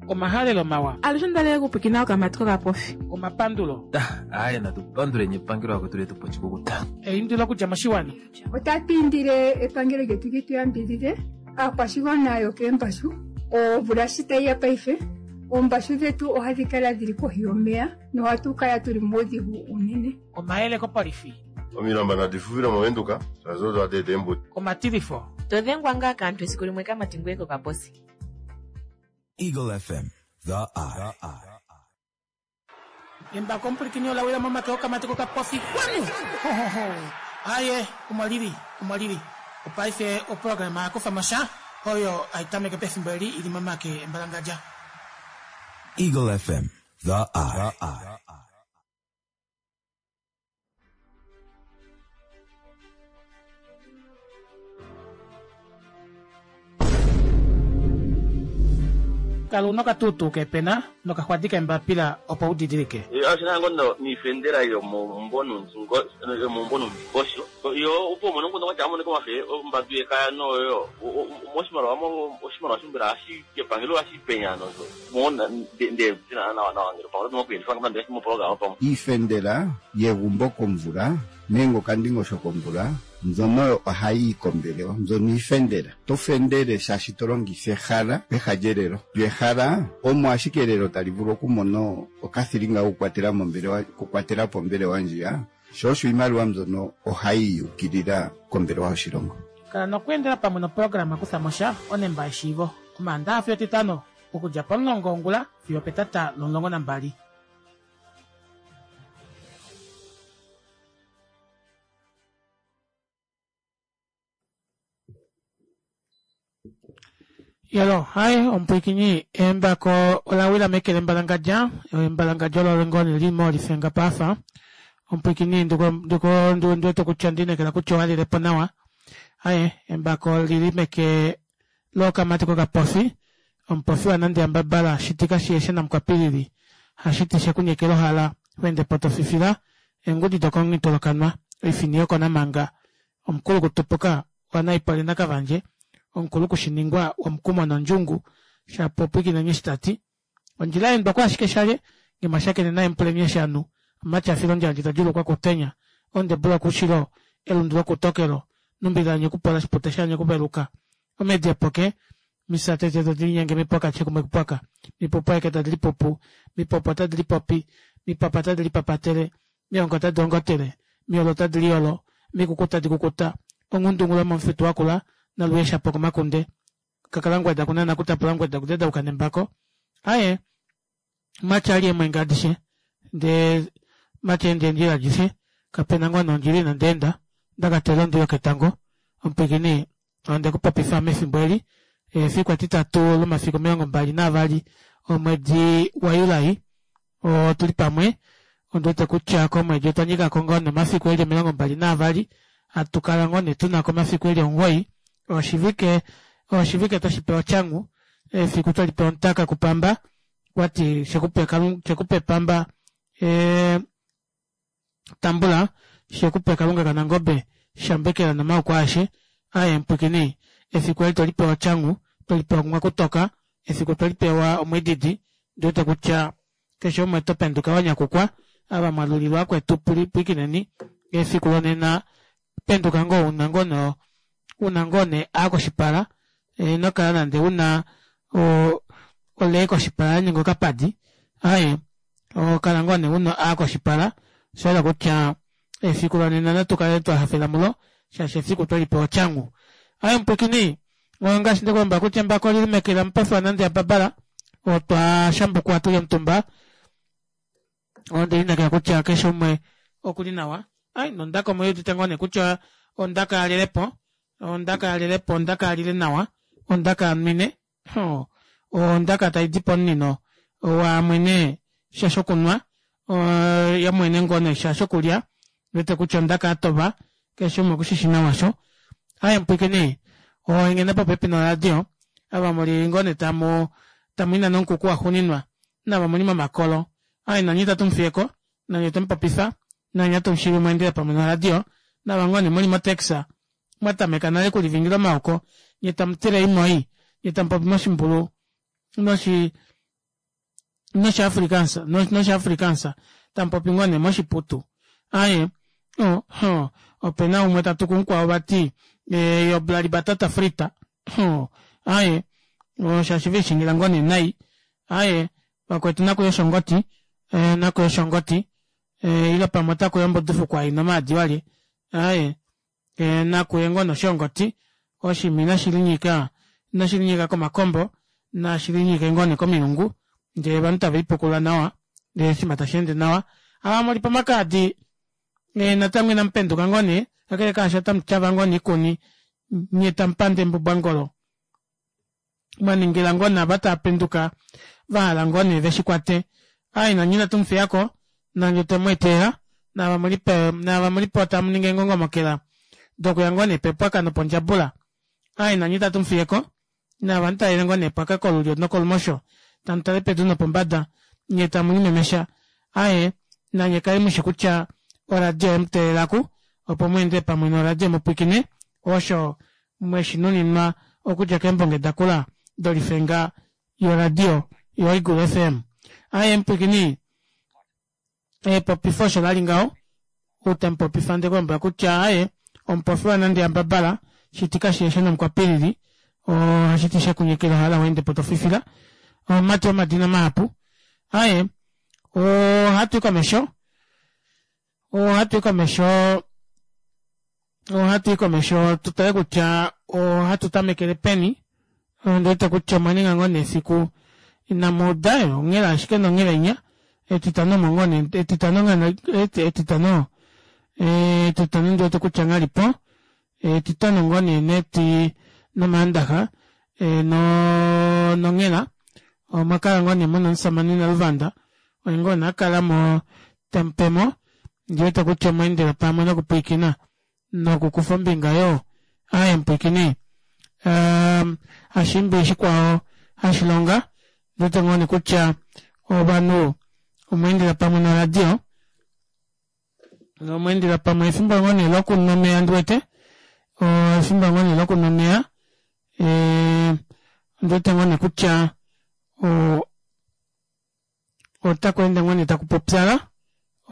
Omahalelo mawa. Alushe onda li okupwikina okamati kokapofi. Omapandulo. Aye natu panduleni epangelo lakwetu letu po oshikukuta. Eindilo okudja moshiwana. Otatu indile epangelo lyetu li tu yambidhidhe aakwashigwana yokeembashu. Omvula shi tayi ya paife, oombashu dhetu ohadhi kala dhili kohi yomeya nohatu kala tuli muudhigu uunene. Omayele kopolifi. Omilamba nadi fufile mOvenduka, shaashi odo hadi eta eembuto. Omatilifo. To dhengwa ngaa kaantu esiku limwe kamati ngoye kokaposi. Eagle FM, the eye. Embako omupulikini ola wila momake okamati kokapofi kwanu Hohoho. Aye omo lili omo lili opaife oprograma ya kufa mo sha oyo hai tameke pefimbo eli ili momake embalangadja. Eagle FM, the eye. Kala una okatuutuu keepena nokaxwadi keembapila opo u didilike. Oshi na ngo niifendela yomomumvo nuundingosho yo opo umone omukundu gwatya amonike wafe ombandu yekaya noyo moshimaliwa oshimaliwa shombela hashi kepangelo hashi penya nozo mona nde tina nawa nawa ngele pamwe oto kuyelifa ngamba ndele moprograma pamwe. Iifendela yegumbo komvula nenge okandingosho komvula mbyono oyo ohayi yi kombelewa, mbyono iifendela. Oto fendele shaashi to longitha ehala peha lyelelo. Lyo ehala omo ashike elelo tali vulu okumona okathilinga kokukwatela mombelewa, okukwatela po ombelewa ndjiya, sho osho iimaliwa mbyono ohayi yi ukilila kombelewa yoshilongo. Kala nokweendela pamwe noprograma Kutha mo sha, Onemba yeshiivo, Omaandaha fiyo Etitano, okudja pomulongo wongula fiyo opetata lomulongo nambali. Yalo, hai omupwikinyi embako ola wila meke lembalangadja, embalangadja olo ngoo li mo lifenga paafa. Omupwikinyi ndiko ndiko ndiwete kutya ndinekela kutya owa lile po nawa. Aye, embako lili meke lokamati kokapofi, omupofi wanande yambabala shitika shiyeshe namukwapilili, hashiti shekunyekela ohala, wende po to fifila, eengudi dokomunghito lokanwa, oifini yokonamanga, omukulu kutupuka waNaipoli naKavandje, omukulu kushiningwa womukumo nondjungu, Shapopwikineni eshi ta ti. Ondjila ya endwa kwaashike shalye, nge mwa shakene naye mupuleni eshi a nu, omumati a fila ondjala ta djuulukwa kutenya, ondebu lokuushilo, elundu lokuutokelo, numbi la nyekupola shipute sha nyekuveluka, omedi epoke, misatete tadi linyenge mipoka chekumwe kupoka, mipupu aeke tadi lipupu, mipopo tadi lipopi, mipapa tadi lipapatele, miongo tadi ongotele, miolo tadi liyolo, mikuku tadi kukuta, onghundungu lomomufitu wakula, naluye shapo komakunde, kakalangweda kunana kutapula ngweda kudedauka nembako. Aye, matya ali emwenga adishe, ndee matya ende eendjila adishe, kapena ngoo nondjila inandi enda, ndakatela ondwi yoketango, omupwiikini onde ku popifa mefimbo eli, efiku etitatu lomafiku 22 omwedi waJulai, otu li pamwe, ondi wete kutya komwedi otwa nyika ko ngoo nomafiku eli 22, hatu kala ngoo nee tu na ko omafiku eli omuwoi, oshivike, oshivike twa shi pewa otyangu, efiku twe li pewa omutaka kupamba, kwati shekupe kalunga, shekupe pamba, ee, Tambula, she ku pe Kalunga kaNangobe, shambekela nomauko aeshe aye mpwikini. Efiku eli twe li pewa otyangu, twe li pewa kumwakutoka, efiku twe li pewa omwididi, ndi wete kutya keshe umwe to penduka wa nyakukwa. Ava mwa lulilwa akwetu pwikineni efiku lonena, penduka ngoo una ngoo no una ngoo ne a koshipala, ino kala nande una o olee koshipala ya ninga okapadi, aaye. Oho kala ngoo nee una a koshipala, osha yela kutya efiku lonena natu kale twa hafela mulo shaashi efiku twe lipewa otyangu. Aye mupwikini, ongaashi nde ku lombwela kutya embako oli li meke lamupofi waNande yaBarbara, otwa shambukwa tu li omutumba. Onde lineekela kutya keshe umwe oku li nawa. Ai, nondaka omu udite ngoo nee kutya ondaka ya lile po, ondaka ya lile po, ondaka ya lile nawa, ondaka ya nwine. Ondaka tai di pomunino wa mwene sha shokunwa, ya mwene ngoo nee sha shokulya, wete kutya ondaka ya tova, keshe umwe okushishi nawa sho. Aye mpwikini, oengena popepi noradio, ava muli ngoo nee tamu, tamu inana omukuku waxuuninwa, nava muli momakolo, aye nanye itatu mu fiyeko, nanye otwe mu popifa, nanye atu mu shivi mu endele pamwe noradio, nava ngoo nee muli motaxi, mwa tameka nale okulivingila omaoko, nye tamu tile imoi, nye tamu popi moshimbulu noshi. noshiAfrikaans noshiAfrikaans tamupopi ngoo nee moshiputu aye oh, oh, opena umwe tatuku mukwao vati eh, yo blali batata frita oh, aye oh, shaashi veishingila ngoo nee nai aye vakwetu nakuye oshongoti eh, nakuye oshongoti eh, ile pamwe otakuya ombudufukwa ina omaadi walye aye e, nakuye ngoo noshongoti oshimi nashi linyika nashi linyika komakombo nashi linyike ngoo nee komilungu ndee ovanhu tave lipukula nawa ndee oshinima tashi ende nawa ava muli pomakaadi e, natango inamu penduka ngoo nee kakele kaasho otamu tyava ngoo nee ikuni nye tamu pande embubwangolo mwa ningila ngoo naava tava penduka va hala ngoo nee veshi kwate ai nanye inatu mu fiyako nanye otwe mu etelela naava muli pe naava muli po tamu ningi eengongomokela dokuya ngoo nee pepwaka nopondjabula ai nanye itatu mu fiyeko naava mu talele ngoo nee epwaka kolulyo nokolumosho tamu tale pedu nopombada nye tamu limemesha aye nanye kali mushi kutya oradio oye mu teelela ku opo mu endele pamwe noradio mu pwiikine osho mweshi nuninwa okudja keembonge dakula dolifenga yoradio yoEagle FM. Aye mupwiikini, epopifo osho lali ngaho, ou tamu popifa nde kulombwela kutya aye omupofi wanande yambabala shiti kashieshe nomukwapilili ohashiti shekunyekela ohala weende po tofifila omumati womadina mahapu. Aye ohatu i komesho ohatu i komesho ohatu i komesho tu tale kutya ohatu tamekele peni ondi wete kutya omwa ninga ngoo nee efiku inamu uda onghela ashike nonghela inya etitano omo ngoo nee etitano ngano etitano etitano ndi wete kutya ngha lipo etitano ngoo nee neti nomaandaxa no nonghela omwa kala ngoo nee muna omusamane Naluvanda oye ngoo nee akala mo temupemo ndi wete kutya omwa endela pamwe nokupwiikina nokukufa ombinga yoo aaye mupwiikini um, hashimbi shikwao hashilonga ndi wete ngoo nee kutya ovanhu omwa endela pamwe noradio omwa endela pamwe efimbo ngoo nee lokunwa omeya ndi wete efimbo ngoo nee lokunwa omeya ondi wete ngoo nee kutya otaku ende ngoo nee taku pupyala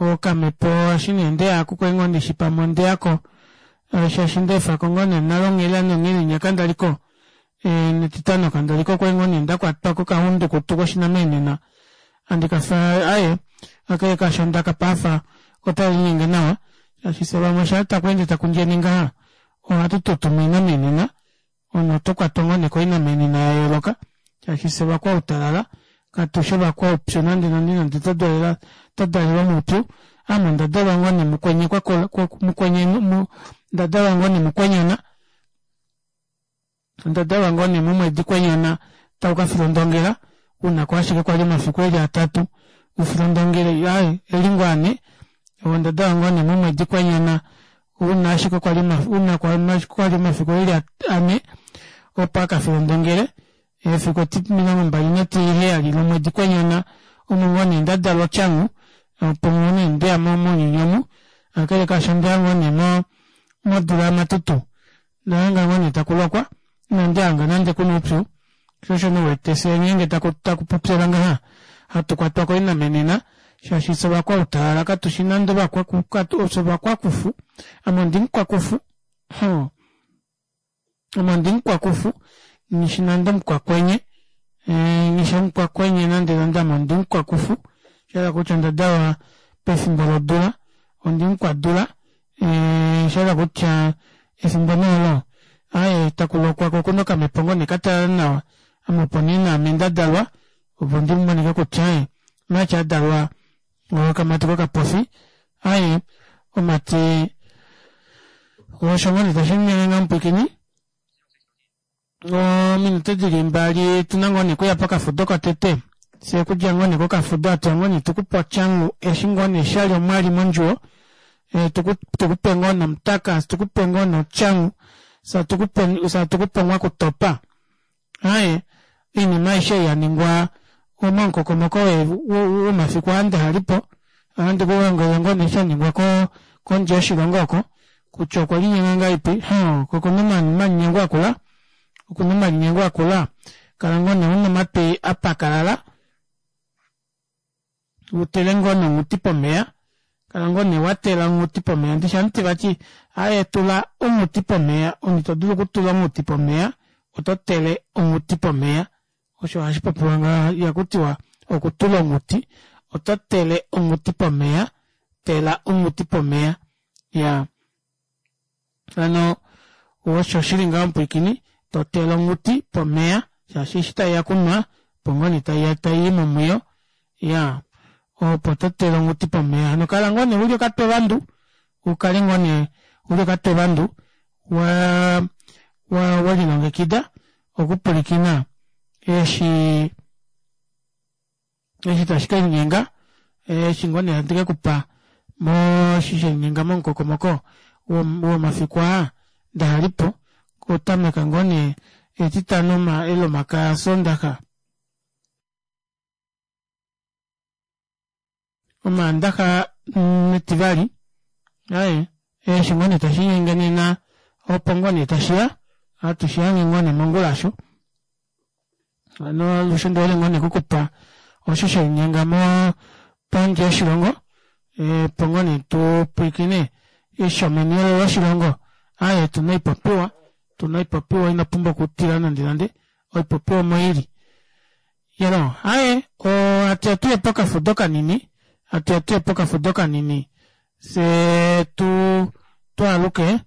okamhepo eshi nee ndeya ku kwali ngoo ndishi pamwe ondeyako shaashi ndeefako ngoo nee nale onghela nonghela inya kandaliko netitano kandaliko kwali ngoo nee ndakwatwa kokahundukutu koshinamenena handi kafa aye kakele kaasho ondaka paafa otai linyenge nawa shaashi fye vamwe shaa taku ende taku ndjene ngaha ohatu tutuma oinamenena Omunhu oto kwatwa ngoo nee koinamenena ya yooloka shaashi fye ovakwautalala katushi ovakwaupyu nande nande nande twa dalelwa twa dalelwa moupyu ame onda dalwa ngoo nee mukwenye kwa kola mukwenye onda dalwa ngoo nee mukwenyana onda dalwa ngoo nee momwedi kwenyana tau ka filondongela una ko ashike kwali omafiku eli atatu ufilondongele aye eli ngoo ane onda dalwa ngoo nee momwedi kwenyana Una ashike kwa li una kwa li omafiku eli ane opo a ka filondongele efiku eti 27 lomwedi kwenyana omo ngoo nee nda dalwa otyangu opo ngoo nee ndeya mounyuni omu kakele kaasho ondeya ngoo nee mo modula yamatutu ndahanga ngoo nee taku lokwa inandi hanga nande kuna oupyu sho osho nee uwete fyee ngeenge taku taku pupyala ngaha hatu kwatwa koinamenena shaashi fye ovakwautalala katushi nande ovakwaku fye ovakwakufu ame ondimukwakufu hoo ame ondimukwakufu nghishi nande omukwakwenye nghishi omukwakwenye nande nande ame ondimukwakufu shahala kutya onda dalwa pefimbo lodula ondimukwadula shahala kutya efimbo nee olo aaye takulokwa ko okuna okamhepo ngoo nee katalala nawa ame opo nee naame ndadalwa opo ndimonike kutya aaye March adalwa okamati kokapofi aaye omati osho ngoo nee tashi ningi nga mupwiikini ominute dili mbali tuna ngoo nee okuya pokafudo kotete fye okudja ngoo nee kokafudo hatuya ngoo nee tukupe otyangu eshi ngoo nee shali omwali mondjuwo tukupe ngoo nomutaka tukupe ngoo notyangu fye tukupe omwakutopa Aaye, oinima aishe ei ya ningwa momukokomoko womafiku aa ndihali po, ohandi ku lombwele ngoo nee sha ningwa kondje yoshilongo oko, kutya okwe linyenga ngahelipi, hoo, ko okuna omalinyengo akula, okuna omalinyengo akula, kala ngoo nee una omatwi a pakalala. Utele ngoo nonghuti pomeya kala ngoo nee watela onghuti pomeya ndishi hamuti vati aaye tula onghuti pomeya omunhu ito dulu okutula onghuti pomeya oto tele onghuti pomeya osho hashi popiwa ngaha ihaku tiwa okutula onghuti oto tele onghuti pomeya tela onghuti pomeya ya hano osho shili ngaho omupwiikini to tele onghuti pomeya shaashi eshi taiya kunwa opo ngoo nee taiya taiyi momwiyo ya opo to tele onghuti pomeya hano kala ngoo nee uli okatwevandu ukale ngoo nee uli okatwevandu wa wa welilongekida okupwilikina eshi eshi tashi ke linyenga eshi ngoo nee handi ke kupa moshi shelinyenga momukokomoko womafiku aa ndahalipo okutameka ngoo nee etitano elomakaya sondaxa omaandaxa netivali aye eshi ngoo nee tashi linyenge nena opo ngoo nee tashiya hatu shihange ngoo nee mongula osho hano alushe ondihole ngoo nee okukupa osho shelinyenga mo pondje yoshilongo opo ngoo nee tupwiikine shomeni loshilongo aaye tuna oipopiwa tuna oipopiwa ino pumbwa okutila nande nande oipopiwa omo ili Yelo, aye, hatu ya tuye pokafudo kanini, hatu ya tuye pokafudo kanini, fye tu twaaluke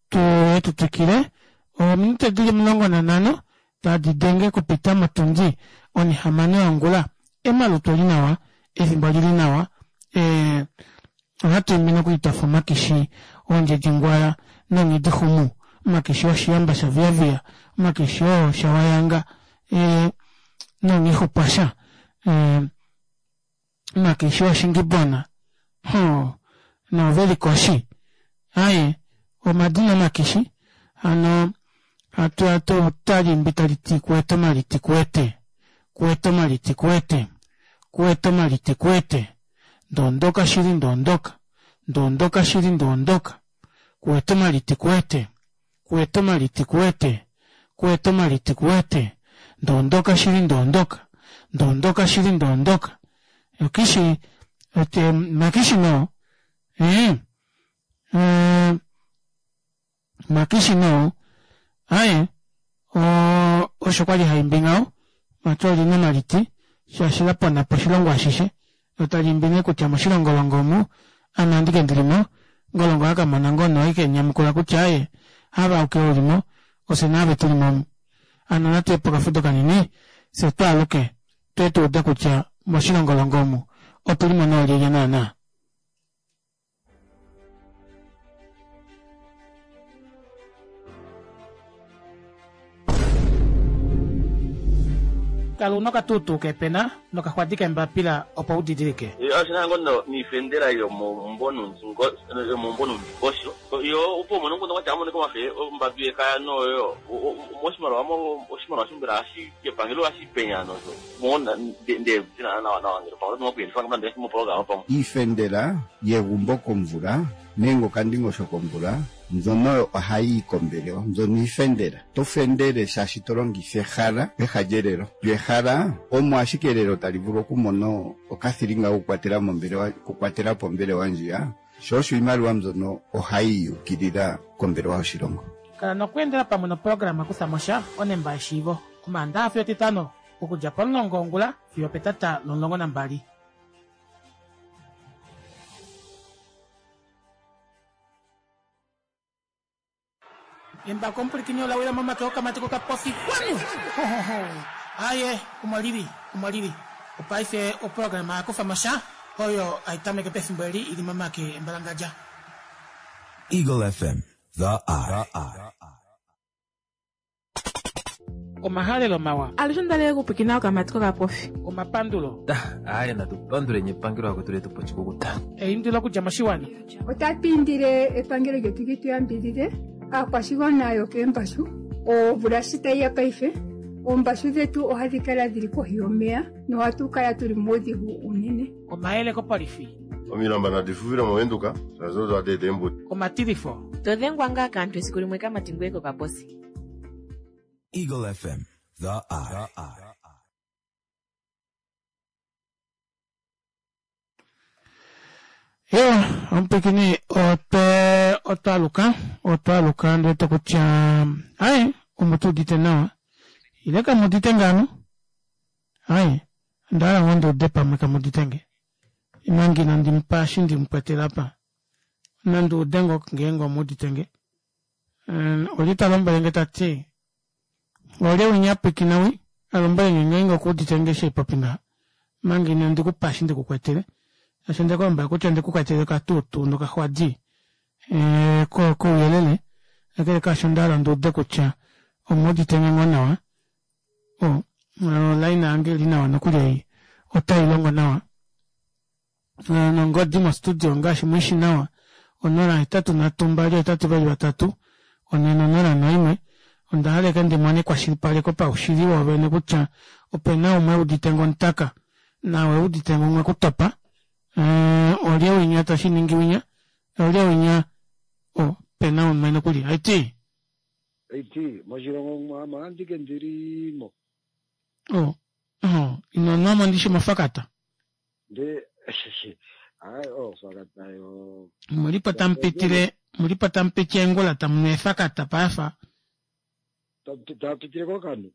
tuye tu twikile. Ominute dili 15 tadi denge kupita motundi onihamano yongula. Emalutu oli nawa, efimbo olili nawa, e, ohatu imbi nokuli twafa omakishi oondjedjingwala nonghidixumu, omakishi oshiyamba shaviyaviya, omakishi oo shawayanga, e, nonghixupwasha, e, omakishi oshingibona, ho, noovelikoshi. Aye, omadina omakishi, hano hatu hatu tali imbi tali ti kuete omaliti kuete, kuete omaliti kuete, kuete omaliti kuete. Ndoondoka shili ndoondoka, ndoondoka shili ndoondoka, kuete omaliti kuete, kuete omaliti kuete, kuete omaliti kuete, ndoondoka shili ndoondoka, ndoondoka shili ndoondoka. Okishi, ote, makishi no, eh, eh, Makishi no aye osho kwali haimbi ngaho vati olina omaliti shaashi la pona po oshilongo ashishe lo tali imbi nee kutya moshilongolongo omu ame andike ndilimo ngolongo aka mona ngoo nee oike nyamukula kutya aye hava auke ulimo ofye naave tulimo omu hano natuye pokafudo kanini fye twaaluke tuye tuude kutya moshilongolongo omu otulimo noolyelye naana. Kala una okatuutuu keepena nokaxwadi keembapila opo u didilike. Oshi na ngoo niifendela yomombonundingosho yo opo umone omukundu kwatya amonike omafe ombadu yekaya noyo moshimaliwa oshimaliwa shombela hashi kepangelo hashi penya nosho Iifendela yegumbo komvula nenge okandingosho komvula mbyono oyo ohayi yi kombelewa. Mbyono iifendela. Oto fendele shaashi to longitha ehala peha lyelelo. Lyo ehala omo ashike elelo tali vulu okumona okathilinga kokukwatela mombelewa, okukwatela po ombelewa ndjiya. Sho osho iimaliwa mbyono ohayi yi ukilila kombelewa yoshilongo. Kala nokweendela pamwe noprograma Kutha mo sha, Onemba yeshiivo, Omaandaha fiyo Etitano, okudja pomulongo wongula fiyo opetata lomulongo nambali. Embako omupwilikini ola wila momake okamati kokapofi kwanu! Hohoho! Aye, omo lili, omo lili. Opaife oprograma ya kufa mo sha oyo hai tameke pefimbo eli i li momake embalangadja. Eagle FM, the eye. Omahalelo mawa. Alushe ondalele okupwikina okamati kokapofi. Omapandulo. Aaye natu panduleni epangelo akwetu letu po oshikukuta. Eindilo okudja moshiwana. Otatu indile epangelo lyetu li tu yambidhidhe aakwashigwana yokeembashu. Omvula shi tayi ya paife, oombashu dhetu ohadhi kala dhili kohi yomeya nohatu kala tuli muudhigu uunene. Omayele kopolifi. Omilamba nadi fufile mOvenduka shaashi odo hadi eta eembudi. Omatilifo. To dhengwa ngaa kaantu esiku limwe kamati ngoye kokaposi. Eagle FM, the eye. Ewa, omupwikini otwe otwaluka otwaluka ndiwete kutya aye omu tu udite nawa ile kamu udite ngano aye onda hala ngoo ndi ude pamwe kamu udite nge imanga inandi mupa eshi ndi mukwetele apa nandi ude ngoo ngeenge omu udite nge olye ta lombwele nge ta ti olye winya a pwiikina wi a lombwele nge ngeenge oku udite nge eshi haipopi ngaha manga inandi ku pa eshi ndiku kwetele shaashi onde ku lombwela kutya onde ku kwetele okatuutu nokaxwadi kouyelele kakele kaasho onda hala ndi ude kutya omu udite nge ngoo nawa olaina yange ili nawa nokuli ei otai longo nawa nongodi mostudio ngaashi mwishi nawa 083 283 401 onda hala eke ndi mone ekwashilipaleko paushili woovene kutya ope na umwe udite ngo omutaka nawe udite ngo umwe kutopa olye winya tashi ningi winya olye winya o pena umwe nokuli aiti aiti moshilongo mwamo andike ndilimo o oh, ino nwamo ndishi mofakata Nde hayi oofakata yo. Mulipo tamu pitile mulipo tamu piti eengula tamu nu eefakata paife. Ta pitile kokanu.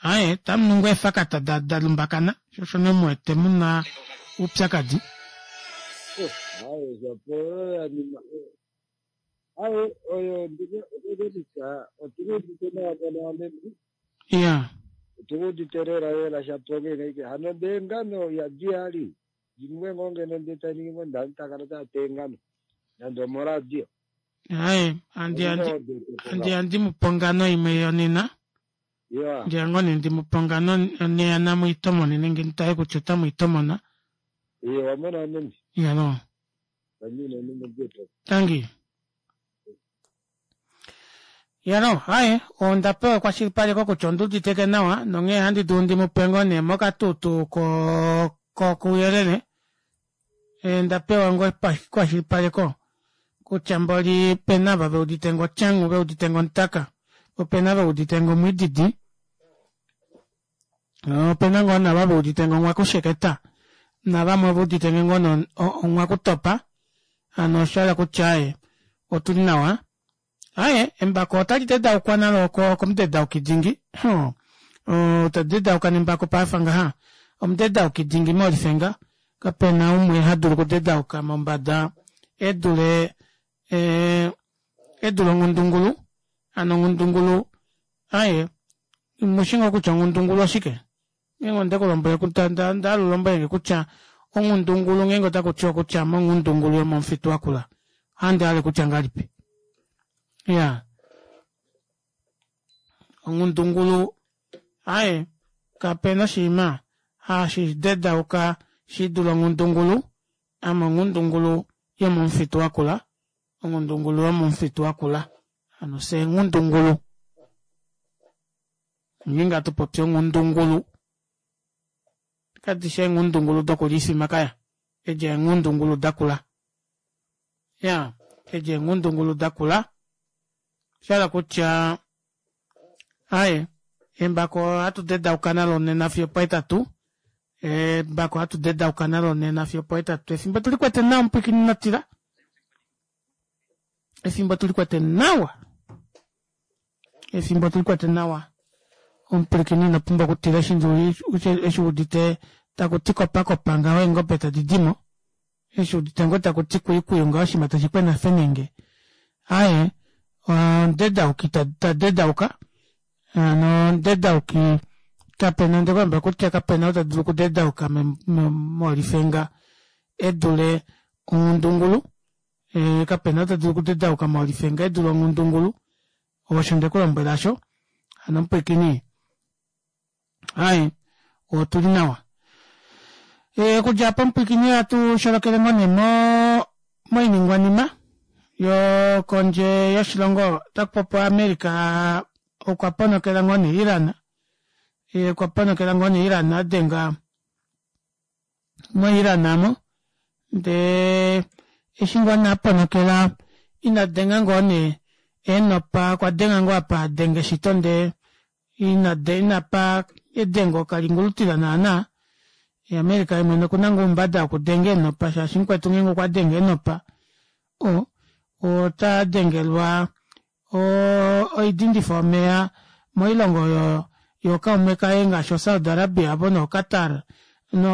Aye tamu nu ngoo eefakata da da lumbakana sho osho nee mu wete mu na oupyakadi. Oh, haye shapo oyo ya nima. Haye oyo ndike ndike otu udite nawa mona meme. Iya. Otu udite lela lela shapo ngenge hano ndee ngano ya diali. Jimwe ngoo ngeno ndee tai ningi ngo nda takala taa teengano nande omoradio. Aye, andi andi andi andi mu pe ongano imwe yonena. Yeah. Ndiya ngoo nee ndi mu pe ongano neyana mu itomone nenge ndi tale kutya otamu itomona. Iye wamona meme. Iya no. Wamina meme jeto. Tangi. Yalo, haye, onda pewa ekwashilipaleko kutya ondi uditeke nawa nonghee handi dulu ndi mu pe ngoo nee mokatuutu ko ko kouyelele. Eh, nda pewa ngoo ekwashilipaleko kutya mboli pena ava ve udite ngo tyangu, ve udite ngo omutaka, opena ve udite ngo omwiididi, opena ngoo nava ve udite ngo omwakusheketa, navamwe ove udite nge ngoo omwakutopa, hano osha hala kutya aye otuli nawa. Aye, embako otali dedaukwa nalo komudedauki dingi. Hoo, ta dedauka nembako paife ngaha. Omudedauki dingi mOlifenga. Kape na umwe ha dulu okudedauka mombada e dule, e, e dule onghundungulu. Hano onghundungulu, aye, mushi ngoo kutya onghundungulu oshike? Ngeenge onde ku lombwele kutya nda nda hala u lombwele nge kutya onghundungulu ngeenge otaku tiwa kutya monghundungulu yomomufitu wakula ohandi hale kutya ngahelipi? Ya onghundungulu aye kape na oshinima hashi dedauka shi dule onghundungulu ame onghundungulu yomomufitu wakula onghundungulu yomomufitu wakula hano fye eenghundungulu Ngeenge hatu popi onghundungulu, kadi shi eenghundungulu dokulifa omakaya, edi eenghundungulu dakula. Ya, edi eenghundungulu dakula. Sha hala kutya, aye, embako ohatu dedauka nalo nena fiyo opohetatu. Embako ohatu dedauka nalo nena fiyo opohetatu. Efimbo tuli kwete nawa omupwiikini ino tila. Efimbo tuli kwete nawa. Efimbo tuli kwete nawa. Omupwilikini ino pumbwa okutila eshi eshi udite taku ti kopakopa ngaho eengobe tadi dimo. Eshi udite ngoo taku ti kuyukuyu ngaho oshinima tashi kwena fenenge. Aye, omudedauki ta dedauka. Hano omudedauki kapena onde kulombwela kutya kapena ou ta dulu okudedauka molifenga e dule onghundungulu. E, kapena ou ta dulu okudedauka molifenga e dule onghundungulu. Osho nde ku lombwela asho. Hano omupwilikini, aye, otu li nawa. E, okudja apa omupwilikini ohatu sholokele ngoo nee mo, moiningwanima yokondje yoshilongo. Otaku popiwa America okwa ponokela ngoo nee Iran. E, okwa ponokela ngoo nee Iran a denga moIran amo ndee eshi ngoo nee a ponokela ina denga ngoo nee eenopa okwa denga ngoo apa a denga eshito ndee ina ina pa edengo kalingulutila naana. America yemwene okuna ngoo oumbada wokudenga eenopa shaashi mukwetu ngeenge okwa denge eenopa o ota dengelwa oidindifo yomeya moilongo oyo yookaume kaye ngaashi oSaudi Arabia avo nooQatar no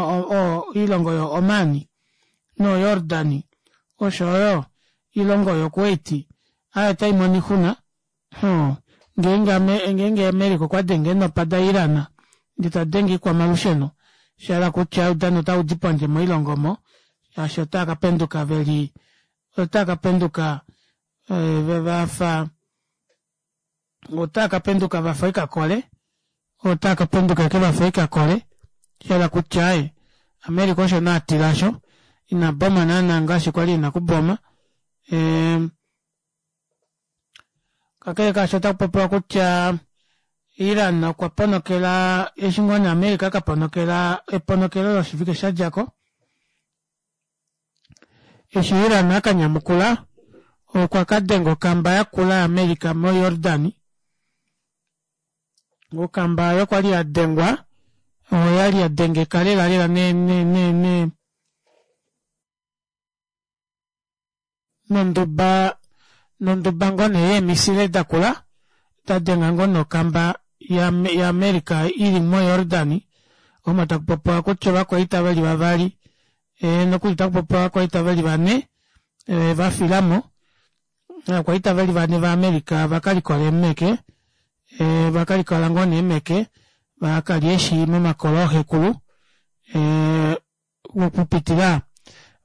oilongo yo Oman noJordan oshoyo oilongo yoKuwait aayo otaimono oixuna Hoo, ngeenge ame, ngeenge America okwa denge eenopa daIran ndee ta denge oikwamalusheno, osha hala kutya oudano otau di pondje moilongo omo, shaashi otaa ka penduka ve li, otaa ka penduka eh, va fa, otaa ka penduka va fa oikakole, otaa ka penduka eke va fa oikakole, sha hala kutya eh, America osho nee a tila osho, ina boma naana ngaashi kwali ena okuboma. Eh, Kakele kaasho otaku popiwa kutya Iran okwa ponokela eshi ngoo nee America ka ponokela eponokelo loshivike sha dja ko. Eshi Iran a ka nyamukula okwa ka denga okamba yakula yaAmerica moJordan. Okamba oyo kwa li ya dengwa oya li ya dengeka lela lela ne, ne, ne, ne nonduba nonduba ngoo nee yeemisile dakula da denga ngoo nee okamba yaAmerica ili moJordan omo taku popiwa kutya ovakwaita veli vavali e, nokuli taku popiwa ovakwaita veli vane e, va filamo ovakwaita veli vane vaAmerica va ka likola eemeke e, va ka likola ngoo nee eemeke va ka lya eeshi momakolo ooxekulu e, okupitila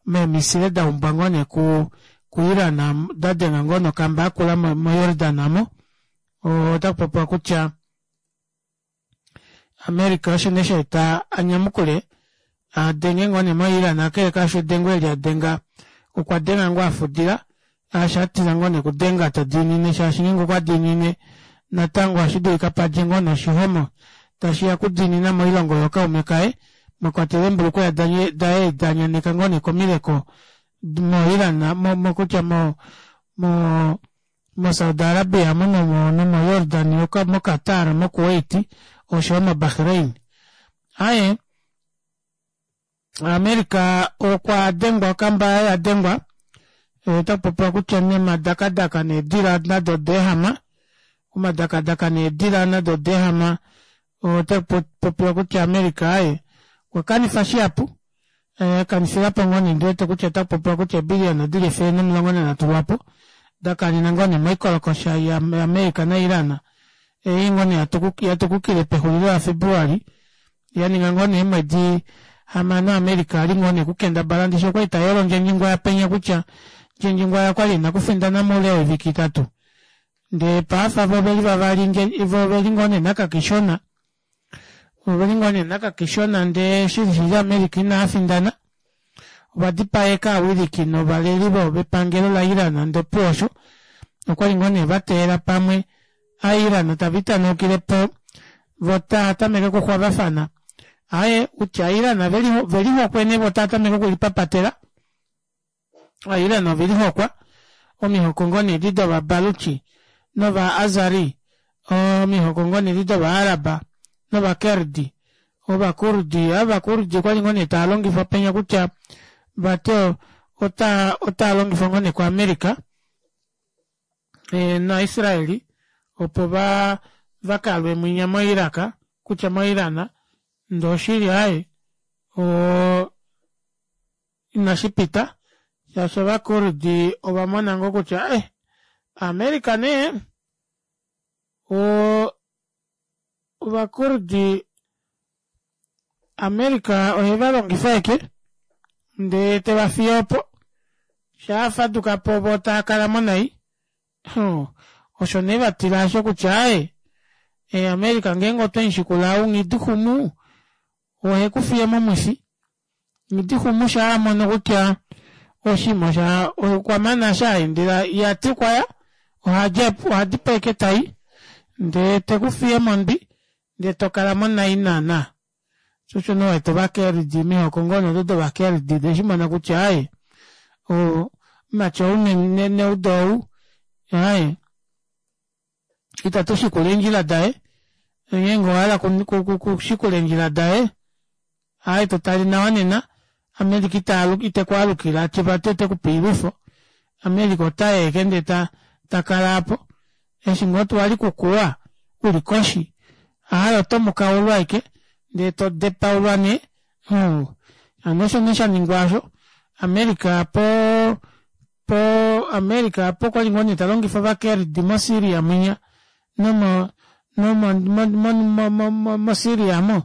meemisile da umbwa ngoo nee ku kuIran da denga ngoo nokamba yakula moJordan amo otaku popiwa kutya America osho nee sha eta a nyamukule a denge ngoo nee moIran kakele kaasho edengo eli a denga okwa denga ngoo a fudila Shaashi a tila ngoo nee okudenga ta diinine shaashi ngeenge okwa diinine natango ohashi dulika padje ngoo nee oshihomo tashi ya okudiinina moilongo yookaume kaye mwa kwatelwa eembulukweya daye da nyaneka ngoo nee komileko moIran mo kutya mo mo moSaudi Arabia mo nomoJordan moQatar moKuwait oshoyo moBahrain. Aaye America okwa dengwa okamba yaye ya dengwa ota popiwa kutya nemadakadaka needila nado odeehama omadakadaka needila nado odeehama ota popiwa kutya America aye okwa kanifa shihapu eh, kanifilapo ngoo nee ndiwete kutya ota popiwa kutya eebiliyona dili 113 lwapo da kanena ngoo nee moikolokosha yaAmerica naIran ei ngoo nee yatukukile pexulilo laFebruali ya ninga ngoo nee eemwedi hamano America ali ngoo nee kukendabala ndishi okwali tayolo Ndjendjingwaya penya kutya Ndjendjingwaya okwali ena okufindana moule woivike itatu ndee paafa vo oveli vavali vo oveli ngoo nee nakakishona oveli ngoo nee nakakishona ndee shili shili America ina findana ova dipaeka aawiliki novaleli vepangelo laIran ndee opuwo osho okwali ngoo nee vateela pamwe Aairana tava itanaukile po vo taa tameke okuxwavafana. Aaye, kutya Aairana ve lihokwe nee vo taa tameke okulipapatela. Aairana ove lihokwa omihoko ngoo nee edi dOvabaluchi nOvaazari, omihoko ngoo nee edi dOvaaraba nOvakerdi, Ovakurdi. Ovakurdi okwa li ngoo nee taa longifwa penya kutya vati otaa otaa longifwa ngoo nee kuAmerica. naIsraeli opo va va kalwe mwinya moIraq kutya moIran ndee oshili aaye o inashi pita shaashi ovakurdi ova mona ngoo kutya eh America nee o Ovakurdi America ohe va longifa eke ndee te va fiye opo shaa faduka po vo taa kala mo nai osho nee va tila asho kutya aaye e America ngeenge otwe mu shikula ou Nghidixumu ohe ku fiye momwifi Nghidixumu shaa mono kutya oshinima osha okwa mana sha endela ya ti okwa ya ohadi po eke tai ndee te ku fiye mondwi ndee to kala mo nai naana sho osho nee wete ovakerdi mihoko ngoo nee odo dovakerdi de shi mona kutya aaye omumati ou neudo ou aaye itatu shikula eendjila daye ngeenge owa hala kushikula eendjila daye. Aaye to tale nawa nena America ita ite ku alukila atye vati ote ku pe oilwifo. America ota yi ashike ndee ta ta kala aapo. Eshi ngoo wali kukuwa uli koshi aaye oto mukaulwa ashike ndee to depaulwa nee. Huu. Hano osho nee sha ningwa osho. America po po America po okwali ngoo nee ta longifa ovakerdi moSyria mwinya nomo nomo mo mo mo mo moSyria mo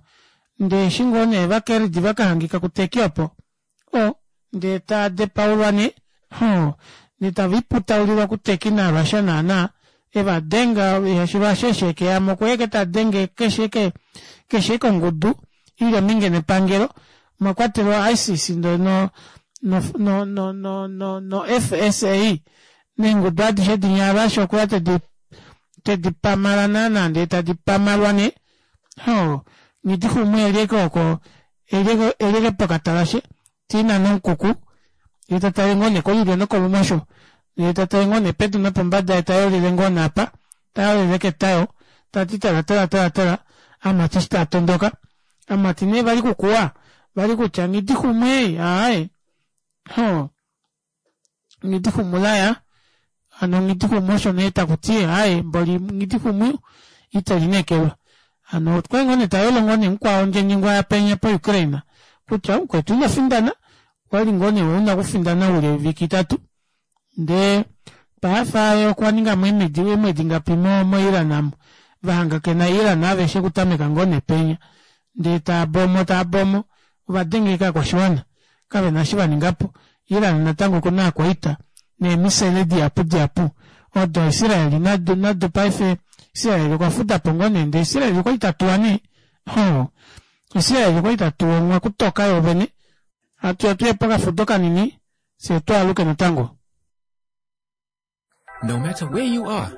ndee eshi ngoo nee ovakerdi vakahangika kuTurkey opo o ndee taa depaulwa nee hoo ndee tava iputaulilwa kuTurkey naRussia naana eva denga shaashi Russia eshi ekeyamo okweya ashike tadenge keshe ke keshe eke ongudu ili ominge nepangelo mwa kwatelwa ISIS no no no no no no no FSA neengudu adishe dinya Russia okweya tedi tedi pamala naana ndee tadi pamalwa nee hoo nghidixumwe elyeke oko elyeke elyeke pokatalashe tiinane omukuku ye ta tale ngoo nee kolulyo nokolumosho ye ta tale ngoo nee pedu nopombada ye ta yolele ngoo nee apa ta yolele ketayo ta ti tala tala tala tala amati eshi taa tondoka amati nee vali kukuwa vali kutya nghidixumwe aaye hoo Nghidixumu laya hano Nghidixumu osho nee taku ti aaye mboli Nghidixumu ite lineekelwa. Hano okwali ngoo nee tayolo ngoo nee mukwao Ndjenyengwa yapenya po Ukraine kutya mukwetu ino findana okwali ngoo nee una okufindana oule woivike itatu ndee paife aye okwa ningamo eemwedi eemwedi ngapi mo mo Iran amu vahangakena Iran aveshe okutameka ngoo nee penya ndee taabomo taabomo ovadenge ashike ovakwashiwana kavena eshi vaningapo. Iran natango okuna aakwaita neemisele dihapu dihapu odo Israel nado nado paife Israel okwa fudapo ngoo nee ndee Israel okwali tatuwa nee hoo Israel okwali tatuwa onghwa kutoka yoovene. Hatuya tuye pokafudo kanini fyee twaaluke natango. No matter where you are,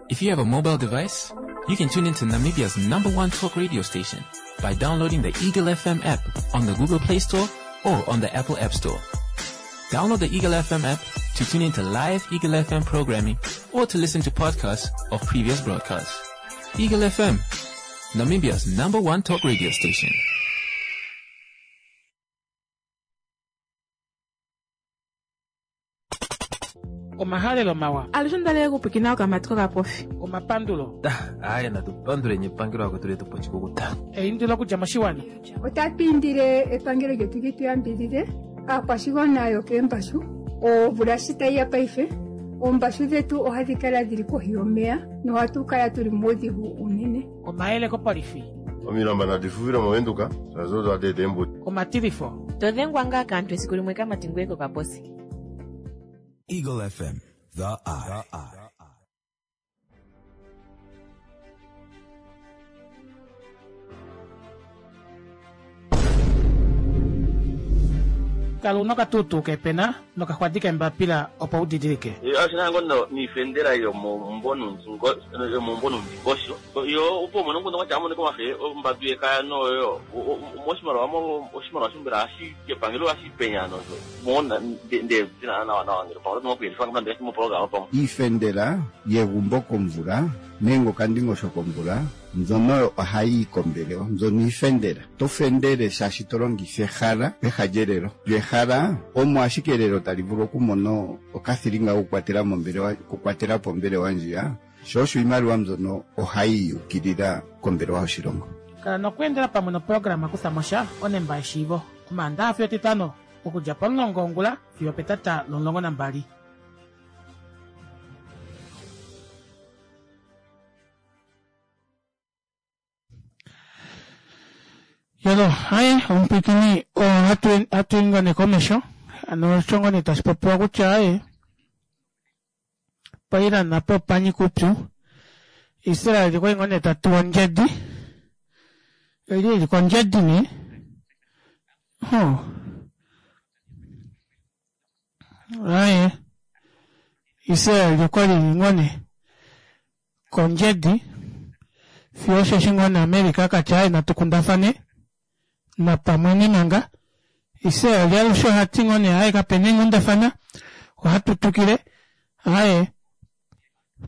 if you have a mobile device, you can tune into Namibia's number one talk radio station by downloading the Eagle FM app on the Google Play Store or on the Apple App Store. Download the Eagle FM app to tune into live Eagle FM programming or to listen to podcasts of previous broadcasts. Eagle FM, Namibia's number one talk radio station. Omahalelo mawa. Alushe onda li okupwikina okamati kokapofi. Omapandulo. Aaye natu panduleni epangelo akwetu letu po oshikukuta. Eindilo okudja moshiwana. Otatu indile epangelo lyetu li tu yambidhidhe aakwashigwana yokeembashu. Omvula shi tayi ya paife, oombashu dhetu ohadhi kala dhili kohi yomeya nohatu kala tuli muudhigu uunene. Omayele kopolifi. Omilamba nadi fufile mOvenduka, shaashi odo hadi eta eembudi. Omatilifo. To dhengwa ngaa kaantu esiku limwe kamati ngweye kokaposi. Eagle FM, The Eye. Kala una okatuutuu keepena nokaxwadi keembapila opo u didilike. Osho nee ngoo niifendela yomoombo nuundingosho yo opo umone omukundu kwatya amonike wafe ombadu yekaya noyo moshimaliwa oshimaliwa shombela hashi kepangelo hashi penya nosho Iifendela yegumbo komvula nenge okandingosho komvula mbyono oyo ohayi yi kombelewa. Mbyono iifendela. Oto fendele shaashi to longitha ehala peha lyelelo. Lyo ehala omo ashike elelo tali vulu okumona okathilinga kokukwatela mombelewa, okukwatela po ombelewa ndjiya. Sho osho iimaliwa mbyono ohayi yi ukilila kombelewa yoshilongo. Kala nokweendela pamwe noprograma Kutha mo sha onemba yeshiivo Omaandaha fiyo Etitano okudja pomulongo wongula fiyo opetata lomulongo nambali. Yolo, haye omupwikini oo hatu ingone komesho ano osho ngoo nee tashi popiwa kutya aye paIran apa opa nyika oupyu Israel okwali ngoo nee ta tuwa ondjedi eli eli kondjedi nee Huh. Aye. Israel okwa li ngoo nee kondjedi fiyo osheshi ngoo nee America ka tya aye natu kundafane napamwe nemanga. Israel alushe oha ti ngoo nee aye kapena eenghundafana ohatu twikile aye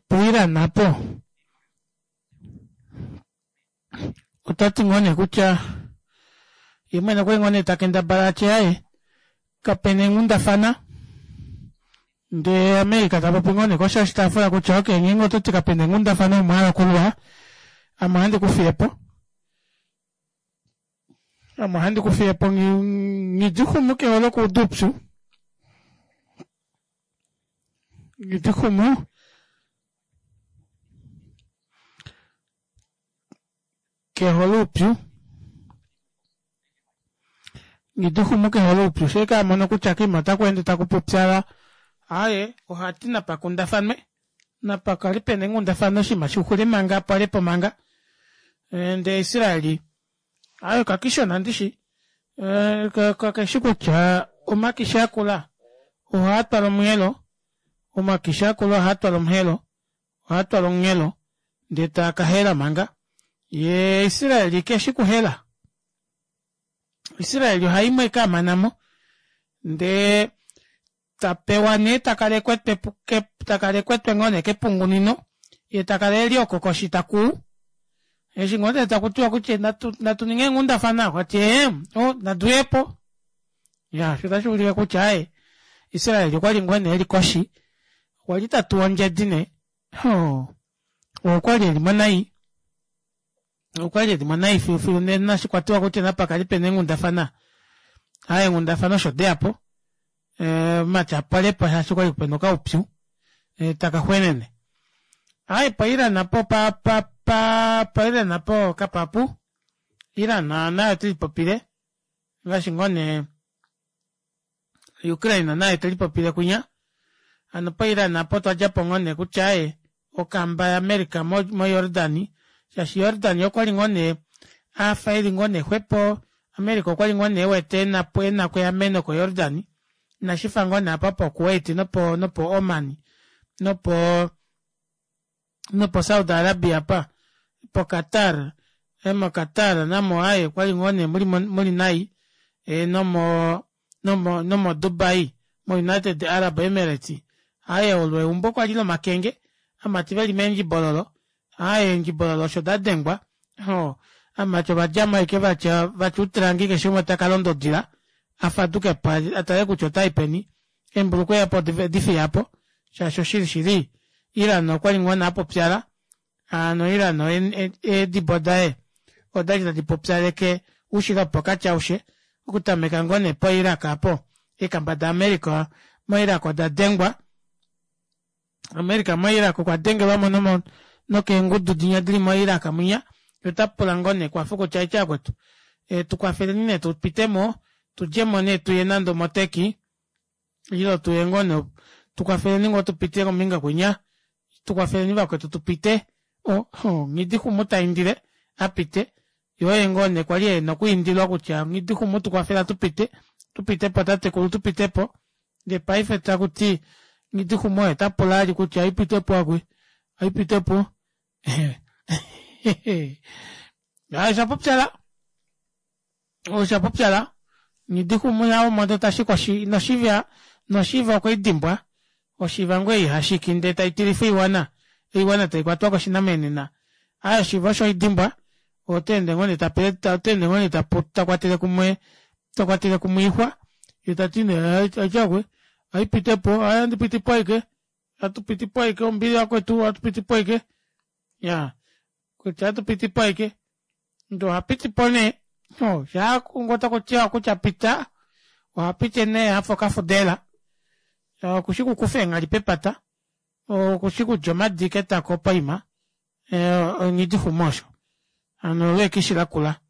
puIran apo Ota ti ngoo nee kutya Ye mwene okwali ngoo nee ta kendabala atye aaye kapena eenghundafana ndee America tapopi ngoo nee koshi yoshitaafula kutya okay ngeenge ototi kapena eenghundafana omo wahala okulwa ame ohandi kufiyepo ame ohandi kufiyepo nghidixumu kehole okuuda oupyu nghidixumu Kehole oupyu. Nghidixumu kehole oupyu shee ka mono kutya koima otaku ende taku pupyala aaye ohati napa kundafanwe napa kale pena eenghundafana oshinima shixule manga pwalepo manga ndee Israeli aaye kakishona ndishi kakeshi kutya omakishi akula ohaa twala omuyelo omakishi akula ohaa twala omuhelo Oha twala onghelo ndee taa ka hela manga. Ye Israeli ke shi kuhela. Israeli oha imwe eke a mana mo ndee ta pewa nee ta kala ekwetwe ta kala ekwetwe ngoo nee kepungunino ye ta kala eli oko koshi ta kuu. Eshi ngoo nee taku tiwa kutya natu natu ninge eenghundafana okwa ti ee o nadu yepo. Ya sho otashi ulike kutya aye Israeli okwa li ngoo nee eli koshi Okwa li ta tuwa ondjedi nee. Hoo. Okwa li e li mo nai. Okwa li e li mo nai filufilu nena shi kwa tiwa kutya napa kali pena eenghundafana. Aa eenghundafana osho deya po. Omati a pwale po shaashi okwali pena okaupyu taka xwenene. Aaye po Iran po pa pa pa po Iran po kapapu. Iran naye ote lipopile ngaashi ngoo nee Ukraine naye te lipopile kwinya. Hano poIran apa otwa dja po ngoo nee kutya aaye okamba yaAmerica moJordani shaashi Jordani okwa li ngoo nee a fa eli ngoo nee xwepo, America okwa li ngoo nee e wete e na ko eameno koJordani inashi fa ngoo nee apa poKuwait nopo nopo Oman nopo nopo Saudi Arabia apa po Qatar mo Qatar namo aaye okwali ngoo nee muli muli nai nomo nomo nomo Dubai mo United Arab Emirates aaye olo eumbo kwali lomakenge amati veli meendjibololo aaye eendjibololo osho dadengwa hoo amati ovadjamo aike vatya vatya utrangi keshe umwe taka londa odila afadukepo atale kutya otai peni Eembulukweya po odi fiya po, shaashi oshili shili Iran okwa li ngoo nee a popyala, hano Iran eedibo daye oda li tadi popyaleke oushilo wopokati aushe, okutameka ngoo nee poIraq apo, eekamba daAmerica moIraq oda dengwa, America moIraq okwa dengelwa mo nomo nokeengudu dinya dili moIraq mwinya, ye ota pula ngoo nee ekwafo kutya aitye akwetu, tu kwafeleni nee tu pite mo, tu dje mo nee tuye nande omoTurkey, Ile tu ye ngoo nee tu kwafeleni ngoo tu pite kombinga kwinya, tu kwafeleni vakwetu tu pite. O, Nghidixumu ta indile a pite. Ye oye ngoo nee kwali e na okwiindilwa kutya Nghidixumu tu kwafela tu pite, tu pite po tatekulu tu pite po. Ndee paife taku ti Nghidixumu oye ta pula ali kutya ai pite po akwe, ai pite po. Osha pupyala. Osha pupyala. Nghidixumu ya omodo ta shika oshi, noshiva, noshiva okwe i dimbwa. Oshiva ngoo ei hashiki ndee tai tilifa oiwana, oiwana tai kwatwa koshinamenena. Aaye oshiva osho oidimbwa, ota ende ngoo nee ta pele, ota ende ngoo nee ta, ta kwatele kumwe, ta kwatele kumwe oixwa, ye ta ti nee atyakwe, ai pite po, aaye andi piti po aike, atu piti po aike, ombili yakwetu, atu piti po aike. Ya, kutya atu piti po aike. Ndee oha piti po nee, oh, shaa ngoo taku tiwa kutya pita, oha piti nee afa okafudela. Okushi kukufa eenghali pepata, okushi kulya omadi ketako poima, onghidixumo osho. Hano olo ekishi lakula.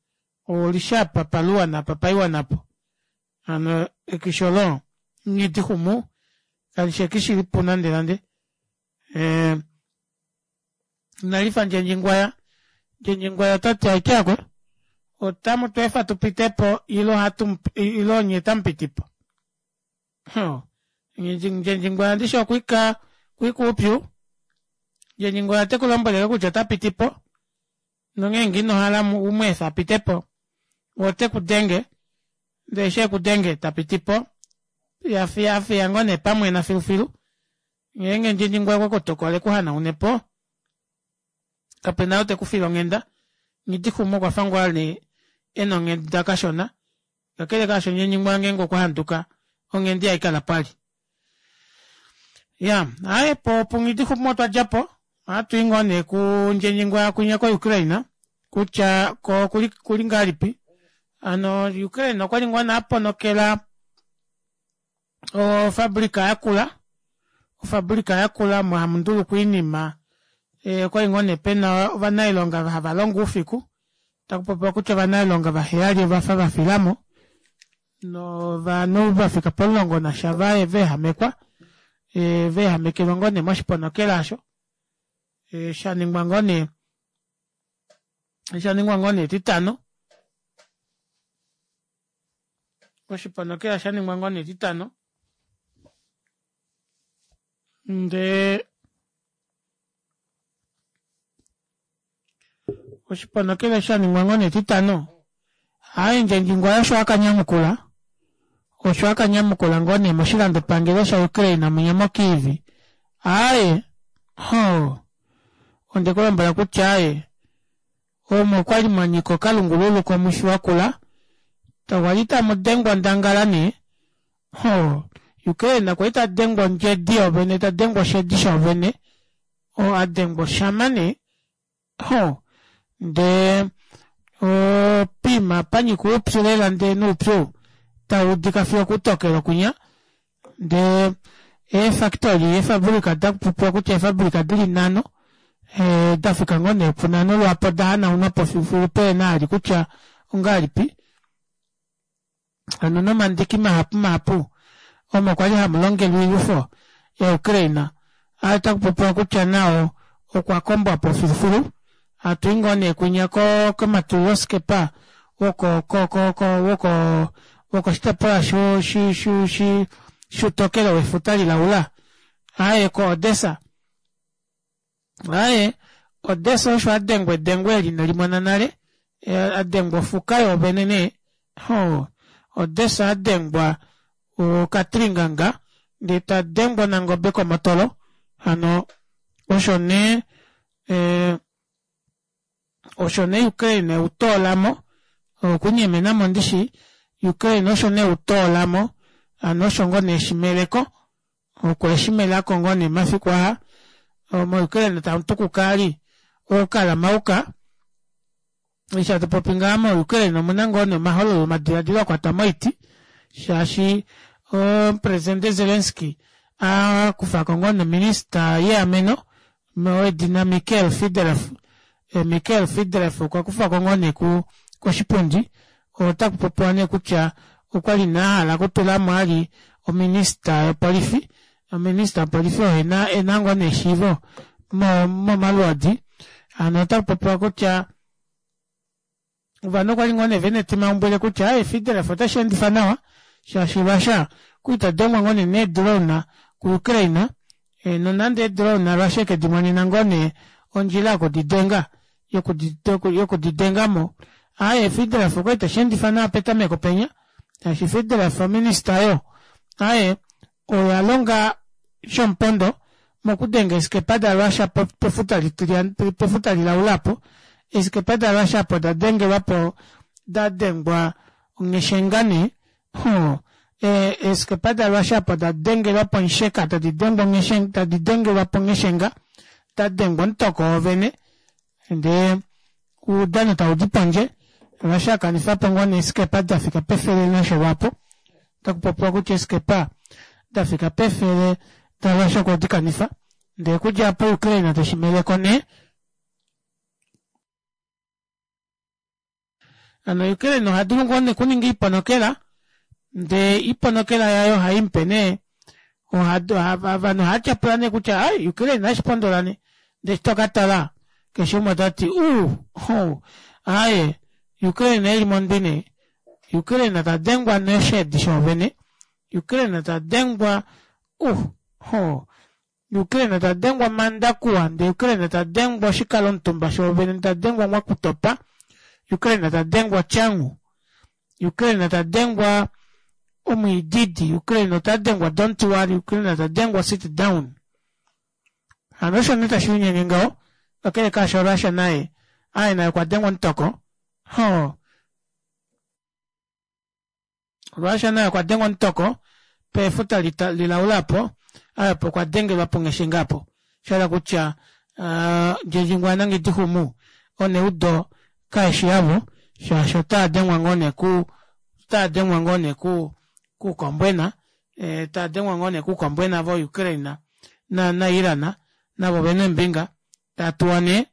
Olishi apa paluwa napa paiwa napo. Hano ekishi olo nghidixumu kalishi ekishi lipu nande nande. Inali fa Ndjendjingwaya. Ndjendjingwaya ota ti aike akwe otamu tu efa tu pite po ile ohatu ile onye tamu piti po. Ndjendjingwaya ndishi okwika kwika uupyu. Ndjendjingwaya te ku lombwele kutya ota piti po nongeenge ino hala u mu efe a pite po ote ku denge ndele eshi e ku denge ta piti po ya fiya fiya ngoo nee pamwena filufilu. Ngeenge Ndjendjingwa okwe ku tokola e ku hanaune po, kape na ou te ku file onghenda. Nghidixuma okwa fa ngoo a li e na onghenda kashona. Kakele kaasho Nyenyingwa ngeenge okwa handuka onghendi haikala pwali. Ya, aaye po puNghidixumu otwa dja po, ohatu i ngoo nee kuNdjenyingwa kwinya koUkraine kutya ko okuli kuli ngahelipi. Hano Ukraine okwali ngoo nee a ponokela ofabulika yakula, ofabulika yakula omo hamu ndulukwa oinima eh, okwali ngoo nee pena ovanailonga hava longo oufiku taku popiwa kutya ovanailonga vaheyali ovafa va filamo novanhu va fika pomulongo nasha va veehamekwa eh, veehamekelwa ngoo nee moshiponokela osho eh, sha ningwa ngoo nee sha ningwa ngoo nee etitano oshiponokela sha ningwa ngoo nee etitano ndee Oshiponokela sha ningwa ngoo nee Etitano, Haindja Ndjingwa osho a ka nyamukula osho a ka nyamukula ngoo nee moshilandopangelo sha Ukraine mwinya mo Kyiv. Aaye, hoo, onde ku lombwela kutya aaye, omo okwali mwa nyika okalungululu komwifi wakula, tawali tamu dengwa ondangala nee, hoo, Ukraine kwali ta dengwa ondjedi yoovene, ta dengwa oshedi shoovene, oo a dengwa oshama nee, ho ndee opiima panyika oupyu lela ndee noupyu tau udika fiyo okutokelo kwinya ndee eefactory eefabulika dakupopiwa kutya eefabulika dili nhano eh, da fika ngoo nee punhano lwaapo da hanaunwa po filufilu peena ali kutya ongahelipi Hano nomandiki mahapu mahapu omo kwali hamu longelwa oilwifo yaUkraine aa taku popiwa kutya nao okwa kombwa po filufilu. Hatu i ngoo nee kwinya ko komatuliloskepa woko ko ko ko woko wokoshitopolwa shu shu shu shu shutokelo wefuta lilaula aaye ko Odessa. Aye, Odessa osho a dengwa edengo eli ino limona nale, a dengwa ofuka yoovene nee. Hoo, Odessa a dengwa okatringanga ndee ta dengwa onangobe komotolo. Hano osho nee eh, osho nee Ukraine eu toolamo okunyemenamo ndishi Ukraine osho nee eu toolamo hano osho ngoo nee shimeleko Okwe shi melako ngoo nee mafiku aa moUkraine tamu tukuka ali ookalamauka. Eshi hatu popi ngaha moUkraine omuna ngoo nee omahololo omadiladilo a kwatwa moiti shaashi omupresidente Zelensky a kufa ko ngoo nominista yeameno wedina Mikhail Fedorov. Mikhail Fedorov okwa kufa ko ngoo nee koshipundi Otaku popiwa nee kutya okwali nee a hala okutula mo ali ominista yopolifi. Ominista yopolifi oyo ena ena ngoo nee eshiivo mo momalwoodi. Hano otaku popiwa kutya ovanhu okwali ngoo nee vena etimaumbwile kutya aaye Fidref otashi endifa nawa shaashi Russia okwali ta dengwa ngoo nee needrone kuUkraine. Nonande eedrone Russia eke di monena ngoo nee ondjila yokudidenga yokudidenga mo. Aaye Fidraf okwali teshi endifa nawa petameko penya, shaashi Fidraf ominista oyo aaye oya longa shomupondo mokudenga eeskepa daRussia pefuta litilyana pefuta lilaula apo. Eeskepa daRussia apo da dengelwa po da dengwa ongeshenga nee. Hoo, eeskepa daRussia apo da dengelwa ponsheka tadi dengwa ongeshenga tadi dengelwa pongeshenga da dengwa omutoko wovene ndee oudano tau di pondje Russia kanifa po ngoo nee eeskepa da fika pefele nasho lwaapo. Otaku popiwa kutya eeskepa da fika pefele daRussia okwe di kanifa ndee okudja apo Ukraine teshi meleko nee. Hano Ukraine oha dulu ngoo nee okuninga oiponokela ndee iponokela yaye ohai mupe nee ovanhu ohava tyapula nee kutya ai Ukraine inashi pondola nee ndee eshi toka tala keshe umwe ota ti uu hoo aaye Ukraine eli mondwi nee Ukraine ta dengwa nosheedi shoovene Ukraine ta dengwa uh hoo Ukraine ta dengwa mandakuwa ndee Ukraine ta dengwa oshikalomutumba shoovene ta dengwa mwakutopa Ukraine ta dengwa changu Ukraine ta dengwa omwiididi Ukraine ota dengwa don't worry Ukraine ta dengwa sit down hano osho nee tashi linyenge ngaho kakele kaasho Russia naye aye naye okwa dengwa omutoko hoo. Russia naye okwa dengwa omutoko pefuta lilaula apo, apo okwa dengelwa pongeshenga apo. Sha kutya Ndjendjingwa naNghidihumu oneudo kaeshi yavo shaashi otaa dengwa ngoo nee ku otaa dengwa ngoo nee ku kuukombwena taa dengwa ngoo nee kuukombwena vo Ukraine na na Iran navo ovena eembinga taa tuwa nee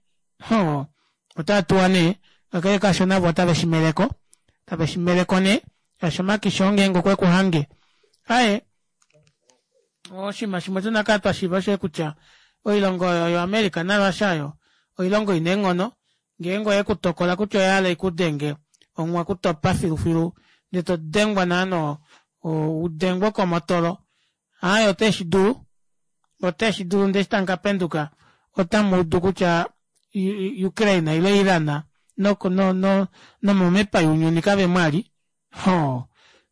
hoo otaa tuwa nee kakele kaasho navo otave shimeleko tave shimeleko nee shaashi omakisho ngeenge okwe ku hange aye oshinima shimwe tuna kala twa shiiva osho kutya oilongo oyo yoAmerica naRussia oyo oilongo ina eenghono ngeenge oye ku tokola kutya oya hala ikudenge omwa kutopa filufilu ndee to dengwa naano udengwe komotolo aaye ote shi dulu ote shi dulu ndee eshi tamu ka penduka otamu udu kutya Ukraine ile Iran nomomepa younyuni kave mwali hoo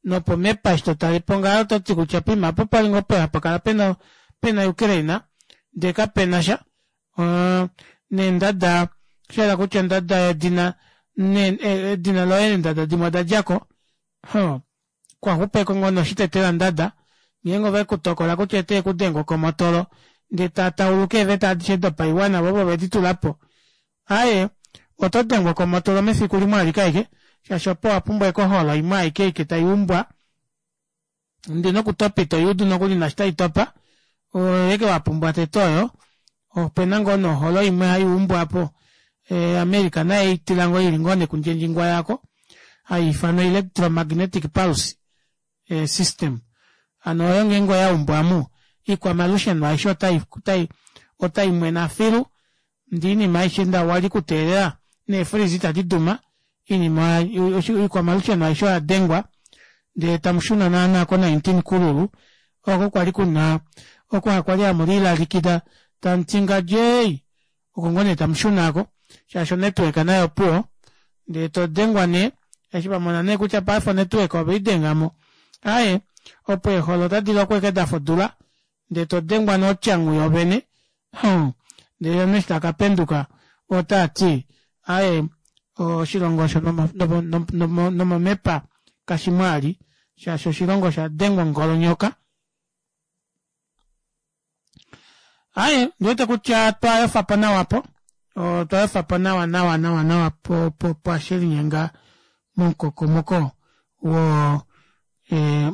nopomepa eshi totalepo ngaho ototi kutya poima apo pali ngoo hapa kala pena pena Ukraine ndee kapena sha neendada osha yela kutya ondada yedina edina loye eendada dimwe oda djako hoo kwaxupeko ngoo noshitetela ndada ngeenge ove kutokola kutya ete kudenga okomotolo ndee tatauluka eeveta adishe dopaiwana vo vedi tulapo aaye oto dengwa komotolo mefiku limwe alike aike shaashi opo wapumbwa ekoholo imwe aike aike taiumbwa ndee nokutopa ito yuudu nokuli naashi taitopa oyeke wapumbwa tete oyo opena ngoo noholo imwe haiumbwa apo America naye eitila ngoo ili ngoo nekundjendjingwa yako haiifanwa electromagnetic pulse system hano oyo ngeenge oyaumbwa amu ikwamalusheno aishe otai mwena filu ndee oinima aishe nda wali kuteelela neefreeze itadi duma oinima ikwamalusheno aishe oyadengwa ndee tamushuna naana ko 19 kululu oko kwali kuna oko kwali hamu lilalikida tamuti ngadjei oko ngoo nee tamushuna aako shaashi onetwork nayo opuwo ndee todengwa nee eshi vamona nee kutya paife onetwork oveidengamo aaye opo eeholo otadi lokwa eke dafa odula ndee todengwa notyangu yovene ndele omunhu eshi takapenduka otati aaye oshilongo osho nomomepa kashimwaali shaashi oshilongo osha dengwa ongolonyoka. Aaye ndiwete kutya twayofapo nawa apo otwayofapo nawa nawa nawa nawa pwashelinyenga momukokomoko wo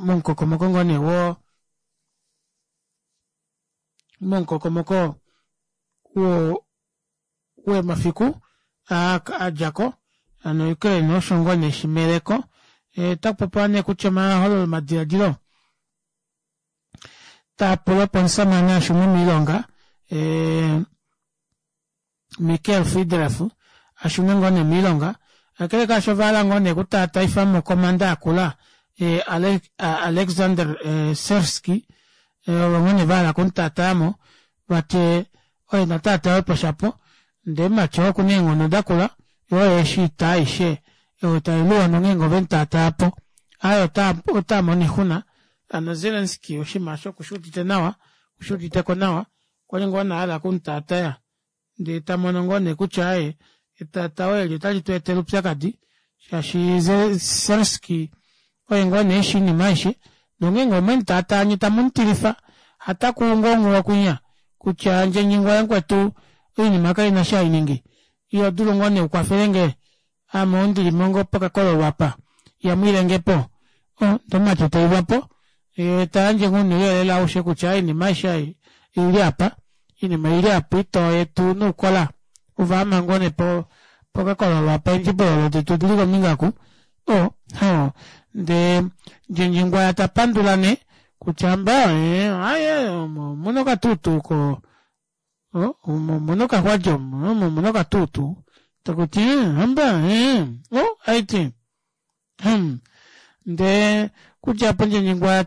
momukokomoko ngoo nee wo momukokomoko wo wemafiku adjako hano Ukraine osho ngoo nee shimeleko otakupopiwa nee kutya omahololo omadiladilo taapula opo omusamane ashune moilonga Michael Friedrich ashune ngoo nee moilonga kakele kaasho ovahala ngoo nee okutaataifamo komanda akula Alexander Sersky ovo ngoo nee vahala okumutaatayamo vati oye nataatawepo shapo ndee mumati oo okuna eenghono dakula yoo oye eshi oita aishe oyo tailuwa nongeenge ovemutaatayapo aaye otamono oixuna hano Zelensky oshinima osho okushuudite nawa okushuuditeko nawa okwali ngoo nee ahala okumutaataya ndee tamono ngoo nee kutya aaye etatao eli otali tu etele oupyakadi shaashi Zelensky oye ngoo nee eshi oinima aishe nongeenge omwemutaataya nye tamumutilifa hatakuu ngoo onghuwo kwinya kutya ndjenyingwa yamukwetu oinima kaina eshi hainingi iho dulu ngoo nee ukwafelenge ame oundilimo ngoo pokakololo apa yamwiilengepo ndee omumati tailwapo tayandje ngoo nouyelele aushe kutya oinima aishe oili apa oinima oili apa oitoo yetu noukola ovaama ngoo nee pokakololo apa eendjibololo detu odili kombinga oku ndee ndjendjingwaya tapandula nee kutya hamba aaye omuna okatuutuu ko omuna okaxwadja omu omuna okatuutuu takuti hamba aiti ndee okudja aapo ndjendjingwaya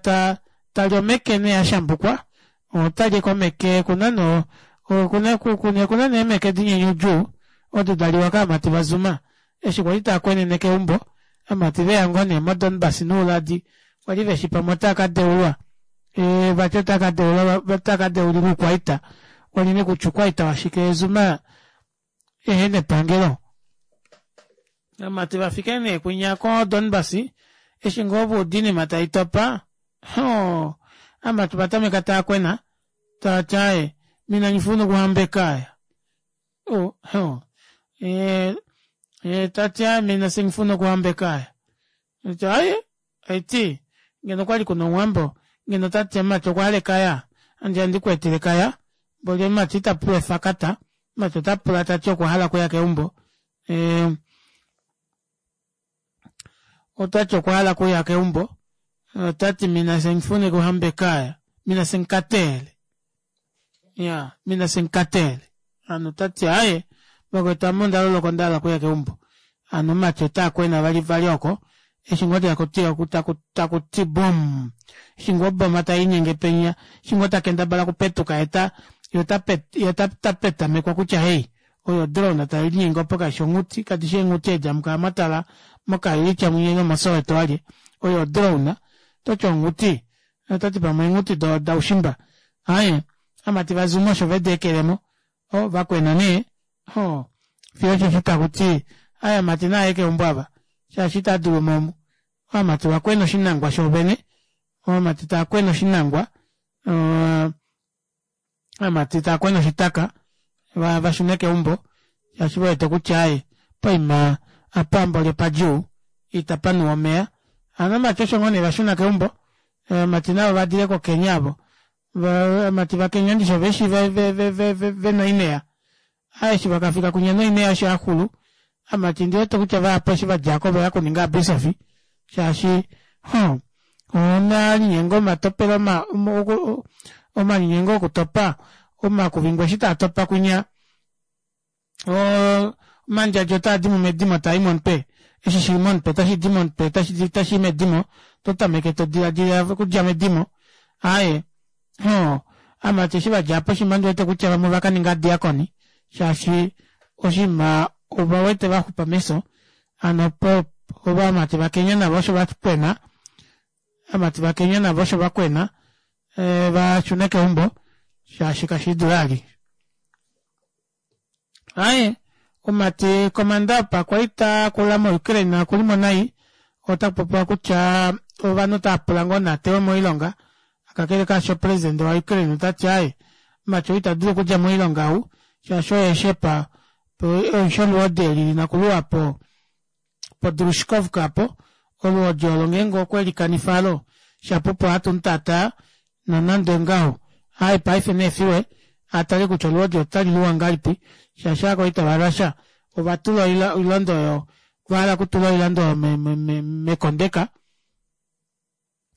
tali omeke nee ashambukwa otali komeke okuna no okuna nee eemeke dinyenyudjuu odo daliwa kaamati vazuma eshi kwali taakwenene keumbo aamati veya ngoo nee moDonbas nouladi kwali veshi pamwe otaakadeulwa vati otaakadeulilwa oukwaita kwali nee kutya oukwaita washike Zuma ehena epangelo. Aamati vafike nee kwinya koDonbas Eshi ngoo va uda oinima taitopa, hoo, amati ovatameka taakwena, taati aaye, mina ngifuna ukuhamba ekhaya. Oh, hoo. Eh, eh, tati aaye mina sengifuna okuhamba ekhaya. Ati aaye, aiti, ngeno okwali kuna omuwambo, ngeno otati mumati okwa hala ekaya, andi andi ku etele ekaya, mboli omumati ita pula efakata, omumati ota pula tati okwa hala okuya keumbo. Eh, otati okwa hala okuya keumbo, otati mina sengifuna okuhamba ekhaya, mina sengikatele. Ya, mina sengikatele. Hano otati aaye, vakwetu ame onda loloka onda hala okuya keumbo. Hano omumati ota kwena vali vali oko, eshi ngoo takuti takuti bom, eshi ngoo oboma taiinyenge penya, eshi ngoo takendabala okupetuka ye ta ta petamekwa kutya hei, oyo odrone tailinyenge opo kaishi onghuti, kadishi eenghuti edi amukala mwatala moKayelitsha mwinya ile moSoweto walye, oyo odrone, toti onghuti, ototi pamwe eenghuti daushimba. Aaye, amati vaZuma osho vedi ekelemo, o vakwena nee, ho, fiyo osheshi takuti, aaye amati naaye keumbo ava, shaashi ita dulu mo omu. Ovamati vakwena oshinangwa shoovene, ovamati taakwena oshinangwa, ovamati taakwena oshitaka, vashune keumbo, shaashi vewete kutya aaye, poima apa mboli opadjuu, itapa nuwa omeya. Hano ovamati osho ngoo nee vashuna keumbo, ovamati navo vadile koKenya avo, ovamati vaKenya ndishi oveshi vena oineya, aa eshi vakafika kwinya noineya eshi yaxulu, amati ndiwete kutya vahapu eshi vadjako oveya okuninga abisofi, shaashi huh, omalinyengo omatopelo omalinyengo okutopa omakuvingwa eshi taatopa kwinya, omandjadja otaa di mo medimo taa i momutwe, eshi shili momutwe otashi di momutwe tashi i medimo, oto tameke to diladila okudja medimo, aaye hoo, amati eshi vadja po oshinima ndiwete kutya vamwe ovakaninga diakoni shaashi oshinima ovawete vaxupa mefyo, hano po ovamati vaKenya navo osho vakwena, ovamati vaKenya navo osho vakwena vashune keumbo shaashi kashidule ali. Aaye, omumati komanda wopakwaita akula moUkraine okulimo nai, ota kupopiwa kutya ovanhu otava pula ngoo naatewe moilonga, kakele kaasho president waUkraine otati aaye, omumati ou ita dulu okudja moilonga ou, shaashi oye shepa oisho oluhodi eli lina okuluwa po poDrushkovka apo, oluhodi olo ngeenge okwe likanifa alo, shapo opo hatu mutaataa, nonande ongaho, aaye paife neefiwe atale kutya oluhodi otali luwa ngahelipi, shaashi ovakwaita vaRussia ova tula oilando oyo, ova hala okutula oilando oyo mekondeka,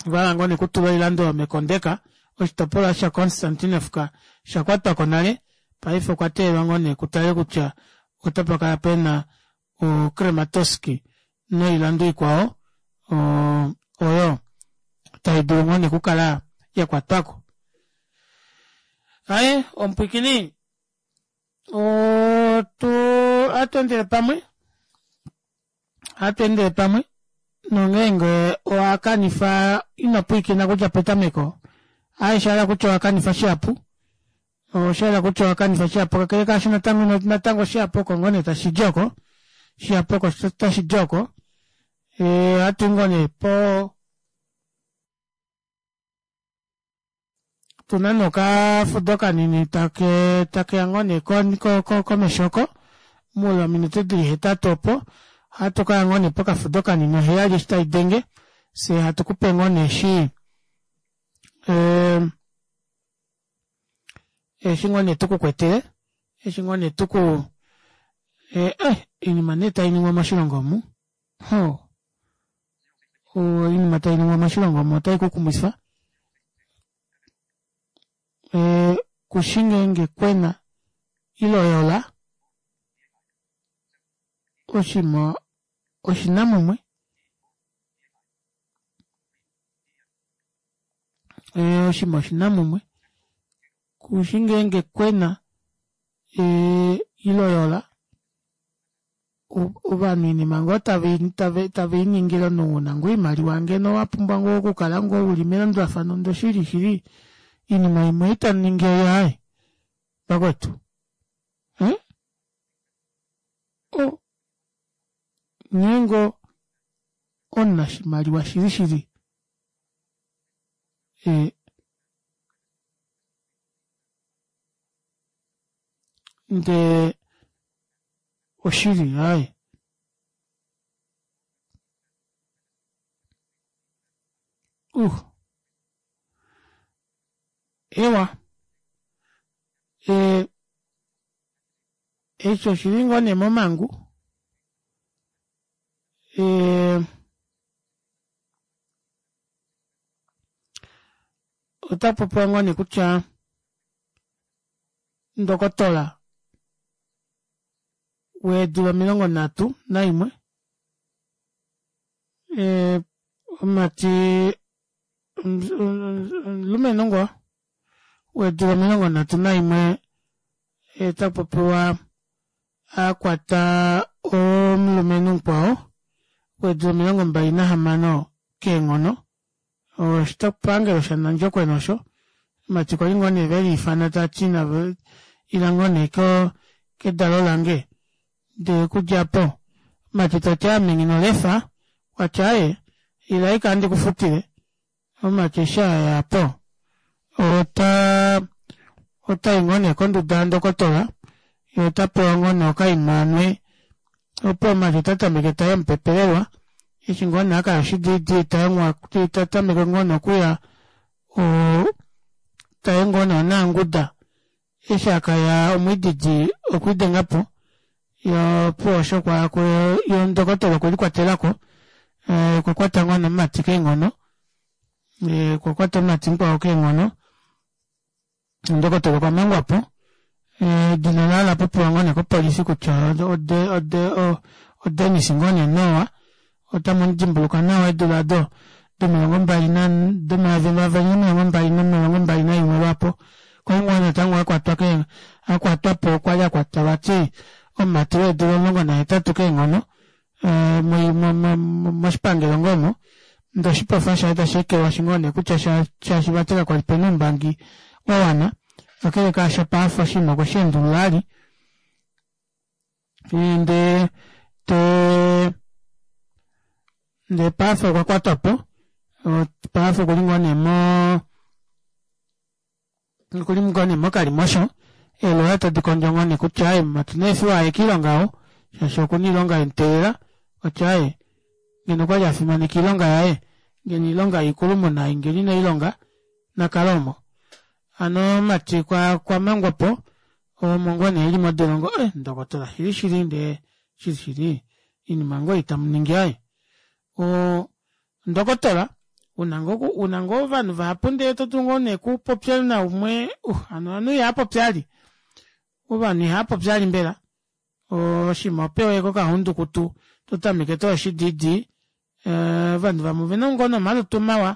ova hala ngoo nee okutula oilando oyo mekondeka, oshitopolwa shaKonstantinovka osha kwatwako nale, paife okwa teelelwa ngoo nee kutale kutya otapa kala pena oKramatorsk noilando ikwao oyo tai dulu ngoo nee okukala ya kwatwako. Aye, omupwikini otu ohatu endele pamwe ohatu endele pamwe nongeenge owa kanifa ino pwiikina kudja petameko aye osha hala kutya owa kanifa shihapu osha yela kutya owa kanifa shihapu kakele kaasho natango natango shihapu oko ngoo nee tashi di oko shihapu oko tashi di oko ohatu ngoo nee po tuna nee okafudo kanini take takeya ngoo nee komesho oko muule wominute dili hetatu opo ohatu kaya ngoo nee pokafudo kanini oheyali eshi tai denge fye hatu kupe ngoo nee eshi eshi ngoo nee tukukwetele eshi ngoo nee tuku eh, eh, oinima nee tai ningwa moshilongo omu ho oinima tai ningwa moshilongo omu otai kukumwifa eh, kushi ngeenge kwena ile oyola oshima oshinamumwe eh, oshima oshinamumwe kushi ngeenge kwena eh, ile oyola ovanhu oinima ngoo tave i ningile omunhu una ngoo oimaliwa ngeno wa pumbwa ngoo okukala ngoo uli melandulafano ndo shili shili iinima imwe itamu ningi oyo aaye vakwetu eh? O nghee ngoo. omunashimaliwa shili shili. E, ndee oshili aye. Ewa e, eshi oshili ngoo nee momangu e, ota popiwa ngoo nee kutya ndokotola weedula 31 e, omumati omulumenhu ngoo weedula 31 ta popiwa a kwata omulumenhu mukwao weedula 26 keenghono oshitopangelo shaNandjokwe osho omumati kwali ngoo nee veliifana tati ila ngoo nee kedalo lange ndee okudja po omumati tati ame nghi nolefa kwati aaye ila ashike ohandi kufutile omumati eshi aya po ota otai ngoo nee konduda yandokotola yee ota pewa ngoo nee okaima anwe opo omumati ota tameke tayemupepelelwa eshi ngoo nee akaya oshidiidi ta tameke ngoo nee okuya tayi ngoo nee onaanguda eshi akaya omwiididi okwiidengapo yee opuwo osho yee ndokotola okwelikwatelako okwa kwata ngoo nee omumati keenghono okwa kwata omumati mukwao keenghono ndokotola okwa mangwapo edina laye ola popiwa ngoo nee kopolifi kutya oDenis ngoo nee Noa otamu mudimbuluka nawa eedula odo domilongo mbali domayovi nomilongo mbali naimwe lwaapo kwali ngoo natango akwatwa akwatwapo okwali akwatwa vati omumati weedula 18 keenghono moshipangelo ngoo omo ndee oshipofa shaye tashi ekelwashi ngoo nee kutya shaashi vati kakwali pena oumbangi wawana kakele kaasho paife oshinima okwe sheendulula ali ndee ndee paife okwa kwatwapo paife okuli ngoo nee mo okuli ngoo nee mokalimosho eeloya tadi kondjo ngoo nee kutya aaye mumati neefiwa aye kiilonga ou shaashi okuna oilonga yemuteelela okutya aaye ngeno okwali afimaneka oilonga yaye ngeno oilonga yoikulumuna ei ngeno ineilonga nakale omo hano omumati okwa mangwapo omo ngoo nee eli modolongo eh ndokotola shili shili ndee shili shili oinima ngoo ei tamuningi aaye ndokotola una ngoo ovanhu vahapu ndee todulu ngoo nee okupopya naumwe hano ovanhu ihaapopi vali ovanhu ihaapopi vali mbela oshinima opewa kokahundukutu totameke toyi oshidiidi ovanhu vamwe ovena ngoo nee omalutu mawa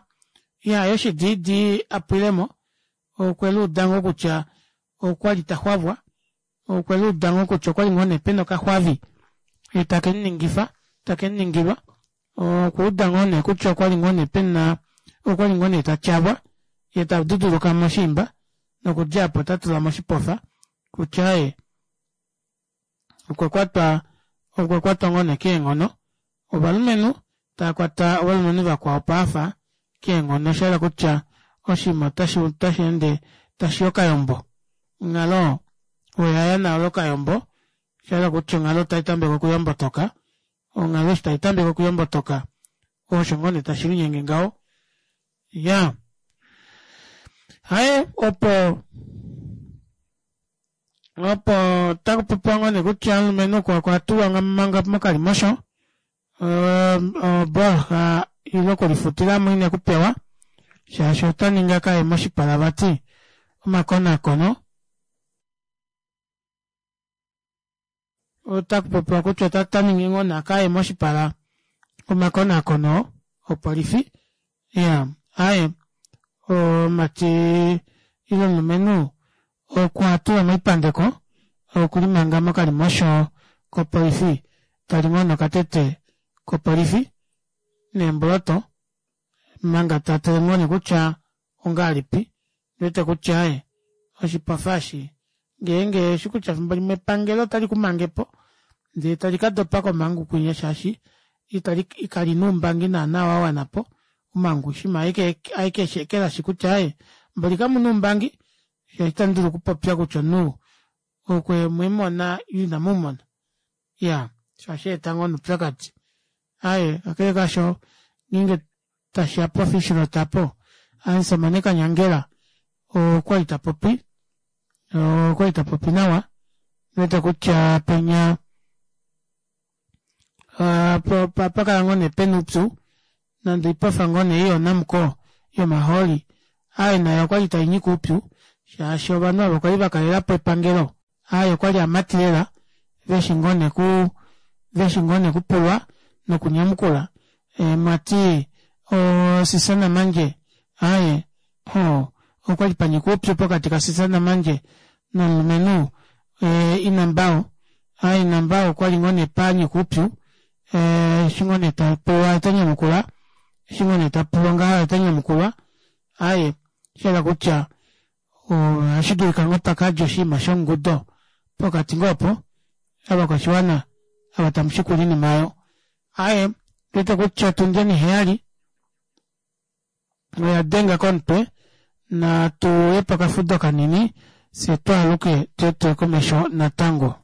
ihayi oshidiidi apwilemo okweluuda ngoo kutya okwali taxwavwa okweluuda ngoo kutya okwali ngoo nee pena okaxwavi takemuningifa takemuningilwa okuuda ngoo nee kutya okwali ngoo nee pena okwali ngoo nee tatyavwa yee taduduluka moshiimba nokudja apo otatula moshipofa kutya aaye okwa kwatwa okwa kwatwa ngoo nee keenghono ovalumenhu taakwata ovalumenhu vakwao paafa keenghono oshahala kutya oshinima otashi ende tashi okayombo onghalo oyaya nayo okayombo oshahala kutya onghalo otai tameke okuyombotoka onghalo eshi tai tameke okuyombotoka osho ngoo nee tashi linyenge ngaho ya haye opo opo takupopiwa ngoo nee kutya omulumenhu okwa tulwa manga mokalimosho obooloha ile okulifutilamo ine kupewa shaashi ota ningi akaye moshipala vati omakonakono otakupopiwa kutya ota ningi ngoo nee akaye moshipala omakonakono opolifi iya aaye omumati ile omulumenhu okwa tulwa moipandeko okuli manga mokalimosho kopolifi tali ngoo nokatete kopolifi neemboloto manga tatale ngoo nee kutya ongahelipi ndiwete kutya aaye oshipofa eshi ngeenge eshi kutya efimbo limwe epangelo otali kumangepo ndee tali kadopa komhangu kwinya shaashi Itali kalina oumbangi naana wa wana po omangu shima aike eshi ekelashi kutya aaye mboli kamuna oumbangi shaashi itamu dulu okupopya kutya omunhu okwe mwemona ile inamumona iya sho ohashi eta ngoo noupyakadi aaye kakele kaasho ngeenge tashiya pofishrot apo omusamane Kanyangela okwali tapopi okwali tapopi nawa wete kutya penya pakala ngoo nee pena oupyu nande oipofa ngoo nee ei yoNamcor yomahooli aaye nayo okwali tainyika oupyu shaashi ovanhu ava okwali vakalelapo epangelo aaye okwali amati lela veshi ngoo nee ku veshi ngoo nee kupulwa nokunyamukula mwati o Sisa Namandje aaye hoo okwali panyika oupyu pokati kaSisa Namandje nomulumenhu Inambao aaye Inambao okwali ngoo nee panyika oupyu eshi ngoo nee tapulwa ota nyamukula eshi ngoo nee tapulwa ngaha ota nyamukulwa aaye shayela kutya ohashi dulika ngoo pakadja oshinima shongudo pokati ngoo opo ovakwashiwana ava tamu shikula oinima oyo aaye ndiwete kutya otundi oniheyali oya denga komutwe natu ye pokafudo kanini fye twaaluke tye tuye komesho natango.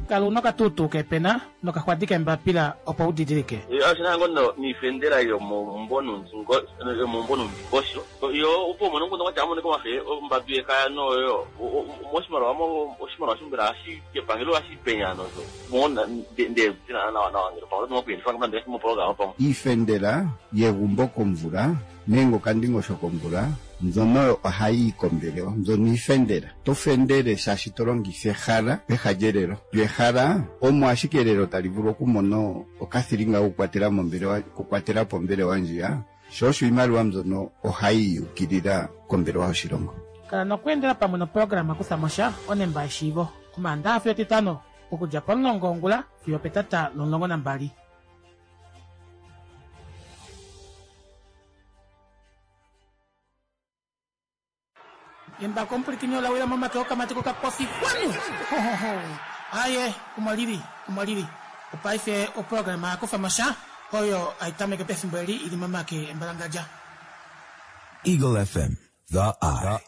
Kala una okatuutuu keepena nokaxwadi keembapila opo u didilike. Oshi na ngoo niifendela yomombonundingosho yo opo umone omukundu kwatya amoneka wafe ombadu yekaya noyo moshimaliwa oshimaliwa shombela hashi kepangelo hashi penya nozo mona nde nawa nawa ngelo pamwe oto nokuyelifa mopologama pamwe Iifendela yegumbo komvula nenge okandingosho komvula mbyono ohayi yi kombelewa mbyono iifendela. To fendele shaashi to longitha ehala peha lyelelo. Lyo ehala omo ashike elelo tali vulu okumona okathilinga kokukwatela mombelewa okukwatela po ombelewa ndjiya sho osho iimaliwa mbyono ohayi yukilila kombelewa yoshilongo. Kala nokweendela pamwe noprograma Kutha mo sha onemba yeshiivo Omaandaxa fiyo Etitano okudja pomulongo wongula fiyo opetata lomulongo nambali. Embako omupwilikini ola wila momake okamati kokapofi kwanu! Hohoho! Aaye, omo lili, omo lili. Opaife oprograma ya kufa mo sha oyo hai tameke pefimbo eli i li momake embalangadja. Eagle FM, the eye.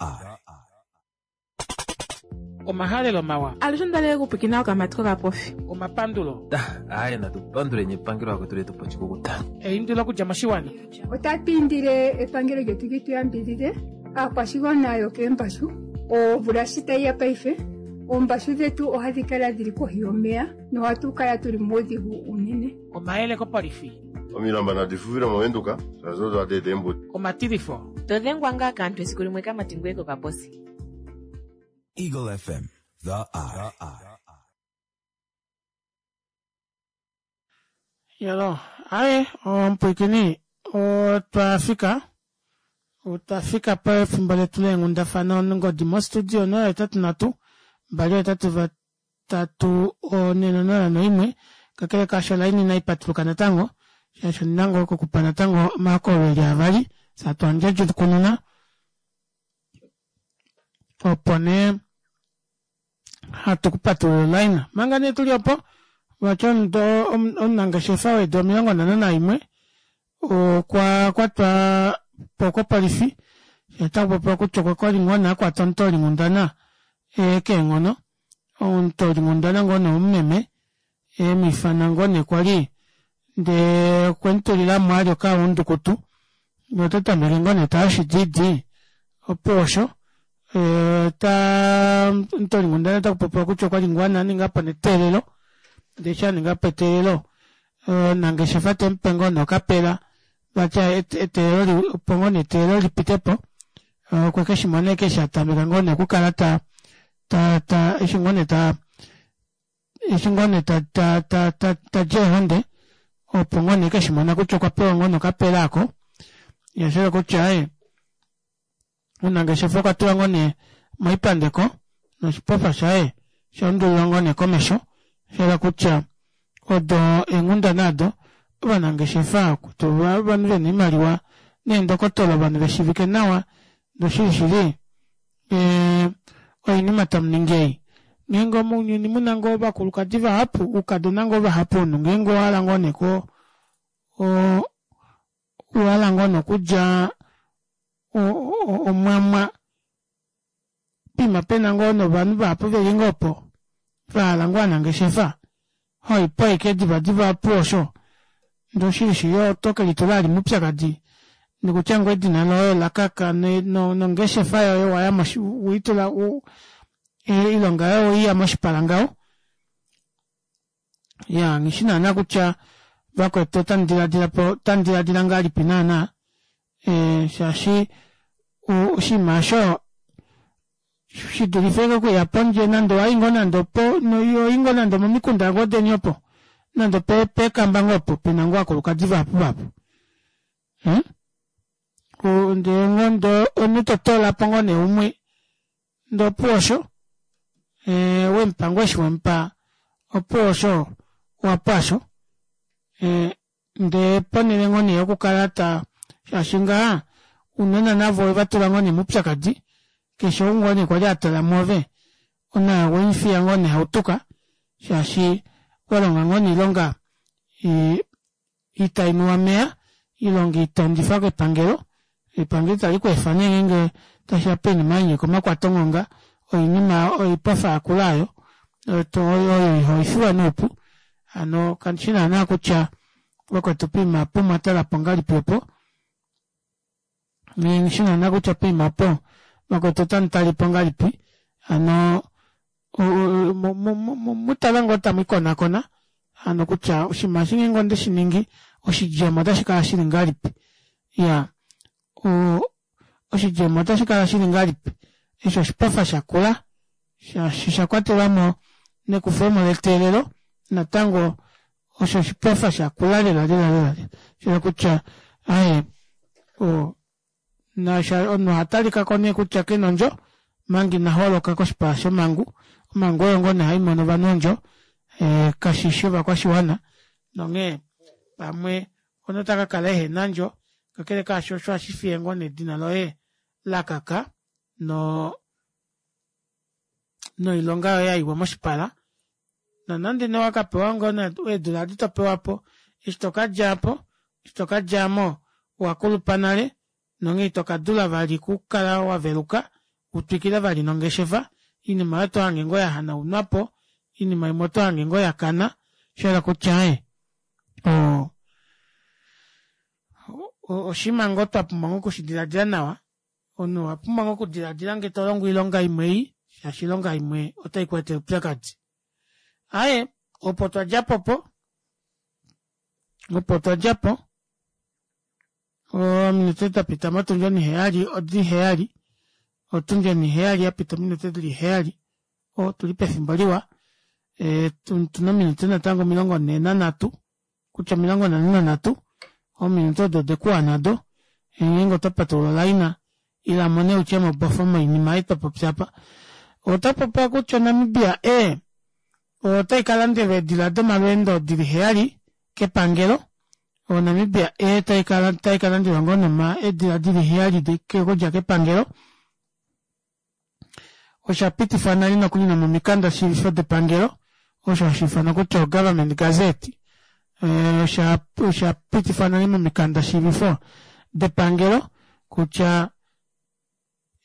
Omahalelo mawa. Alushe onda li okupwikina okamati kokapofi. Omapandulo. Aaye natu panduleni epangelo akwetu letu po oshikukuta. Eindilo okudja moshiwana. Otatu indile epangelo lyetu li tu yambidhidhe aakwashigwana yokeembashu omvula shi tayi ya paife oombashu dhetu ohadhi kala dhili kohi yomeya nohatu kala tuli muudhigu uunene. Omayele kopolifi. Omilamba nadi fuvile mOvenduka shaashi odo hadi eta eembudi. Omatilifo. To dhengwa ngaa kaantu esiku limwe kamati ngoye kokaposi. Eagle FM, the eye. Yolo, aye omupwiikini otwa fika otwa fika pefimbo letu leenghundafana ongodi mostudio 083 283 401 kakele kaasho olaini inai patuluka natango shaashi ondina ngoo okukupa natango omahokololo eli avali satwandjadjukununa opo nee hatu ku patulula olaina manga nee tuli opo vati omunangeshefa weedi 51 okwa kwatwa po kopolifi otaku popiwa kutya okwa kwali ngoo nee akwata omutoolinghundana keenghono omutoolinghundana ngoo nee omumeme emwifana ngoo nee kwali ndee okwe mutulilamo ali okaundukutu nota tameke ngoo nee taashi didi opo osho ta omutoolinghundana otaku popiwa kutya okwali ngoo aningapo neteelelo ndee eshi aningapo eteelelo omunangeshefa temupe ngoo nee okapela vati eteelelo opo ngoo nee eteelelo lipitepo okwe keshimona ashike eshi atameka ngoo nee okukala ta ta ta eshi ngoo nee ta eshi ngoo nee ta ta ta ta tadi eehonde opo ngoo nee keshimona kutya okwa pewa ngoo nee okapela ako yashela kutya aye omunangeshefa okwa tulwa ngoo nee moipandeko noshipofa shaye osha undulilwa ngoo nee komesho shayela kutya odo eenghundana ado ovanangeshefa ovanhu vena oimaliwa neendokotola ovanhu veshivike nawa noshili shili. Oinima tamuningi ei. Ngeenge omounyuni muna ngoo ovakulukadi vahapu, oukadona ngoo vahapu omunhu ngeenge owahala ngoo nee ko owahala ngoo nee okulya omwamwa poima pena ngoo novanhu vahapu veli ngoo opo vahala ngoo ovanangeshefa hoipo ashike diva diva opuwo osho ndee oshili shili oto kelitula vali moupyakadi nokutya ngoo edina loye olakaka nongeshefa yoye waya weitula oilonga yoye oweiya moshipala ngaho. Iyaa nghishi naana kutya vakwetu otamu dilaadilapo otamu dilaadila ngahelipi naana shaashi oshinima aasho shidulife ashike okuya pondje nande owayi ngoo nande opo ohoyi ngoo nande omomikunda ngoo deni opo nande peekamba ngoo opo pena ngoo ovakulukadi vahapu vahapu ndee ngoo ndee omunhu totoolapo ngoo nee umwe ndee opuwo osho wemupa ngoo eshi wemupa opuwo osho owapwa aasho ndee ponele ngoo nee yokukala ta shaashi ngaha ounona navo owevatula ngoo nee moupyakadi keshe ou ngoo nee kwali atala mwoove naye owemufiya ngoo nee hautuka shaashi walonga ngoo nee oilonga itainuwa omeya oilonga itondifa kepangelo epangelo itali kweefa nee ngeenge tashiya poinima yanyika omakwatonghonga oinima oipofa yakula aayo oyo ihaifiwa noupu hano kandishi naana kutya vakwetu poima opo omwatalapo ngahelipi opo nghishi naana kutya poima opo vakwetu otamutalepo ngahelipi hano mutale ngoo tamwiikonakona hano kutya oshinima eshi ngeenge ondeshiningi oshidjemo otashikala shili ngahelipi iyaa oshidjemo otashikala shili ngahelipi eshi oshipofa shakula shaashi oshakwatelamo nekufemo leteelelo natango osho oshipofa shakula lela lela lela shayela kutya aaye omunhu ohatalikako nee kutya kena ondjo omanga ina holoka koshipala shomangu omangu oyo ngoo nee haimono ovanhu ondjo kashishi ovakwashiwana nonghee pamwe omunhu ota kakala ehena ondjo kakele kaasho osho ohashi fiye ngoo nee edina loye lakaka no noilonga yoye yaiwa moshipala nonande nee owakapewa ngoo eedula adi topewapo eshi tokadjapo eshi tokadjamo owakulupa nale nonghee ito kadula vali okukala waveluka utwikile vali nongeshefa oinima oyo otohange ngoo yahanaunwapo oinima imwe otohange ngoo yakana shayela kutya aaye oshinima ngoo twapumbwa ngoo okushidilaadila nawa omunhu owapumbwa ngoo okudilaadila ngee tolongo oilonga imwe ei shaashi oilonga imwe otai kweetele oupyakadi aaye opo twadjapo opo opo twadjapo ominute dapita motundi oniheyali odi heyali otundi oniheyali yapita ominute dili heyali otuli pefimbo liwa otuna ominute natango 43 kutya 43 ominute odo odekuwana do ngeenge oto patulula olaina ila mone utye mobofo moinima ei twa popya apa. Ota popiwa kutya oNamibia Air otai ka landelwa eedila domalweendo dili heyali kepangelo. ONamibia Air tai ka tai ka landelwa ngoo noma eedila dili heyali okudja kepangelo. Osha pitifwa nale nokuli nomomikanda shiivifo depangelo osho hashi ifanwa kutya oGovernment Gazette. Osha osha pitifwa nale momikanda shiivifo depangelo kutya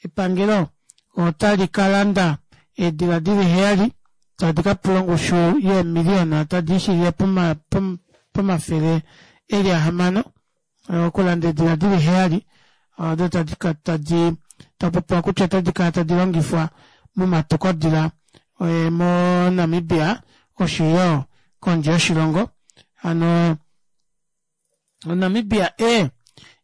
epangelo otali ka landa eedila dili heyali tadi ka pula ongushu yeemiliyona tadi ishilile pomafele eli ahamano okulanda eedila dili heyali odo tadi ka tadi tapopiwa kutya otadi kala tadi longifwa momatukodila moNamibia osho yo kondje yoshilongo. Hano oNamibia Air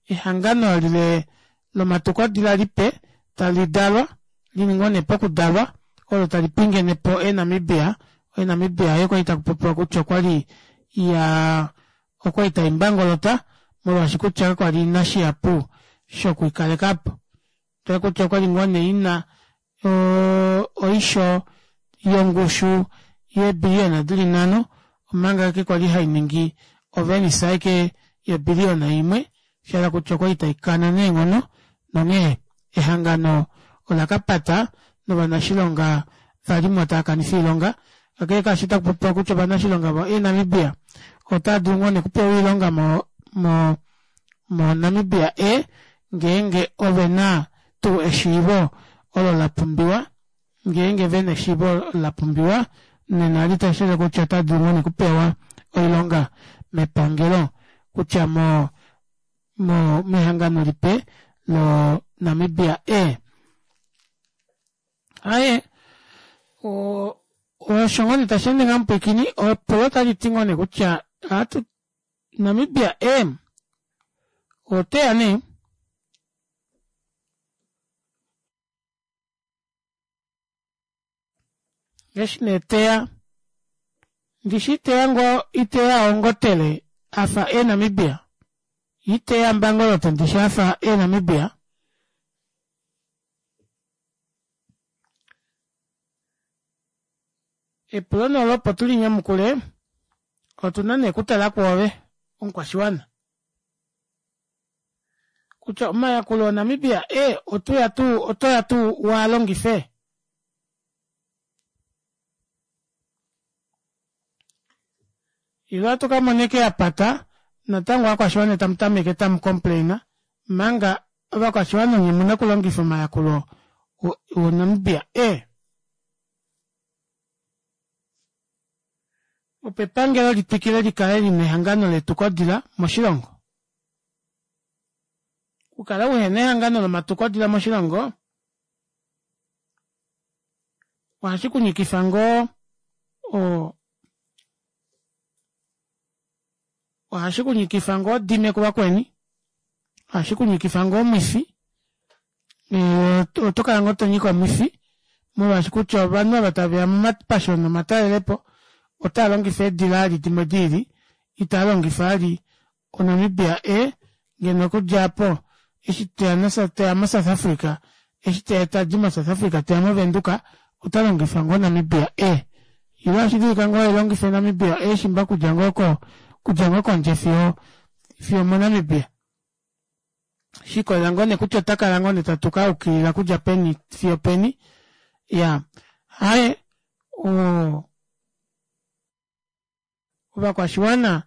ehangano lile lomatukodila lipe tali dalwa lili ngoo nee pokudalwa olo tali pingene po Air Namibia. Air Namibia oyo kwali takupopiwa kutya okwali ya okwali tai mbangolota molwaashi kutya kakwali ina shihapu shokwiikalekapo. Tala kutya okwali ngoo nee ina oisho yongushu yeebiliyona dili nhano omanga ashike kwali hainingi ovenisa ashike yobiliyona imwe, shahala kutya okwali taikana neenghono nonghee ehangano. ola ka pata novanashilonga valimo tava kanifa oilonga. Kakele kaasho otaku popiwa kutya ovanashilonga vo Air Namibia otava dulu ngoo nee okupewa oilonga mo mo moNamibia Air ngeenge ove na tuu eshiivo olo la pumbiwa. Ngeenge ve na eshiivo la pumbiwa nena litashi ulike kutya otava dulu ngoo nee okupewa oilonga mepangelo kutya mo mo mehangano lipe lo Namibia Air. Aye osho ngoo nee tashi ende ngaa mupwiikini epulo otali ti ngoo nee kutya ohatu Namibia Air oteya nee Eshi nee teya ndishi iteya ngoo iteya ongotele afa Air Namibia iteya mbangolote ndishi afa Air Namibia Epulo nee olo opo tu li nyamukule otu na nee okutala kwoove omukwashiwana kutya omayakulo oNamibia e otuya tuu otoya tuu waa longife? Ile ohatu ka mona eke ya pata natango ovakwashiwana tamu tameke tamu complaina manga ovakwashiwana onye muna okulongifa omayakulo oNamibia e. Opo epangelo li twikile li kale li na ehangano letukodila moshilongo. Okukala uhe na ehangano lomatukodila moshilongo ohashi ku nyikifa ngoo ohashi ku nyikifa ngoo dime kuvakweni, ohashi ku nyikifa ngoo omwifi, oto kala ngoo to nyika omwifi molwaashi kutya ovanhu ava tave ya momapasho nomatalelepo otava longifa eedila ali dimwe diili, itava longifa ali oNamibia e ngeno okudja apo eshi teya na teya moSouth Africa eshi teya tadi moSouth Africa teya moVenduka ota longifa ngoo Namibia e ile ohashi dulika ngoo elongife Namibia e shimba kudja ngoo ko kudja ngoo kondje fiyo fiyo moNamibia shikolela ngoo nee kutya ota kala ngoo nee tatuka aukilila kudja peni fiyo peni ya haye oo Ovakwashiwana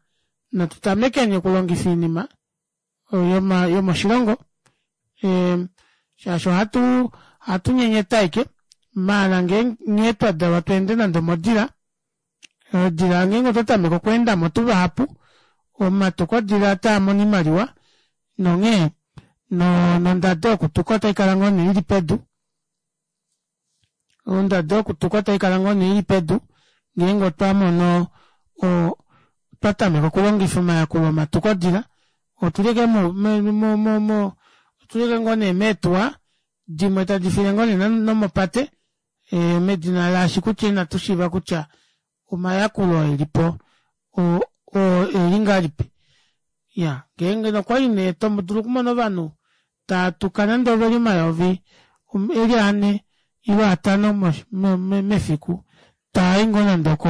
natu tamekeni okulongifa oinima yomoshilongo shaashi ohatu ohatu nyenyeta ashike maala nghee twa dalwa tu ende nande omodila odila ngeenge otwa tameke okweenda mo tuvahapu omatukodila otaa mono oimaliwa nonghee nondado yokutuka otai kala ngoo nee ili pedu. Ondado yokutuka otai kala ngoo nee ili pedu ngeenge otwa mono twa tameka okulongifa omayakulo omatukodila otuli ashike mo otuli ashike ngoo nee meetuwa dimwe tadi file ngoo nee nomopate medina laashi kutya inatu shiiva kutya omayakulo elipo oeli ngahelipi. Ya ngeenge nokwali nee to dulu okumona ovanhu taa tuka nande oveli omayovi eli ane ile atano mefiku taa i ngoo nande oko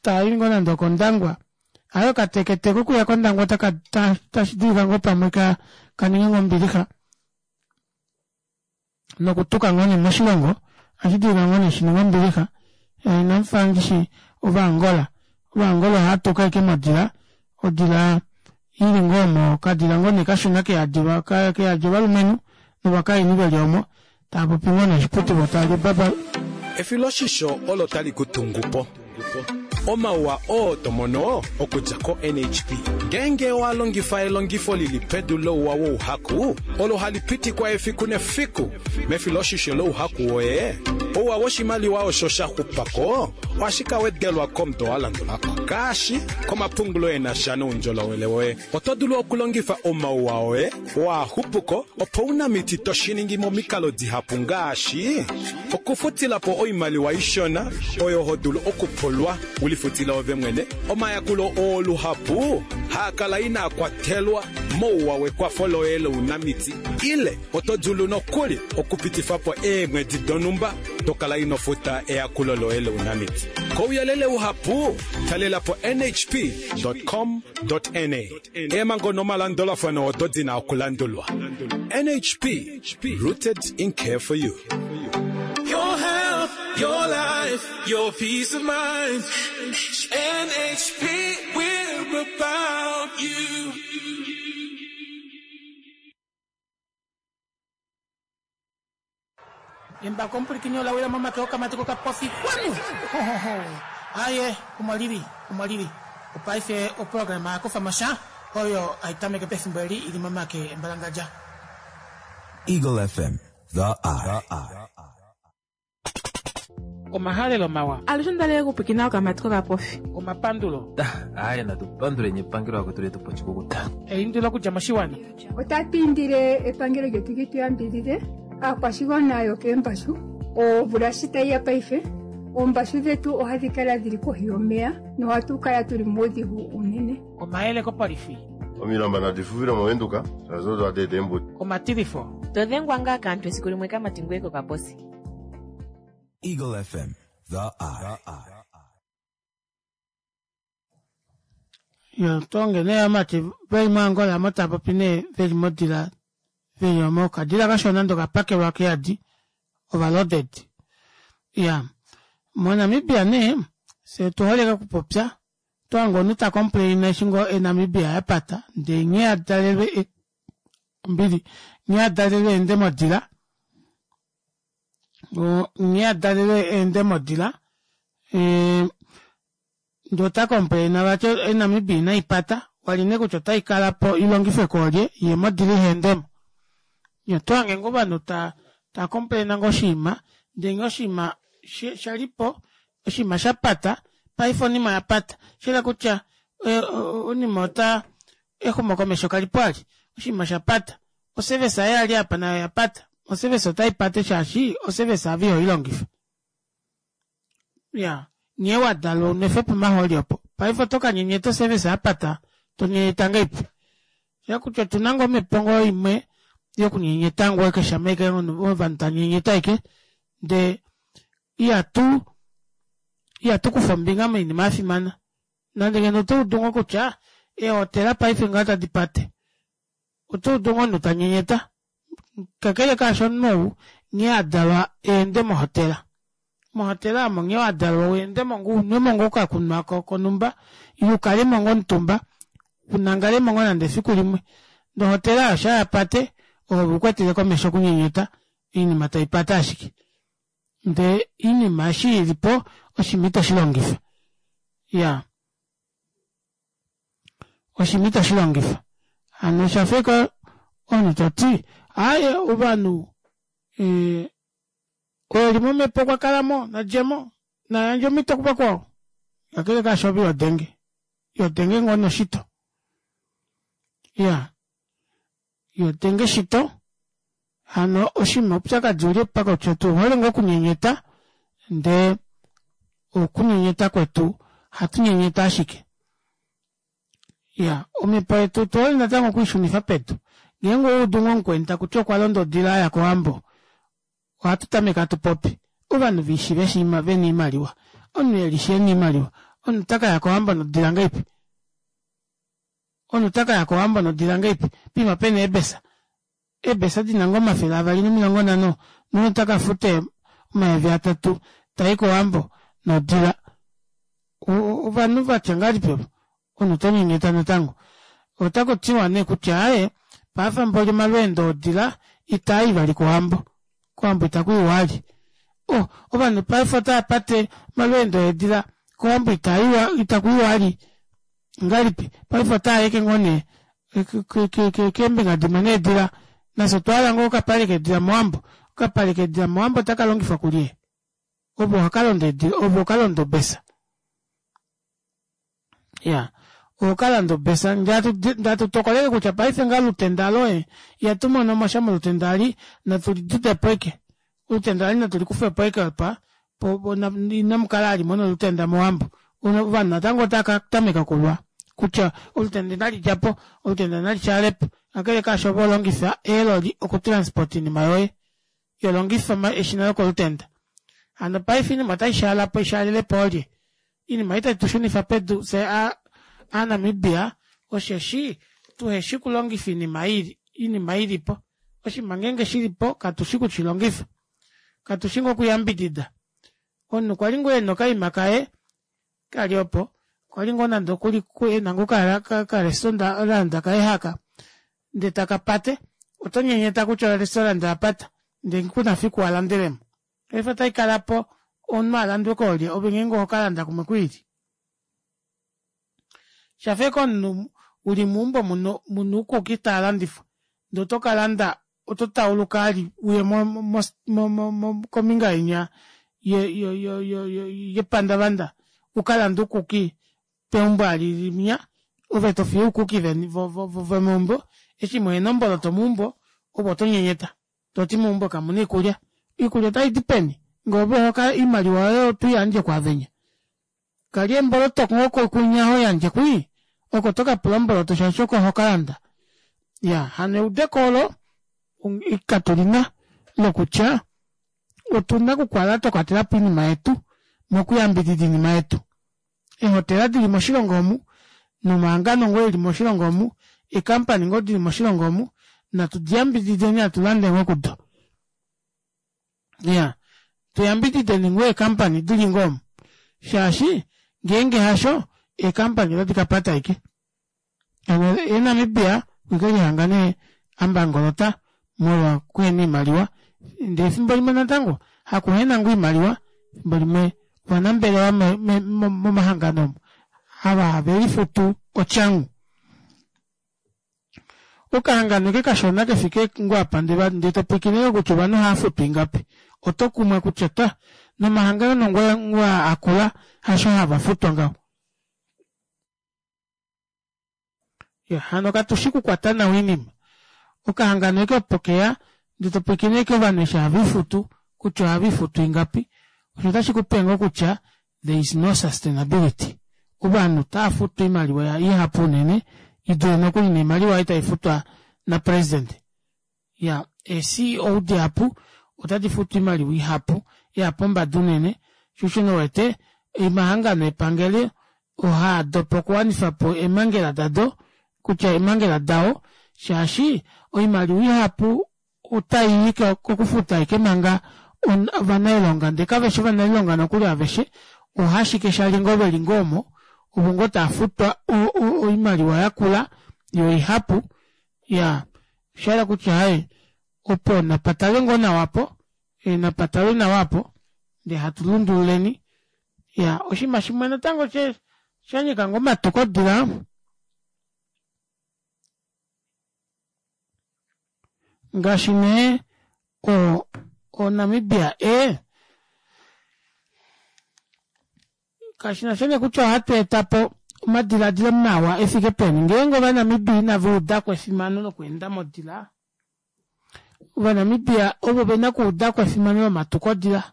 taa i ngoo nande okOndangwa aye okatekete kokuya kOndangwa otaka tashi dulika ngoo pamwe ka ka ninge ngoo ombilixa nokutuka ngoo nee moshilongo ohashi dulika ngoo nee shi ninge ombilixa inamu fa ndishi Ovaangola Ovaangola ohava tuka ashike modila odila ili ngoo omo okadila ngoo nee kashona keyadi keyadi ovalumenhu novakainhu veli omo tava popi ngoo nee oshiputu vo tava li obaba Efiloshisho olo tali ku tungu po. Omauwa oo to mono okudja ko-NHP ngeenge owa longifa elongifo li li pedu louwa wouhaku olo hali pitikwa efiku nefiku mefiloshisho louhaku woye, ouwa woshimaliwa osho sha xupa ko ohashi ka wedelwa komudo wa landula ko, ngaashi komapungulo e na sha noundjolowele woye. Oto dulu okulongifa omauwa oye oo a xupu ko opounamiti to shi ningi momikalo dihapu ngaashi, okufutila po oimaliwa ishona oyo ho dulu okupulwa u lifutile ove mwene, omayakulo oo luhapu haa kala inaa kwatelwa mouwa wekwafo loye lounamiti ile oto dulu nokuli okupitifa po eemwedi donhumba. Oto kala ino futa eyakulo loye lounamiti. Kouyelele uhapu, talela po nhp.com.na. Eemhango nomalandulafano odo di na okulandulwa. NHP, rooted in care for you. Your health, your life, your peace of mind. NHP, we're about you. Embako omupulikini ola wila momake okamati kokapofi kwanu aye omo lili omo lili opaife oprograma ya kufa mosha oyo hai tameke pefimbo eli ili momake embalangadja Eagle FM, the eye. Omahalelo mawa. Alushe onda li okupwikina okamati kokapofi. Omapandulo. Aye natu panduleni epangelo akwetu letu pochikukuta. Eindilo okudja moshiwana. Otatu indile epangelo lyetu li tu yambidhidhe aakwashigwana yokeembashu omvula shi tayi ya paife oombashu dhetu ohadhi kala dhili kohi yomeya nohatu kala tuli muudhigu unene. Omayele kopolifi. Omilamba nadi fufile moVenduka shaashi odo hadi eta eembudi. Omatilifo. To dhengwa ngaa kaantu esiku limwe kamati ngoye kokaposi. Eagle FM, the eye. Yo tonge nee amati veli moAngola mo tava popi nee veli modila veli omo okadila kashona nande okapakelwa keyadi overloaded. Ya moNamibia nee fye otu hole okupopya oto hange omunhu ta complain eshi ngoo eNamibia yapata ndee nghee adalelwe ombili nghee adalelwe eende modila nghee adalelwe eende modila ndee ota complaina vati eNamibia inaipata wali nee kutya otaikala po ilongifwe koolye yee modila ihaendemo. Oto hange ngoo ovanhu taa complaina ngoo oshinima ndee nghee oshinima shalipo oshinima shapata paife onima oyapata shayela kutya onima ota exumokomesho kalipo vali oshinima oshapata oservice ei yali apa nayo oyapata oservice otaipate shaashi oservice ave ihoilongifa iya nghee wadalwa unwefe pomahooli opo paife oto kanyenyeta oservice yapata tonyenyeta ngahelipi shayela kutya otuna ngoo omepo ngoo imwe yokunyenyeta ngoo ashike shama ashike ovanhu tanyenyeta ashike ndee ihatu ihatu kufa ombinga moinima yafimana nande ngeno oto udu ngoo kutya eehotela paife ngaho tadi pate oto udu ngoo omunhu tanyenyeta kakele kaasho omunhu ou nghee adalwa eende mohotela mohotela omo nghee wadalwa weendemo ngoo unwemo ngoo okakunwa konhumba ile ukalemo ngoo omutumba unangalemo ngoo nande efiku limwe ndee ohotela oyo shaa yapate ove ukwetele komesho okunyenyeta oinima taipate ashike ndee oinima eshi ilipo oshinima ito shilongifa iyaa oshinima ito shilongifa hano oshafa ashike omunhu toti aaye ovanhu oo eli momhepo okwa kalamo nadjemo nayandje omhito kuvakwao kakele kaasho ove ihodenge ihodenge ngoo noshito iyaa ihodenge shito hano oshinima oupyakadi ouli apa kutya otu hole ngoo okunyenyeta ndee okunyenyeta kwetu ohatu nyenyeta ashike iya omhepo yetu otu hole natango okwiishunifa pedu ngeenge owaudu ngoo mukweni takuti okwa londa odila aya kowambo ohatu tameke hatu popi ovanhu veishiva eshi vena oimaliwa omunhu elishi ena oimaliwa omunhu ota kaya kowambo nodila ngahelipi omunhu ota kaya kowambo nodila ngahelipi poima pena eebesa eebesa dina ngoo 250 nomunhu ota kafuta 3000 tai kowambo nodila ovanhu vatya ngahelipi ovo omunhu oto nyenyeta natango otaku tiwa nee kutya aaye paife mboli omalweendo odila itaa i vali kowambo kowambo itaku iwa vali oh ovanhu paife otava pate omalweendo eedila kowambo itaiwa itaku iwa vali ngahelipi paife otaa yeke ngoo nee keembinga dimwe needila nafye otwa hala ngoo okapale keedila mowambo okapale keedila mowambo otaka longifwa kulye ove ohokalonda eedila ove ohokalonda obesa ya ohokalanda obesa ndee hatu tokolele kutya paife ngaa olutenda loye ihatu mono mo sha molutenda eli natu lidudepo ashike olutenda eli natu likufepo ashike apa inamukala vali muna olutenda mowambo ovanhu natango otava katameka okulwa kutya olutenda inali djapo olutenda nali shaalepo kakele kaasho ove holongifa eeloli oku transport oinima yoye iholongifa eshina lokolutenda. Hano paife oinima otai shaala po ishaalile po oolye? Oinima ei tai tu shunifa pedu fye Aanamibia osheshi tuheshi okulongifa oinima oinima ilipo. Oshinima ngeenge shilipo katushi okushilongifa. Katushi ngoo okuyambidida. Omunhu kwali ngoo ena okaima kaye kali opo kwali ngoo nande okuli ena ngoo okarestaurant kaye haka ndee taka pate oto nyenyeta kutya orestaurant oyapata ndee kuna fiku walandelemo. Paife otai kala po omunhu alandwe koolye ove ngeenge oho kalanda kumwe kwiili. Shafa ashike omunhu uli meumbo muna uukuki taa landifwa ndee oto kalanda oto tauluka ali uye kombinga inya yepandavanda ukalande uukuki peumbo ali linya ove tofiye uukuki vomeumbo eshi muhena omboloto meumbo ove oto nyenyeta toti meumbo kamuna oikulya. Oikulya otaidi peni ngee ove oimaliwa yoye otoiyandje kwaavenya. Kalya eemboloto ngoo kunya hoyandje kwii oko tokapula omboloto shaashi oko hokalanda. Iyaa hano eudeko olo katulina lokutya otuna okukala twakwatelapo oinima yetu mokuyambidida oinima yetu. Eehotela dili moshilongo omu nomahangano ngoo eli moshilongo omu, eecompany ngoo dili moshilongo omu natu diyambidideni hatu lande ngoo kudo. Iya, tu yambidideni ngoo eekampani di li ngoo omu shaashi ngeenge hasho eekampani otadi ka pata ashike. Hano ye Namibia okweke lihanga nee a mbangolota molwa kuhena oimaliwa ndee efimbo limwe natango hakuhena ngoo oimaliwa efimbo limwe ovanambelewa momahangano omu ava have lifutu otyangu. Okahangano eke kashona kefike ngoo apa ndee topwiikine kutya ovanhu ohava futwa ingapi oto kumwa kutya ta nomahangano ngoo akula hasho hava futwa ngaho. Ya hano katushi kukwata nawa oinima. Okahangano eke opo keya ndee topwiikine ashike ovanhu eshi have lifutu kutya ohave lifutu ingapi osho otashi kupe ngoo kutya there is no sustainability. Ovanhu otava futwa oimaliwa ihapu unene idule nokuli noimaliwa ei taifutwa na president. Ya ee CEO dihapu otadi futwa oimaliwa ihapu ya pombada unene sho osho nee uwete omahangano epangelo ohaa dopa okuwanifa po eemhangela dado kutya eemhangela dao shaashi oimaliwa ihapu otai i kokufuta ashike manga ovanailonga ndee kaveshi ovanailonga nokuli aveshe ohaashike shali ngoo veli ngoo omo ovo ngoo tava futwa oimaliwa yakula yoo oihapu iyaa oshahala kutya hai opo napa talwe ngoo nawa apo napa talwe nawa apo ndee hatu lundululeni iyaa oshinima shimwe natango shanyika ngoo omatukodila Ngaashi nee o oNamibia e kashi na sha nee kutya ohatu eta po omadiladilo mawa e fike peni ngeenge Ovanamibia inava uda ko efimano lokweenda modila, Ovanamibia ovo ve na okuuda ko efimano lomatukodila.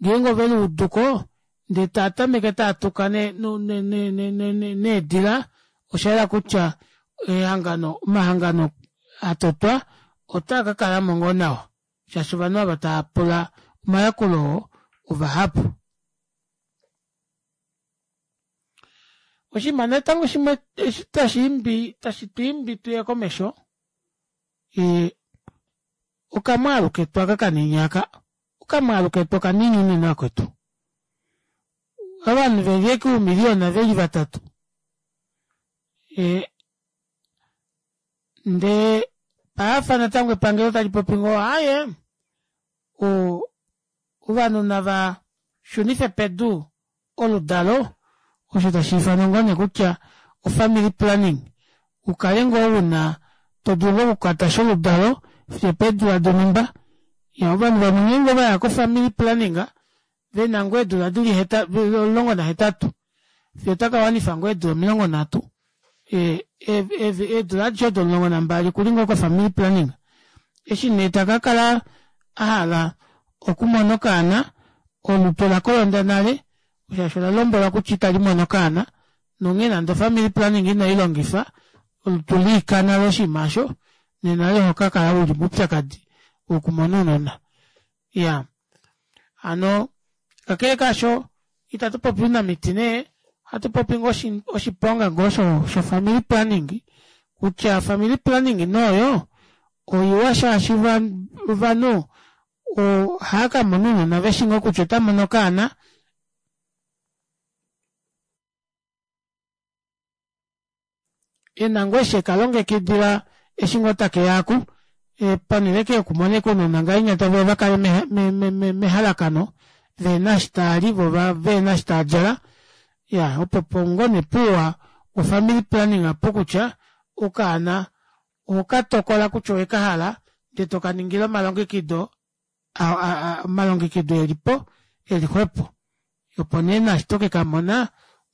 Ngeenge ove li udu ko ndee taa tameke taa tuka needila, osha yela kutya ehangano, omahangano a totwa otaa ka kala mo ngoo nawa shaashi ovanhu ava tava pula omayakulo oo ovahapu. Oshinima natango shimwe eshi tashi imbi tashi tu imbi tuye komesho okamwaalu ketu aka kanini aka okamwaalu ketu okanini unene vakwetu ovanhu veli eke uumiliyona veli vatatu ndee paafa natango epangelo tali popi ngoo aaye ovanhu nava shunife pedu oludalo osho tashi ifanwa ngoo nee kutya ofamily planning ukale ngoo una to dulu ngoo okukwata sha oludalo fiyo opeedula donhumba. Ya ovanhu vamwe ngeenge ovaya kofamily planning vena ngoo eedula dili 18 fiyo otaka wanifa ngoo eedula 30 eedula adishe odo 12 okuli ngoo kofamily planning eshi nee taka kala a hala okumona okaana olutu ola kolonda nale shaashi ola lombwelwa kutya itali mono okaana nonghee nande ofamily planning ino i longifa olutu liika nale oshinima osho nena oho ka kala uli moupyakadi wokumona ounona. Iyaa. Hano kakele kaasho itatu popi ounamiti nee, ohatu popi ngoo oshiponga ngoo sho family planning kutya family planning nooyo oiwa shaashi ovanhu ohaakamona ounona veshi ngoo kutya otamono okaana. Ena ngoo eshi ekalongekidila eshi ngoo takeya aku ponele eke yokumona ashike ounona ngahenya taveya vakale mehalakano vehena eshi taali voo vehena eshi taadjala iyaa opo opo ngoo nee puuwa wo family planning opo kutya okaana ohokatokola kutya owekahala ndee tokaningile omalongekido omalongekido elipo eli xwepo opo nee naashi tokekamona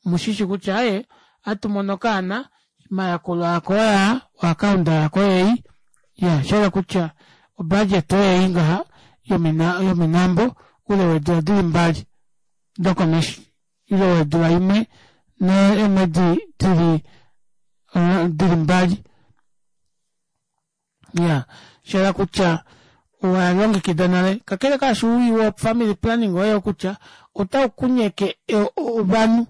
omushishi kutya aaye ohatu mono okaana omayakulo ako oyaa oakaunda yako oyeyi iya shahala kutya obudget oyeyi ngaha yominambo oule weedula dili mbali dokomesho ile wedula imwe neemwedi dili mbali iya shahala kutya owalongekida nale kakele kaasho owii wo family planning oyo kutya otaukunyeke ovanhu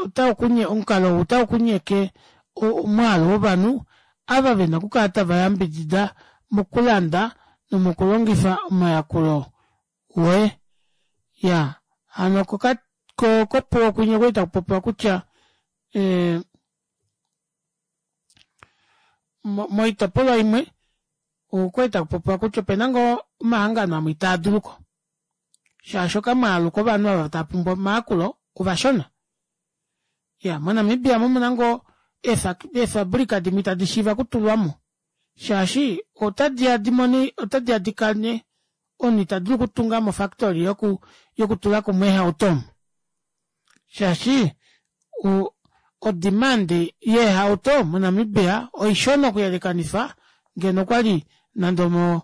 otaukunye omukalo ou otaukunyeke omwaalu wovanhu ava vena okukala tava yambidida mokulanda nomokulongifa omayakulo woye ya hano kopuwo kwinya okwali takupopiwa kutya moitopolwa imwe okwali takupopiwa kutya opena ngoo omahangano amwe itaa duluko shaashi okamwaalu kovanhu ava tava pumbwa omayakulo ovashona. Ya moNamibia omuna ngoo eefabulika dimwe itadi shiiva okutulwamo shaashi otadiya dimone otadiya dikane omunhu ita dulu okutunga mo factory yokutula kumwe eehauto omu shaashi o demand yeehauto moNamibia oishona okuyelekanifa ngeno okwali nande omo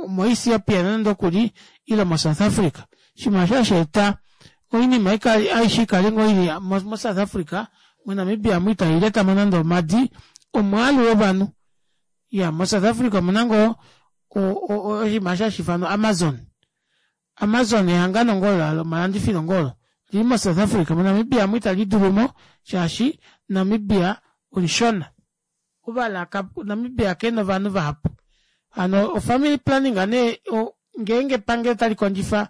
moEthiopia nande okuli ile moSouth Africa. Oshinima osho hashi eta oinima aishe ikale ngoo ili moSouth Africa, moNamibia omu itai letamo nande omadi omwaalu wovanhu. Iya, moSouth Africa omuna ngoo oshinima osho hashi ifanwa Amazon. Amazon ehangano ngoo lomalandifilo ngoo olo lili moSouth Africa, moNamibia omu itali dulumo shaashi Namibia omushona. Ovalaka Namibia kena ovanhu vahapu. Hano o family planning nee ngeenge epangelo tali kondjifa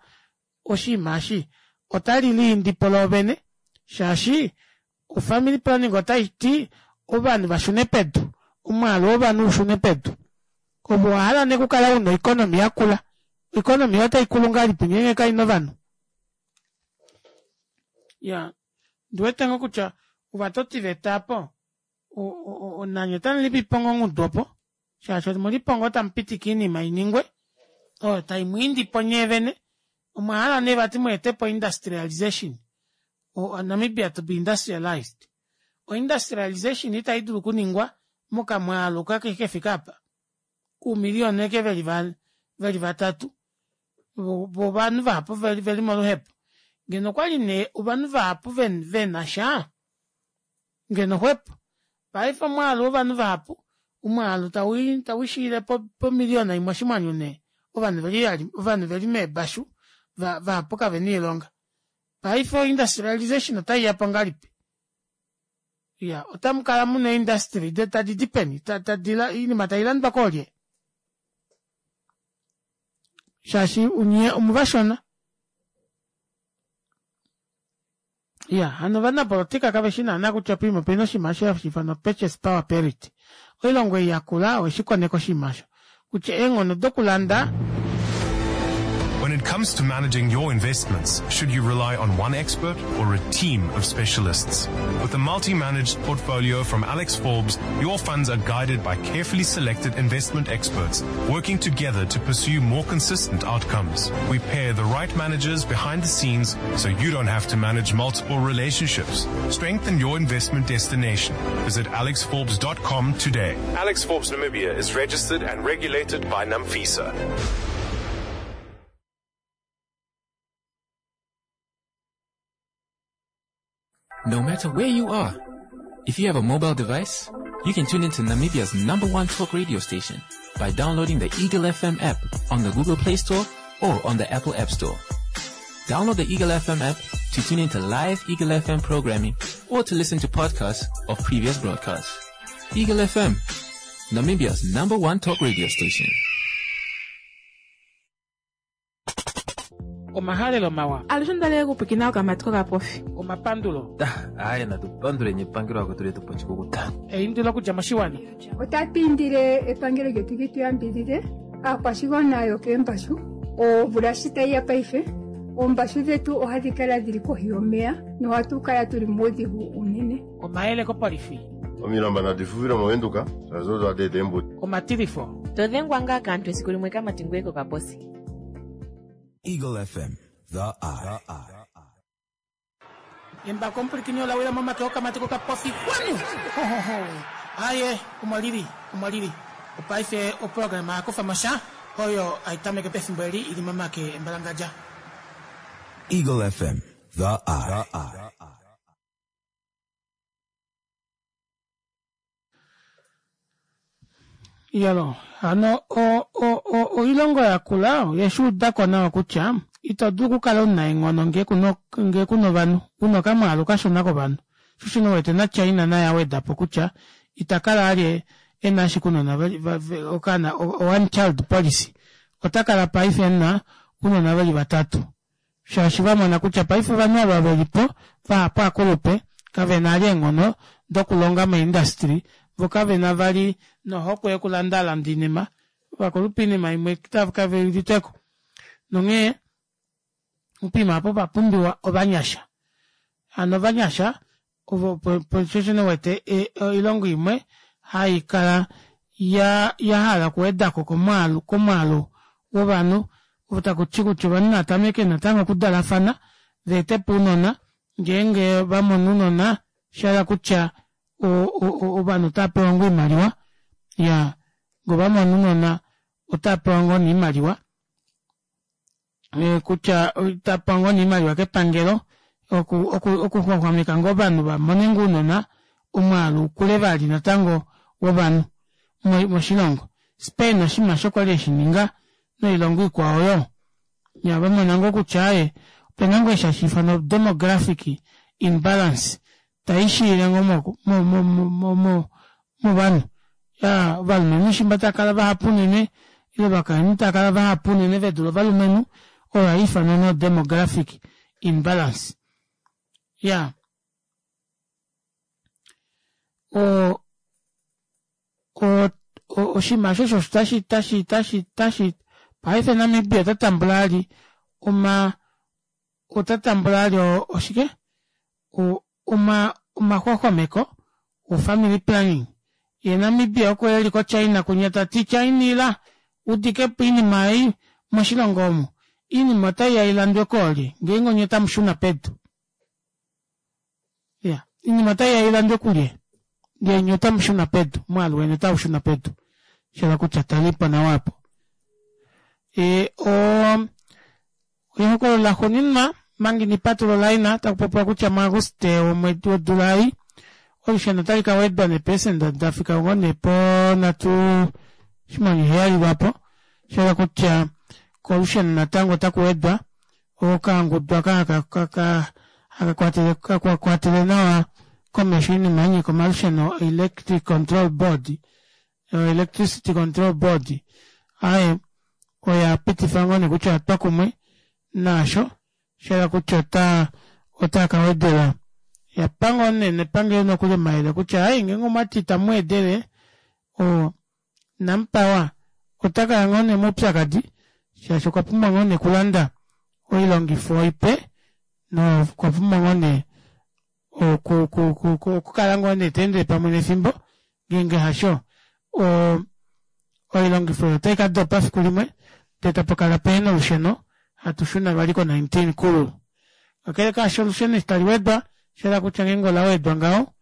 oshinima eshi otali liindipo loovene shaashi o family planning otai ti ovanhu vashune pedu, omwaalu wovanhu ushune pedu. Ove owahala nee okukala una oeconomy yakula, oeconomy otai kulu ngahelipi ngeenge kaina ovanhu? Ya, ndiwete ngoo kutya ovatotiveta apo nanye otamu lipipo ngoo ongudu opo shaashi omulipo ngoo tamu pitike oinima iningwe oyo tai mwiindipo nyee vene omwa hala nee vati mweetepo industrialization Namibia to be industrialized. Oindustrialization itai dulu okuningwa mokamwaalu kefike apa kuumiliyona eke veli vatatu vo ovanhu vahapu veli moluhepo. Ngeno okwali nee ovanhu vahapu vena sha ngeno xwepo. Paife omwaalu wovanhu vahapu omwaalu tauishiile pomiliyona imwe oshinghwanyu nee ovanhu veli meebashu vahapu kavena oilonga. Paife oindustrialization otaiya po ngahelipi? Iya, otamu kala muna eeindustry tadi di peni? Oinima tailandwa koolye? Shaashi nye omuvashona. Iya, hano ovanapolotika kave shi naana kutya poima opena oshinima osho hashi ifanwa purchase power parity. Oilongo ei yakula oye shi koneka oshinima osho kutya eenghono dokulanda When it comes to managing your investments, should you rely on one expert or a team of specialists? With a multi-managed portfolio from Alex Forbes, your funds are guided by carefully selected investment experts working together to pursue more consistent outcomes. We pair the right managers behind the scenes so you don't have to manage multiple relationships. Strengthen your investment destination. Visit alexforbes.com today. Alex Forbes Namibia is registered and regulated by NAMFISA. No matter where you are, if you have a mobile device, You can tune into Namibia's number one talk radio station by downloading the Eagle FM app on the Google Play Store or on the Apple App Store. Download the Eagle FM app to tune into live Eagle FM programming or to listen to podcasts of previous broadcasts. Eagle FM, Namibia's number one talk radio station. Omahalelo mawa. Alushe onda li okupwiikina okamati kokapofi. Omapandulo. Aye, natu panduleni epangelo akwetu letu pochikukuta. Eindilo okudja moshiwana. Otatu indile epangelo lyetu li tu yambidhidhe aakwashigwana yokeembashu omvula shi tayi ya paife oombashu dhetu ohadhi kala dhili kohi yomeya nohatu kala tuli muudhigu uunene. Omayele kopolifi. Omilamba nadi fufile moVenduka shaashi odo hadi eta eembudi. Omatilifo. To dhengwa ngaa kaantu esiku limwe kamati ngoye kokaposi. Eagle FM, the eye. Embako omupulikini ola wila momake okamati kokapofi kwanu Hohoho. Aye, omo lili, omo lili. Opaife oprograma ya kufa mo sha oyo hai tameke pefimbo eli ili momake embalangadja. Eagle FM, the eye. Iyalo, hano o, o, o, oilongo ya kula oye shi uda ko nawa kutya ito dulu okukala omunaenghono ngee kuna ngee kuna ovanhu, una okamwaalu kashona kovanhu. Sho osho nee wete naChina naye a weda po kutya ita kala alye e na ashike ounona okaana one child policy, ota kala paife e na ounona ve li vatatu. Shaashi va mona kutya paife ovanhu ava ve li po vahapu aakulupe, kave na vali eenghono dokulonga moindastry, vo kave na vali nohokwe yokulandaalanda oinima. Ovakulupe oinima imwe kave udite ko. Nonghee poima apa opa pumbiwa ovanyasha. Hano ovanyasha ovo sho nee uwete oilongo imwe hai kala ya ya hala okuweda ko komwaalu komwaalu wovanhu ovo taku ti kutya ovanhu nava tameke natango okudalafana va ete po ounona ngeenge va mono ounona osha hala kutya ovanhu otava pewa ngoo oimaliwa ya ngee ova mono ounona otava pewa ngoo nee oimaliwa kutya otapa ngoo nee oimaliwa kepangelo oku oku okuxwaxwameka ngoo ovanhu va mone ngoo ounona omwaalu ukule vali natango wovanhu moshilongo. Spain oshinima osho kwali eshi ninga noilongo ikwao yoo. Ya va mona ngoo kutya aaye opena ngoo eshi hashi ifanwa demographic imbalance tai shiile ngoo mo mo mo mo movanhu. Ya ovalumenhu shimba tava kala vahapu unene ile ovakainhu tava kala vahapu unene ve dule ovalumenhu oyo ohai ifanwa nee demographic imbalance. Ya o o oshinima osho osho tashi tashi tashi tashi paife Namibia ota tambula ali oma ota tambula ali oshike oma omaxwaxwameko wo family planning ye Namibia oko eli ko China kunya tati China ila udikepo oinima ei moshilongo omu oinima otaiya ilandwe koolye ngeenge onye otamu shuna pedu ya oinima otaiya ilandwe kulye ngee nye otamu shuna pedu omwaalu weni otau shuna pedu shala kutya talipo nawa apo e, o Ehokololo laxuuninwa, manga ina patulula olaina, taku popiwa kutya muAguste womwedi wodula ei, olusheno otali ka wedwa neeperesenda da fika ngoo nee po 3.7 lwaapo, sha hala kutya kolusheno natango otaku wedwa okangudu aka haka haka kwatele nawa komesho oinima ya nyika omalusheno oElectric Control Board, Electricity Control Board, aaye oya pitifa ngoo nee kutya oya twa kumwe naasho, sha hala kutya ota otaa ka wedela. Ya pa ngoo nee nepangelo nokuli omayele kutya ai ngeenge omwati itamu wedele o Nampower ota kaya ngoo nee moupyakadi shaashi okwa pumbwa ngoo nee okulanda oilongifo ipe nokwa pumbwa ngoo nee okukala ngoo nee ta endele pamwe nefimbo ngeenge hasho o oilongifo oyo otai ka dopa fiku limwe ndee tapa kala pehena olusheno hatu shuna vali ko 19 kululu. Kakele kaasho olusheno eshi tali wedwa osha hala kutya ngeenge ola wedwa ngaho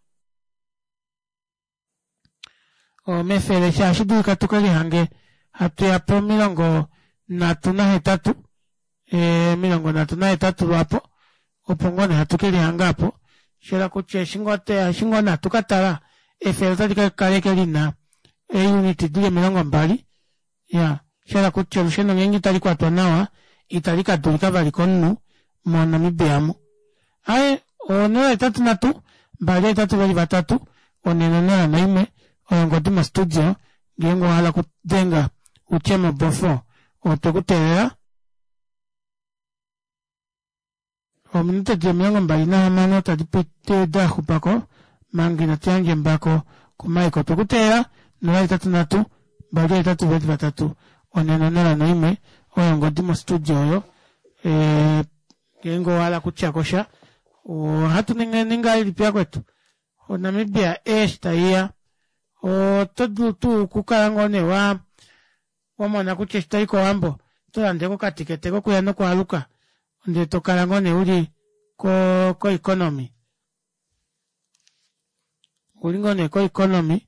omefele shaashi dulika tuke lihange hatu ya po 38 38 lwaapo opo ngoo nee hatu ke lihanga apo. Sha hala kutya eshi ngoo eshi ngoo nee hatu ka tala Efele otali ka kala ashike lina eeunit dili 20. Ya, shahala kutya olusheno ngeenge itali kwatwa nawa itali ka dulika vali komunhu moNamibia omu. Aye, 083 283 401 oyo ongodi mostudio ngeenge owa hala okudenga utye mobofo otwe ku teelela. Ominute di 26 tadi piti da xupa ko manga inatu yandja embako kuMike. Otwe ku teelela 083 283 401 oyo ongodi mostudio oyo. Ngeenge owa hala okutya ko sha ohatu ningi ngahelipi yakwetu? ONamibia eshi tai ya oto dulu tuu okukala ngoo nee wa wamona kutya eshi toyi kOwambo oto lande ko okatikete kokuya nokwaaluka ndele to kala ngoo nee uli ko koeconomy uli ngoo nee koeconomy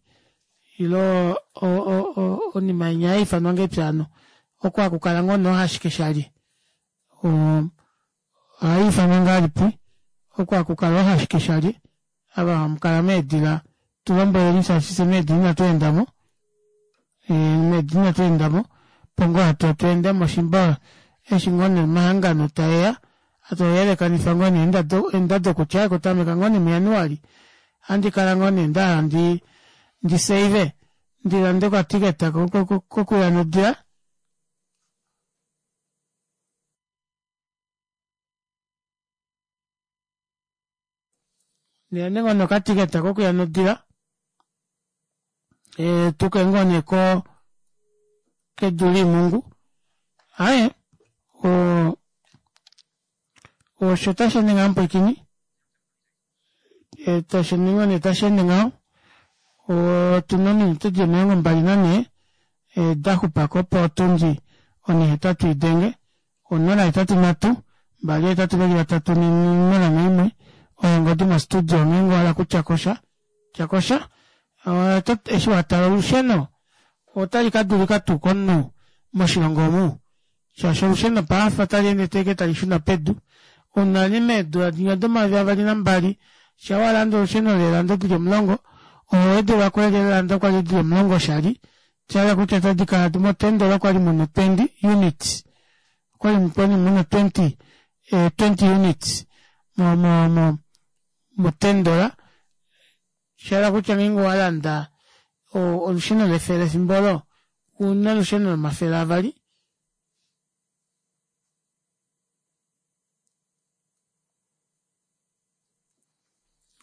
ilo onima inya haifanwa ngahelipi hano oko haku kala ngoo nee ohashike shali ohai ifanwa ngahelipi oko haku kala ohashike shali ava hamu kala meedila tu lombweleni shaashi fye meedila inatu endamo meedila inatu endamo opo ngoo hatu tu endemo shimba eshi ngoo nee omahangano taeya hatu yelekanifa ngoo nee eendado kutya okutameka ngoo nee muJanuali ohandi kala ngoo nee ndahala ndi ndi save ndi lande okatiketa kokuya nodila. Ndele ngoo nee okatiketa kokuya nodila tuke ngoo nee ko kedu liimungu aye osho tashi ende ngaho mupwiikini tashi ende ngoo nee tashi ende ngaho otuna ominute di 24 da xupako opo otundi onhihetatu idenge 083 283 401 oyo ongodi mostudio ngeenge owa hala okutya ko sha tya ko sha eshi wa tala olusheno otali ka dulika tuu komunhu moshilongo omu shaashi olusheno paife otali ende teke tali shuna pedu unene meedula dinya do2022 sha wa landa olusheno leelando dili 10 oho wedelwa ko leelando kwali dili 10 oshali sha kutya otadi kala motendela kwali muna 20 units kwali kwali muna 20 20 units mo mo mo motendola sha kutya ngeenge owa landa olusheno lefele efimbo olo una olusheno lomafele avali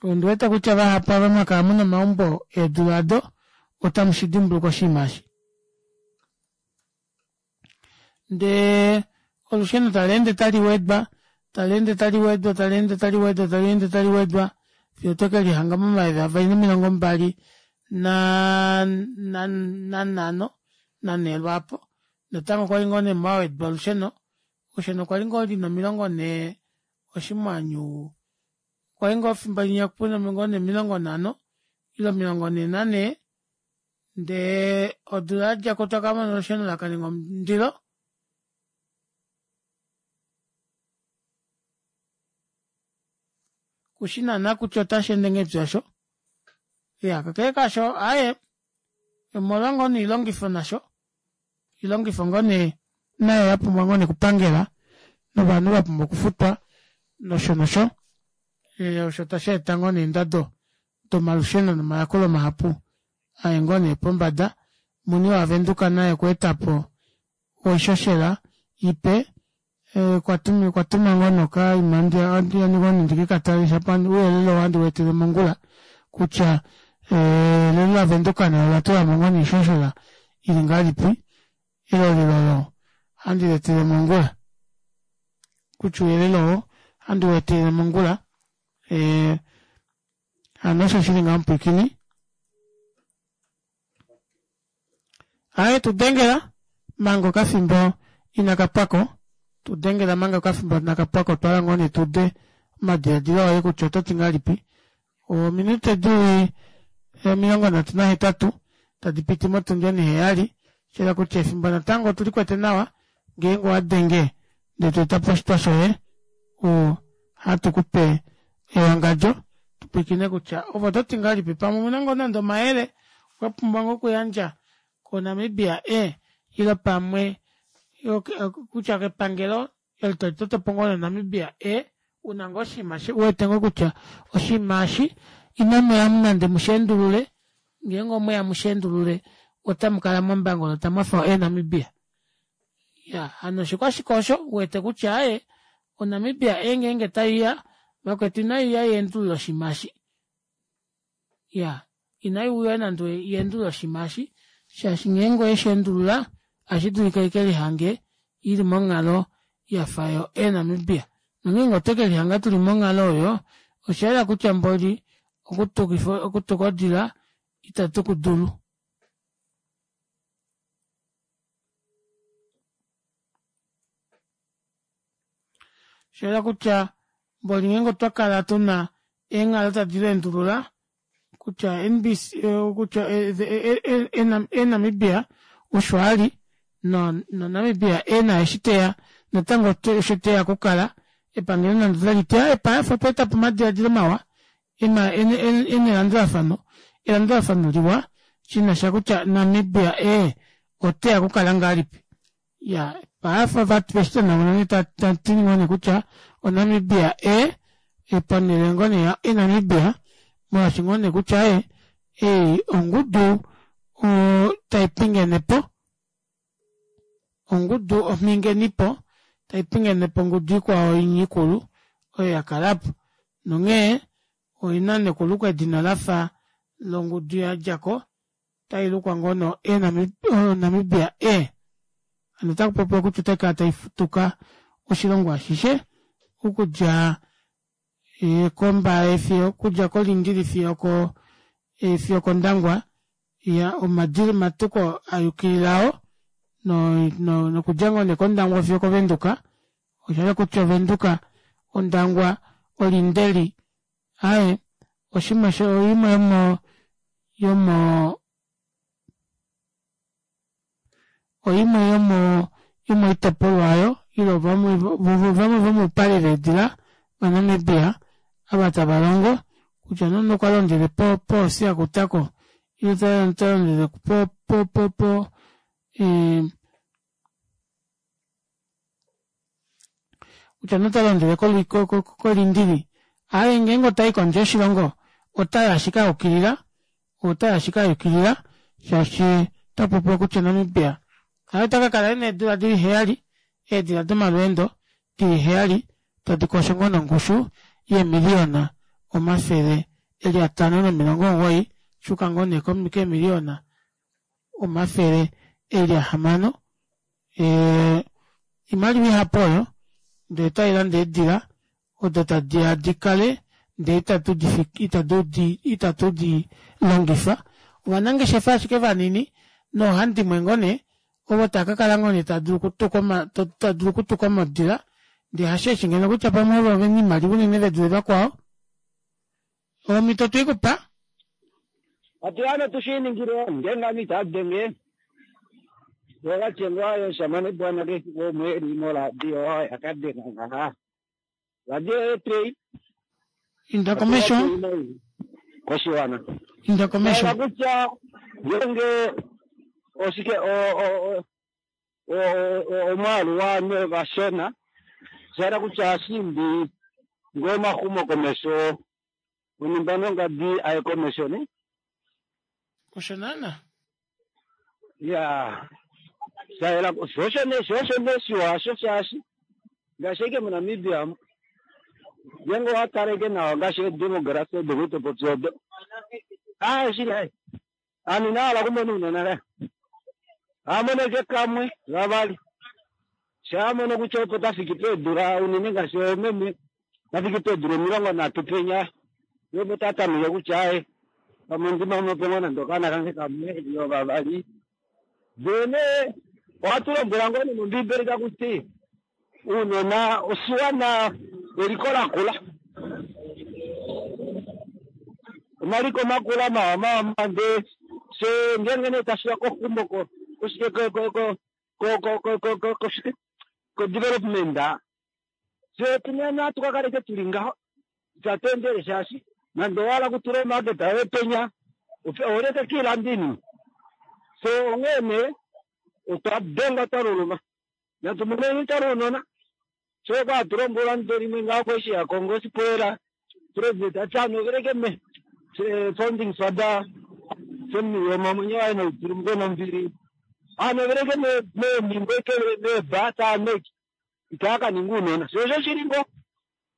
Ondi wete kutya vahapu ava mwa kala muna omaumbo eedula ado otamu shi dimbuluka oshinima eshi. Ndee olusheno tali ende tali wedwa, tali ende tali wedwa, tali ende tali wedwa, tali ende tali wedwa fiyo toke lihanga momayovi 2025 nanhee lwaapo. Natango okwali ngoo nee mwawedwa olusheno, olusheno okwa li ngoo lina 40 oshimwanyu kwali ngoo fimbo linya puna ngoo nee 50 ile 44 ndee odula yadjako twakamona olusheno lakaninga omundilo. Kushi naana kutya otashi ende ngahelipi osho. Iya kakele kaasho aaye omolwa ngoo nee oilongifo nasho oilongifo ngoo nee nayo ya pumbwa ngoo nee okupangela novanhu va pumbwa okufutwa nosho nosho osho tashi eta ngoo nee eendado domalusheno nomayakulo mahapu aye ngoo nee pombada. Muni waVenduka naye okwa eta po oishoshela ipe okwa tuma ngoo nokaima handi ngoo nee ndikekatale shapo ouyelele oo ohandi weetele mongula kutya elelo laVenduka nalo ola tula mo ngoo nee oishoshela ili ngahelipi elolelo olo ohandi leetele mongula kutya ouyelele oo ohandi weetele mongula hano osho shili ngaho mupwiikini. Aye tudengela manga okafimbo inaka pwako tudengela manga okafimbo inaka pwako twala ngoo nee tude omadiladilo oye kutya oto ti ngahelipi ominute dili 38 tadi piti motundi oniheyali shela kutya efimbo natango otuli kwete nawa ngeenge owa denge ndee to eta po oshitwa shoye ohatu kupe ewangadjo. pwilikine kutya ove oto ti ngahelipi pamwe omuna ngoo nande omayele wa pumbwa ngoo okuyandja koNamibia e ile pamwe kutya kepangelo eli tali toto po ngoo noNamibia e una ngoo oshinima u wete ngoo kutya oshinima eshi inamu ya nande mu shi endulule ngeenge omweya mu shi endulule otamu kala mombango notamu hafa eeNamibia. Ya hano oshiko ashike osho u wete kutya aaye oNamibia e ngeenge taiya vakwetu inaiuya yeendulule oshinima eshi. Ya inai uya nande yeendulule oshinima eshi shaashi ngeenge oyeshi endulula ohashi dulika ike lihange ili monghalo yafa yo eeNamibia. Nongeenge otwe ke lihanga tuli monghalo oyo osha yela kutya mboli okutukifa okutuka odila itatu ku dulu. Osha yela kutya mboli ngeenge otwa kala tuna eenghalo tadi leendulula kutya NBC kutya eNamibia osho a li noNamibia e na eshi teya natango osho teya okukala epangelo nande otali ti aaye paife otwa eta po omadiladilo mawa ena elandulafano elandulafano liwa shi na sha kutya Namibia e oteya okukala ngahelipi ya paife veshi tanauna nee tati ngoo nee kutya oNamibia e ponhele ngoo nee ya eNamibia molwaashi ngoo nee kutya e ei ongudu tai pingene po ongudu omhingenipo tai pingene po ongudu ikwao ikulu oyo ya kala po nonghee oina nekulukwa edina lafa longudu ya dja ko otai lukwa ngoo no Namibia e hano otaku popiwa kutya otai kala tai tuka oshilongo ashishe okudja kOmbaye fiyo okudja kOlindili fiyo ko fiyo kOndangwa ya omadili matuko a yukililao no no nokudja ngoo nee kOndangwa fiyo kOvenduka osha hala kutya Ovenduka Ondangwa Olindeli Aaye, oshinima sho oimwe yomo yomo oimwe yomo yomoitopolwa oyo ile vamwe vamwe vomoupale veedila vaNamibia ava tava longo kutya nee omunhu okwa londele po poosia kutako ile ta londele po po po po kutya nota londele kolindili aye ngeenge otai kondje yoshilongo otai ashike a yukilila otai ashike a yukilila shaashi ota popiwa kutya Namibia aye ota ka kala ena eedula dili heyali eedila domalweendo dili heyali tadi kosho ngoo nongushu yeemiliyona omafele eli 590 shuka ngoo nee keemiliyona omafele eli ahamano Oimaliwa ihapu oyo ndee otai lande eedila odo tadi ya di kale ndee itatu di longifa. Ovanangeshefa ashike vanini noohandimwe ngoo nee ovo tava ka kala ngoo nee tava dulu okutuka modila ndee hasheeshi ngeno kutya pamwe ovo vena oimaliwa unene ve dule vakwao. Omhito otwe i ku pa. Atuhano tushiningile ngeenge ame ita denge wakatengwa yomushamane bwana kefiku omweli moradio yakadenga ngaha radio yetrei Inda komesho. koshiwana Inda komesho. Hala kutya ngeenge oshike omwaalu waanhu vashona osha kutya ohashi imbi ngoo omaxumokomesho onhumba nongadi aye komesho ne. Osho naana. Ya shayela sho osho nee sho osho nee shiwa hasho shaashi ngaashi ashike moNamibia omu ngeenge owa tala ashike nawa ngaashi eedemography odo kwali to popi odo aaye shili aaye ovanhu inava hala okumona ounona lela ohava mono ashike kamwe vavali shaa amono kutya opo ta fiki peedula unene ngaashi oomeme ta fiki peedula 30 penya ye opo ta tameke kutya aaye pamwe ondi mono po ngoo nande okaana kange kamwe ile vavali ndee nee ohatu lombwela ngoo nee mombiibeli taku ti ounona oshiwana eliko lakula omaliko makula mawa mawa ndee fye ngeenge nee tashiya koxumo koshike koshike ko-development fye otuna natu ka kaleke tuli ngaho itatu endele shaashi Nande owa hala okutula omarket yoye penya, oleke kiilanda iinima. So onghee nee otwa dengwa twa luluma. Natu moneni twa uunona. Sho kwa hatu lombwelwa nande limwe ngaho eshi ya kongo osipoela president ati anoveleke me founding father Sam Nujoma omwenyo waye nautulumuke nombili anoveleke me meenhingo eke meeba taameki itaa ka ninga uunona sho osho shili ngo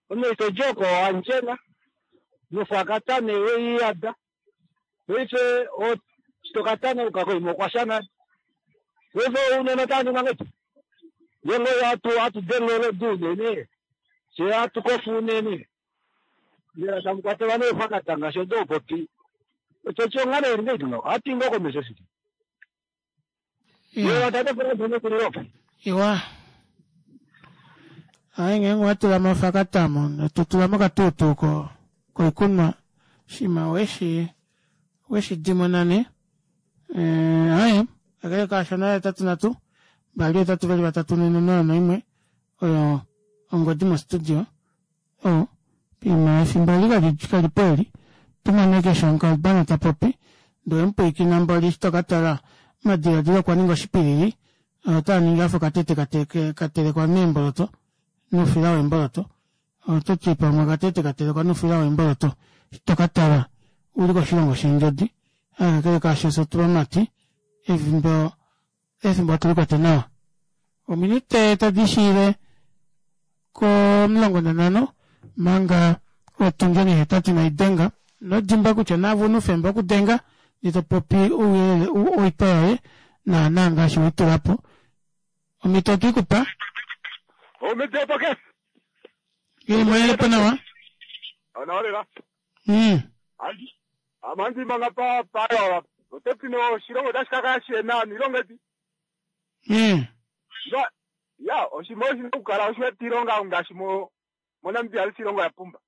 omeito joko wandjena nofakata nee weiyada paife shitokatana uka koima okwasha nale paife ounona otava ningwa ngahelipi ngeenge oyo hatu hatu denge olodi unene fye hatu kofa unene mbela tamu kwatelwa neefakata ngaashi odo popi ototi onghalo ili ngahelipi ngaho ohatu i ngoo komesho shili Iwa. tate Frans omekulilo opo Iwa. Aye ngeenge owa tula mo ofakata mo, to tula mo okatuutuu ko koikunwa shima weshi weshi dimona ne. Eh, aye, kakele kaasho 083 2 8 2 3 4 0 1 oyo ongodi mostudio. Oh, pima efimbo eli kali kali po eli. Tumane keshe omukalubana ta popi, ndee omupwiikina mboli eshi to ka tala omadiladilo okwa ninga oshipilili, otaa ningi afa okatete ka telekwa meemboloto noufila weemboloto. Oto ti pamwe okatete ka telekwa noufila weemboloto. Eshi to ka tala uli koshilongo sheendjodi. Kakele kaasho fye otuvamati efimbo efimbo otu li kwete nawa. Ominute tadi shiile komulongo nanhano manga otundi onihetatu inai denga. Ino dimbwa kutya naave una oufemba wokudenga ndee to popi ouyelele oitwa yoye naana ngaashi wei tula po. Omhito otwe i ku pa. Omhito opo ke. Ili mo yele po nawa. Onawa lela. Ame ohandi manga pa pa ote ti no oshilongo otashi ka kala shihena oilonga edi. No, ya oshinima oshi na okukala osho ilonga ngaashi mo moNamibia alishe ilonga oya pumba.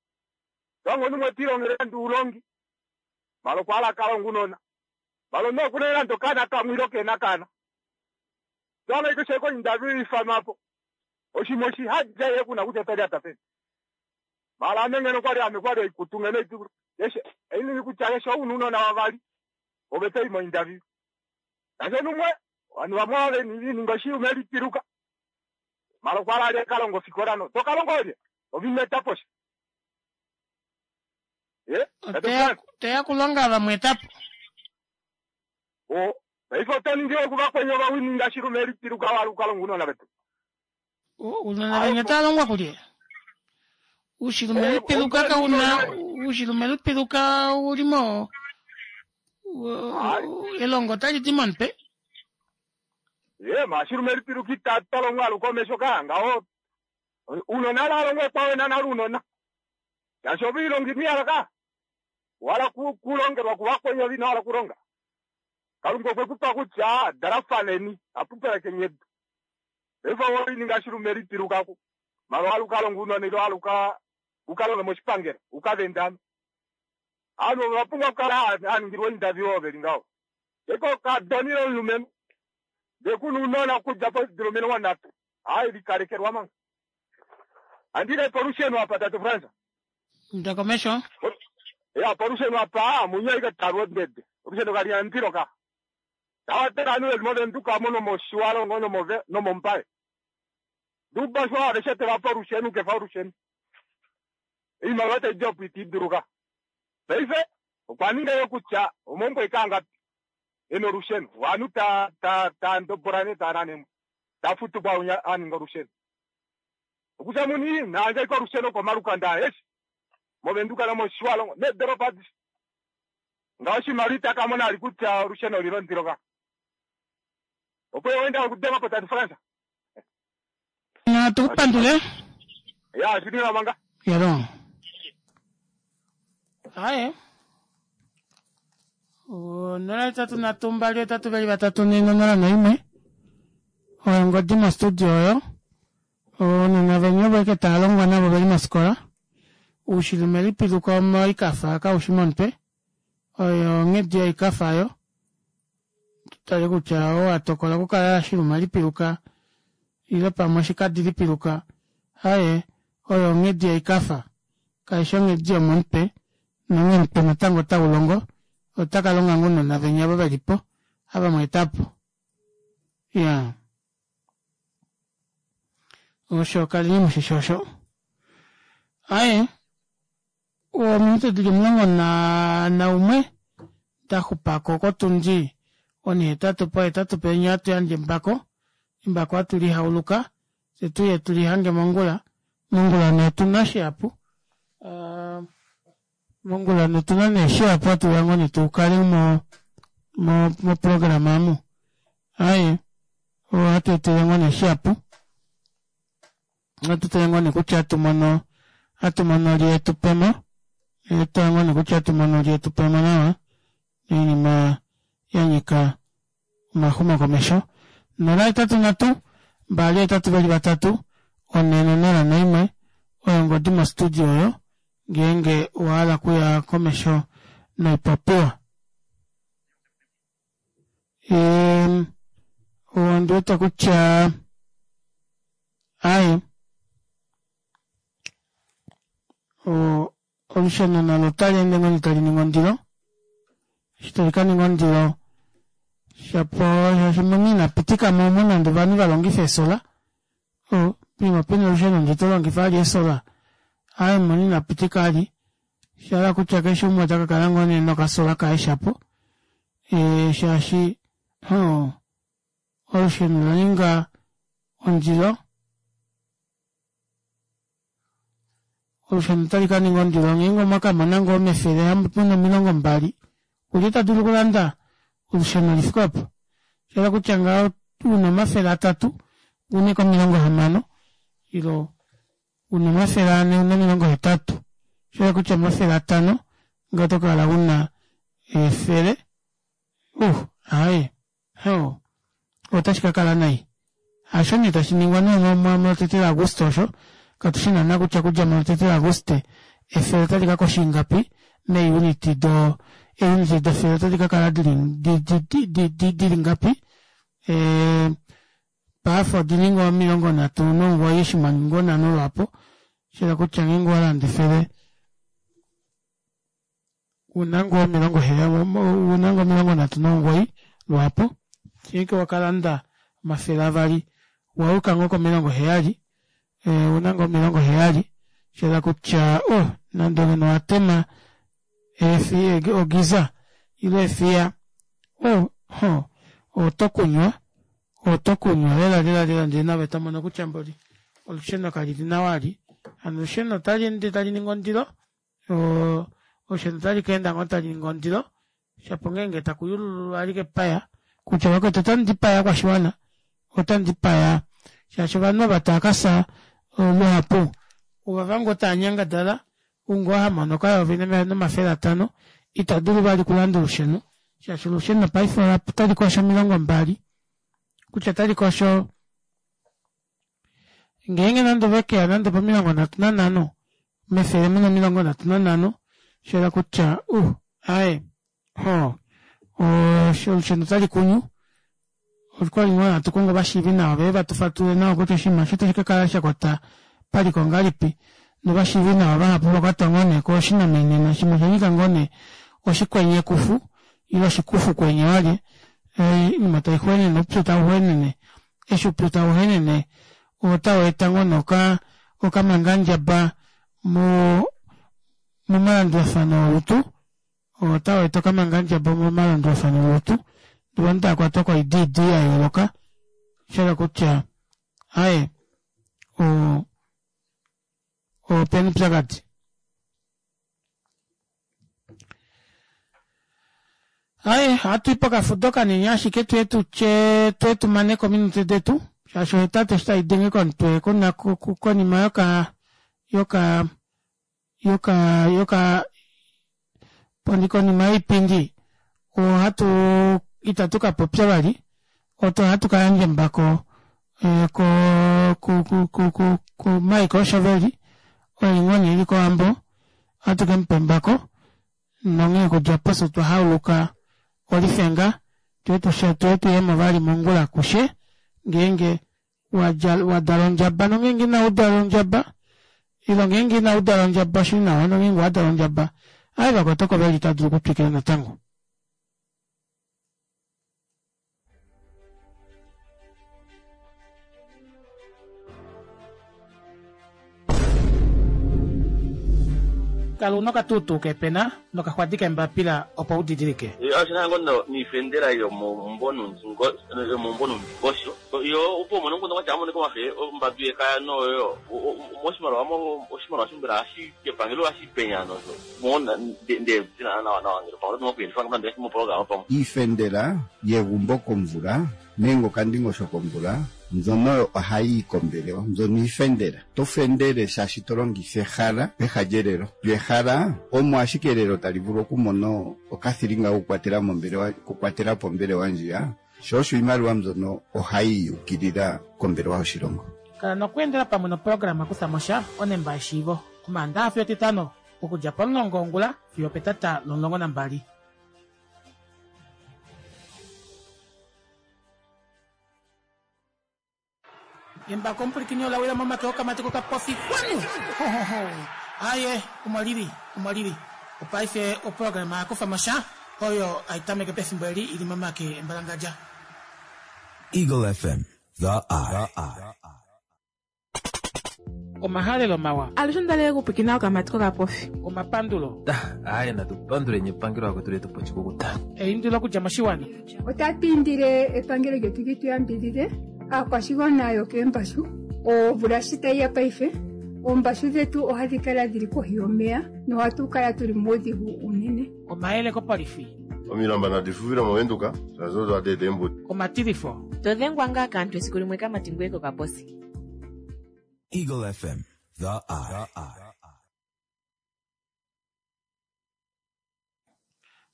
Tonga omunhu umwe ota ilongele nande oulongi, mala okwa hala a ka longe ounona. Mala omunhu okuna nande okaana kamwe ile kehena okaana. Tonga ashike osho kointerview ifanwa po. Oshinima oshi hadja ye kuna kutya ota lyata peni. Mala ame ngeno kwali ame kwali oikutu ngeno idulu. Keshe einini kutya keshe ou una ounona vavali ove to i mointerview. Ngaashi omunhu umwe ovanhu vamwe ove lininga oshilume lipiluka. Mala okwa hala a ka longe ofikola no to ka longa olye? Ove ino eta po sha. Ye, Tate Frans. Teya kulonga vamwe eta po. O, paife oto ningi okuvakweni ovawininga shilume lipiluka wa hala uka longe ounona vetu. Uunona veni otava longwa kulye? Uushilume lipiluka kauna, uushilume lipiluka uli mo elongo otali di momutwe. Ye, maashilume lipiluka ita tolongwa aluka omesho ka ngaho. Uunona ala alongwa ekwawo ena nale uunona. Shaashi ove ilongi miyala ka. Wala kulongelwa kuvakweni ove ino hala okulonga. Kalunga okwe ku pa kutya dalafaneni, apupelekeni edu. Paife owe lininga shilume lipiluka ku mala owa hala uka longe ounona ile owa hala uka uka longe moshipangelo uka vende ano. Ovanhu ova pumbwa okukala hava ningilwa ointerview ovo veli ngaho. Sheke okadona ile omulumenhu ndee kuna ounona okudja podula 30 hai likalekelwa manga. Handi ile polusheno apa tate Frans. Inda komesho. Ya polusheno apa munye aike talwa ondede. Olusheno kali na ondilo ka. Tava ovanhu veli mOvenduka omo nomOshiwalongo nomOmbaye. Duba osho aveshe teva pa olusheno kefa olusheno. Oimaliwa tai di opo ita i duluka. Paife okwa ninga yo kutya omaumbo aeke angapi e na olusheno. Ovanhu ta ta ta ndobola nee taa nane mo. Ta futu kwaaunya a ninga olusheno. Okutya muni na yandje ashike olusheno komalukanda aeshe mOvenduka nomOshiwalongo needolopa adishe. Ngaho oshimaliwa ita ka mona vali kutya olusheno oli londilo ka. Opo ye wenda okudenga po tate Frans. Natu ku pandule. Ya, shili nawa manga. Yalo. Aye. 083 2 8 2 4 0 1. Oyo ongodi mostudio oyo. Ounona veni ovo eke tava longwa navo veli mofikola. Uushilume lipiluka moikafa kaushi momutwe. Oyo onghedi yoikafa oyo. Tutale kutya oo a tokola okukala shiluma lipiluka ile pamwe oshikadi lipiluka. Aye, oyo onghedi yoikafa. Kaishi onghedi yomomutwe. Nonghee omutwe natango otau longo, ota ka longa ngoo ounona venya ovo ve li po, ava mwa eta po. Iyaa. Osho kaleni mushishi osho. Aye, ominute dili 11 da xupako kotundi onhihetatu pohetatu penya ohatu yandje embako, embako hatu li hauluka fye tuye tu lihange mongula. Mongula nee otuna shihapu. Uh, mongula nee otuna nee shihapu hatu ya ngoo nee tu kale mo mo moprograma amu. Aye, ohatu etele ngoo nee shihapu. Ohatu tale ngoo nee kutya hatu mono hatu mono lye tu pemo. Tala ngoo nee kutya hatu mono lye tu pemo nawa. Oinima ya nyika omaxumokomesho. 083 283 401 oyo ongodi mostudio oyo ngeenge owa hala okuya komesho noipopiwa. Ehm, ondi wete kutya aye olusheno nalo otali ende ngoo tali ningi ondilo eshi tali ka ninga ondilo shapo shaashi muni ina pitika mo omo nande ovanhu va longife eesola poima pena olusheno ndee to longifa vali eesola aaye muni ina pitika vali sha hala kutya keshe umwe ota ka kala ngoo nee nokasola kaye shapo shaashi olusheno ola ninga ondilo Olusheno otali ka ninga ondilo ngeenge omwa ka mona ngoo mefele muna 20, olye ta dulu okulanda olusheno li fike opo? Osha hala kutya ngaho una 300 une ko 60 ilo una 400 une 80, osha hala kutya 500 ngaho oto kala una efele. Uh, aaye. Hoo, otashi ka kala nai. Hasho nee tashi ningwa nee molotete laAguste osho, katu shi naana kutya okudja molotete laAguste efele otali ka kosha ingapi meeuniti do, eeuniti defele otadi ka kala dili, di, dili ngapi. Ee, paife odi li ngoo 39 oshinghwanyu nhano lwaapo, sha hala kutya ngeenge owa landa efele, una ngoo una ngoo 39 lwaapo ngeenge wakalanda 200 wayuka ngoo ko 70 una ngoo 70 shahala kutya oh nande ngeno watema ogiza ile efiya oh ho oto kunywa oto kunywa lela lela lela ndee naave tomono kutya mboli olusheno kalili nawa ali hano olusheno otali ende tali ningi ondilo olusheno otali ka enda ngoo tali ningi ondilo shapo ngeenge taku yulululwa alike epaya kutya vakwetu otamu dipaya ovakwashiwana otamu dipaya shaashi ovanhu ava tava ka fya luhapu ovava ngoo tava nyangadala ou ngoo ha mono okayovi nomafele atano ita dulu vali okulanda olusheno shaashi olusheno paife otali kosho 20 kutya otali kosho Ngeenge nande ove ke ya nande po35, mefele mu na 35, osha yela kutya, uh, aaye, ho, olusheno otali kunyu. Okwali ngoo hatu kongo ovashiivi nawa veye va tu fatulule nawa kutya oshinima osho otashi ka kala sha kwata paliko ngahelipi. Novashiivi nawa vahapu ova kwatwa ngoo nee koshinamenena shimwe osha nyika ngoo nee oshikwenyekufu ile oshikufukwenye walye, oinima tai xwenene, oupyu tau xwenene. Eshi oupyu tau henene otau eta ngoo nee oka okamangandjaba mo momalandulafano olutu, otau eta okamangandjaba momalandulafano olutu, ndee ovanhu tava kwatwa koidiidi ya yooloka, sha hala kutya aaye o opena oupyakadi. Aye, ohatu i pokafudo kanini ashike tuye tutye tuye tu mane ko ominute detu shaashi ohetatu eshi tai denge komutwe kona konima yoka yoka yoka yoka poni konima yoipindi ohatu itatu ka popya vali oto ohatu ka yandja embako eh, ko ku ku ku ku ku Michael Shoveli oye ngoo nee eli kOwambo ohatu ke mu pa embako nonghee okudja opo fye otwa hauluka olifenga tuye tushe tuye tuyemo vali mongula kushe ngeenge wadja wadala ondjaba nongeenge ina udala ondjaba ilo ngeenge ina udala ondjaba oshili nawa nongeenge owadala ondjaba. Aye vakwetu oko veli otava dulu okutwikila natango. Kala una okatuutuu keepena nokaxwadi keembapila opo u didilike. Osho ngoo noifendela yomoumbo noundingosho yo opo umone omukundu watya amonike wafe ombadu yekaya noyo moshimaliwa oshimaliwa mbela hashi kepangelo hashi penya nosho Iifendela yegumbo komvula nenge okandingosho komvula mbyono ohayi yi kombelewa mbyono iifendela. To fendele shaashi to longitha ehala peha lyelelo. Lyo ehala omo ashike elelo tali vulu okumona okathilinga kokukwatela mombelewa okukwatela po ombelewa ndjiya, sho osho iimaliwa mbyono ohayi yukilila kombelewa yoshilongo. Kala nokweendela pamwe noprograma Kutha mo sha, onemba yeshiivo, Omaandaha fiyo Etitano, okudja pomulongo wongula fiyo opetata lomulongo nambali. Embako omupulikini ola wila momake okamati kokapofi kwanu! Hohoho! Aye, omo lili, omo lili. Opaife oprograma ya kufa mo sha oyo hai tameke pefimbo eli i li momake embalangadja. Eagle FM, the eye. Omahalelo mawa. Alushe onda li okupwikina okamati kokapofi. Omapandulo. Aaye natu panduleni epangelo akwetu letu poshikukuta. Eindilo okudja moshiwana. Otatu indile epangelo lyetu li tu yambidhidhe aakwashigwana yokeembashu. Omvula shi tayi ya paife, oombashu dhetu ohadhi kala dhili kohi yomeya nohatu kala tuli muudhigu uunene. Omayele kopolifi. Omilamba nadi fufile mOvenduka, shaashi odo hadi eta eembudi. Omatilifo. To dhengwa ngaa kaantu esiku limwe kamati ngweye kokaposi. Eagle FM, the eye.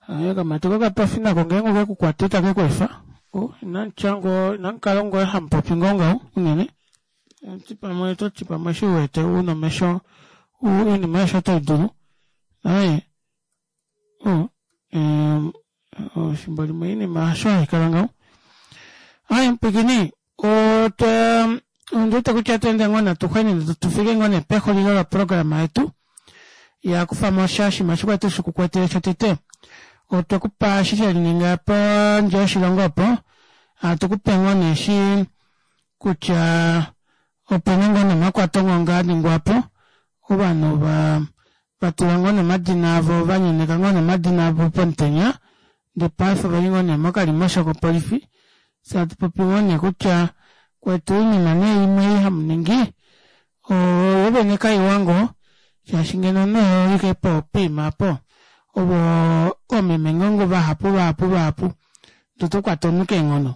Aye okamati kokapofi nako ngeenge oke ku kwata itake ku efa. Oh, inamutya ngoo inamukala ngoo hamupopi ngoo ngaho unene. Ti pamwe oto ti pamwe eshi u wete una omesho oinima aishe otai dulu. Aye oh, efimbo limwe oinima hasho hai kala ngaho. Aye mupwikini otwa ondi wete kutya tweende ngoo natu xwenene tu fike ngoo nee pexulilo loprograma yetu ya kufa mo sha oshinima shi kwali shi ku kwetele shotete otwe ku pa eshi she lininga pondje yoshilongo opo hatu ku pe ngoo nee shi kutya ope na ngoo nomakwato ngonga a ningwa po ovanhu va va tula ngoo nomadina avo va nyeneka ngoo nomadina avo pomutenya ndee paife oveli ngoo nee mokalimosho kopolifi fye hatu popi ngoo nee kutya kwetu oinima nee imwe ei hamu ningi oyo vene kaiwa ngoo shaashi ngeno omunhu oholike po poima apo ovo oomeme ngoo vahapu vahapu vahapu ndee oto kwata omunhu keenghono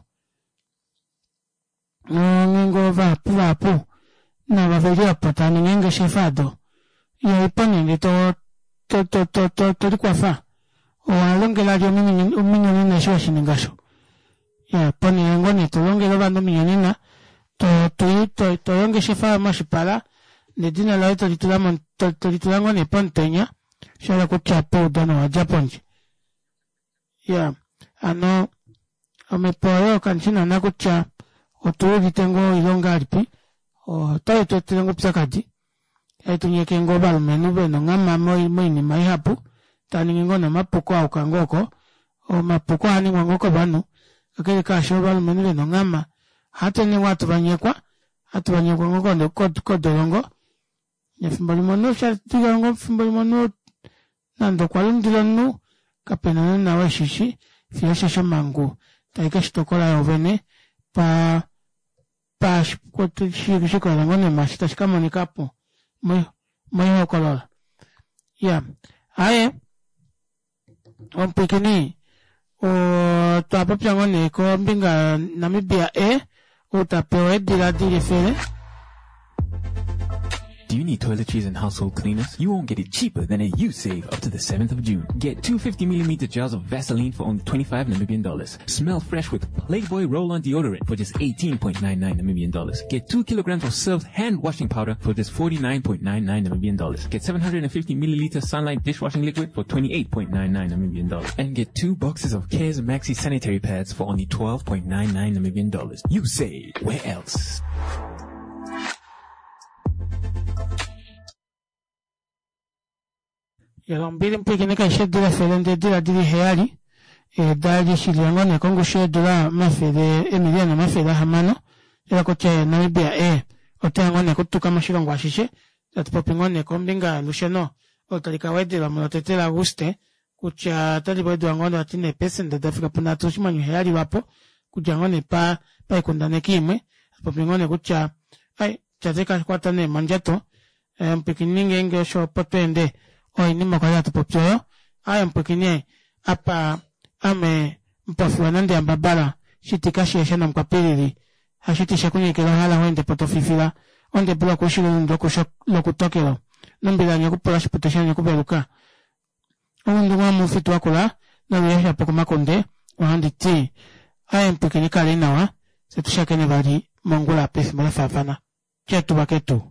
ngenge vahapu vahapu nava veli opo tava ningi eengeshefa odo ihaipo nee ndee to to to to to to likwafa owa longela lye ominyonena eshi weshininga osho ya ponhele ngoo nee tolongele ovanhu ominyonena to to to to ongeshefa yoye moshipala nedina laye tolitula mo tolitula ngoo nee pomutenya shahala kutya poudano owa dja pondje ya hano omhepo oyo kandishi naana kutya otuudite ngoo ile ongahelipi otai tu etele ngoo oupyakadi tai tu nyeke ngoo ovalumenhu vena onghama moinima ihapu tava ningi ngoo nee omapuko ayuka ngoo oko omapuko ohaa ningwa ngoo kovanhu kakele kaasho ovalumenhu vena onghama ohatu ende ngoo hatu vanyekwa hatu vanyekwa ngoo kodolongo nefimbo limwe omunhu shadika ngoo efimbo limwe omunhu nande okwa lundila omunhu kapena naana weshishi fiyo osheshi omhangu tai keshi tokola yoovene pa pa shikolela ngoo nee mwaashi tashi ka monika po moihokolola ya aaye omupwiikini otwa popya ngoo nee kombinga Namibia e ou ta pewa eedila dili efele Do you need toiletries and household cleaners? You won't get it cheaper than at Usave up to the 7th of June. Get 250 mm jars of Vaseline for only 25 Namibian dollars. Smell fresh with Playboy Roll-On Deodorant for just 18.99 Namibian dollars. Get 2 kilograms of Surf hand washing powder for just 49.99 Namibian dollars. Get 750 milliliter Sunlight dishwashing liquid for 28.99 Namibian dollars. And get 2 boxes of Cares Maxi sanitary pads for only 12.99 Namibian dollars. You say, where else? Ombili mpwiikine kaishe eedula efele ndee eedula dili heyali dali shilila ngoo nee kongushu yeedula omafele eemiliyona omafele ahamano ela kutya Namibia ee oteya ngoo nee okutuka moshilongo ashishe tatu popi ngoo nee kombinga yolusheno olo tali ka wedelwa mulotete laAguste kutya otali wedelwa ngoo vati neepesenda dafika punhatu oshinghwanyu heyali lwapo okudja ngoo nee pa paikundaneki imwe hatu popi ngoo nee kutya ai tate kakwata nee mondjato Mupwikini ngeenge osho opo tweende oinima kwali hatu popi oyo. Aaye mupwikini apa ame mupofiwa nande yambabala shiti kashiesha namukwapilili hashiti shakunyekela ohala ho ende po tofifila ondebu lokuushilo elundu lokutokelo nombila nyekupula oshipute shanyekuveluka oundungu womufitu wakula noluyesha pokomakunde ohandi ti aaye mupwikini kali nawa fye tushakene vali mongula pefimbo lafaafana. Ketu vaketu.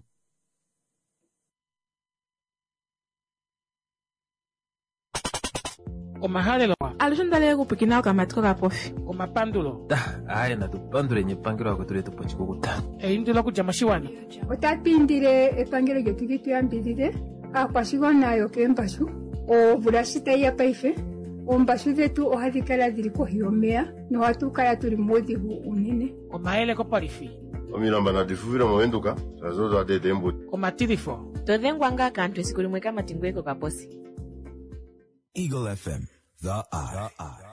Omahalelo. Alushe onda li okupwikina okamati kokapofi. Omapandulo. Aaye natu panduleni epangelo akwetu letu po oshikukuta. Eindilo okudja moshiwana. Otatu indile epangelo lyetu li tu yambidhidhe aakwashigwana yokeembashu. Omvula shi tayi ya paife, oombashu dhetu ohadhi kala dhili kohi yomeya nohatu kala tuli muudhigu uunene. Omayele kopolifi. Omilamba nadi fufile moVenduka shaashi odo hadi eta eembudi. Omatilifo. To dhengwa ngaa kaantu esiku limwe kamati ngoye kokaposi. Eagle FM, the eye.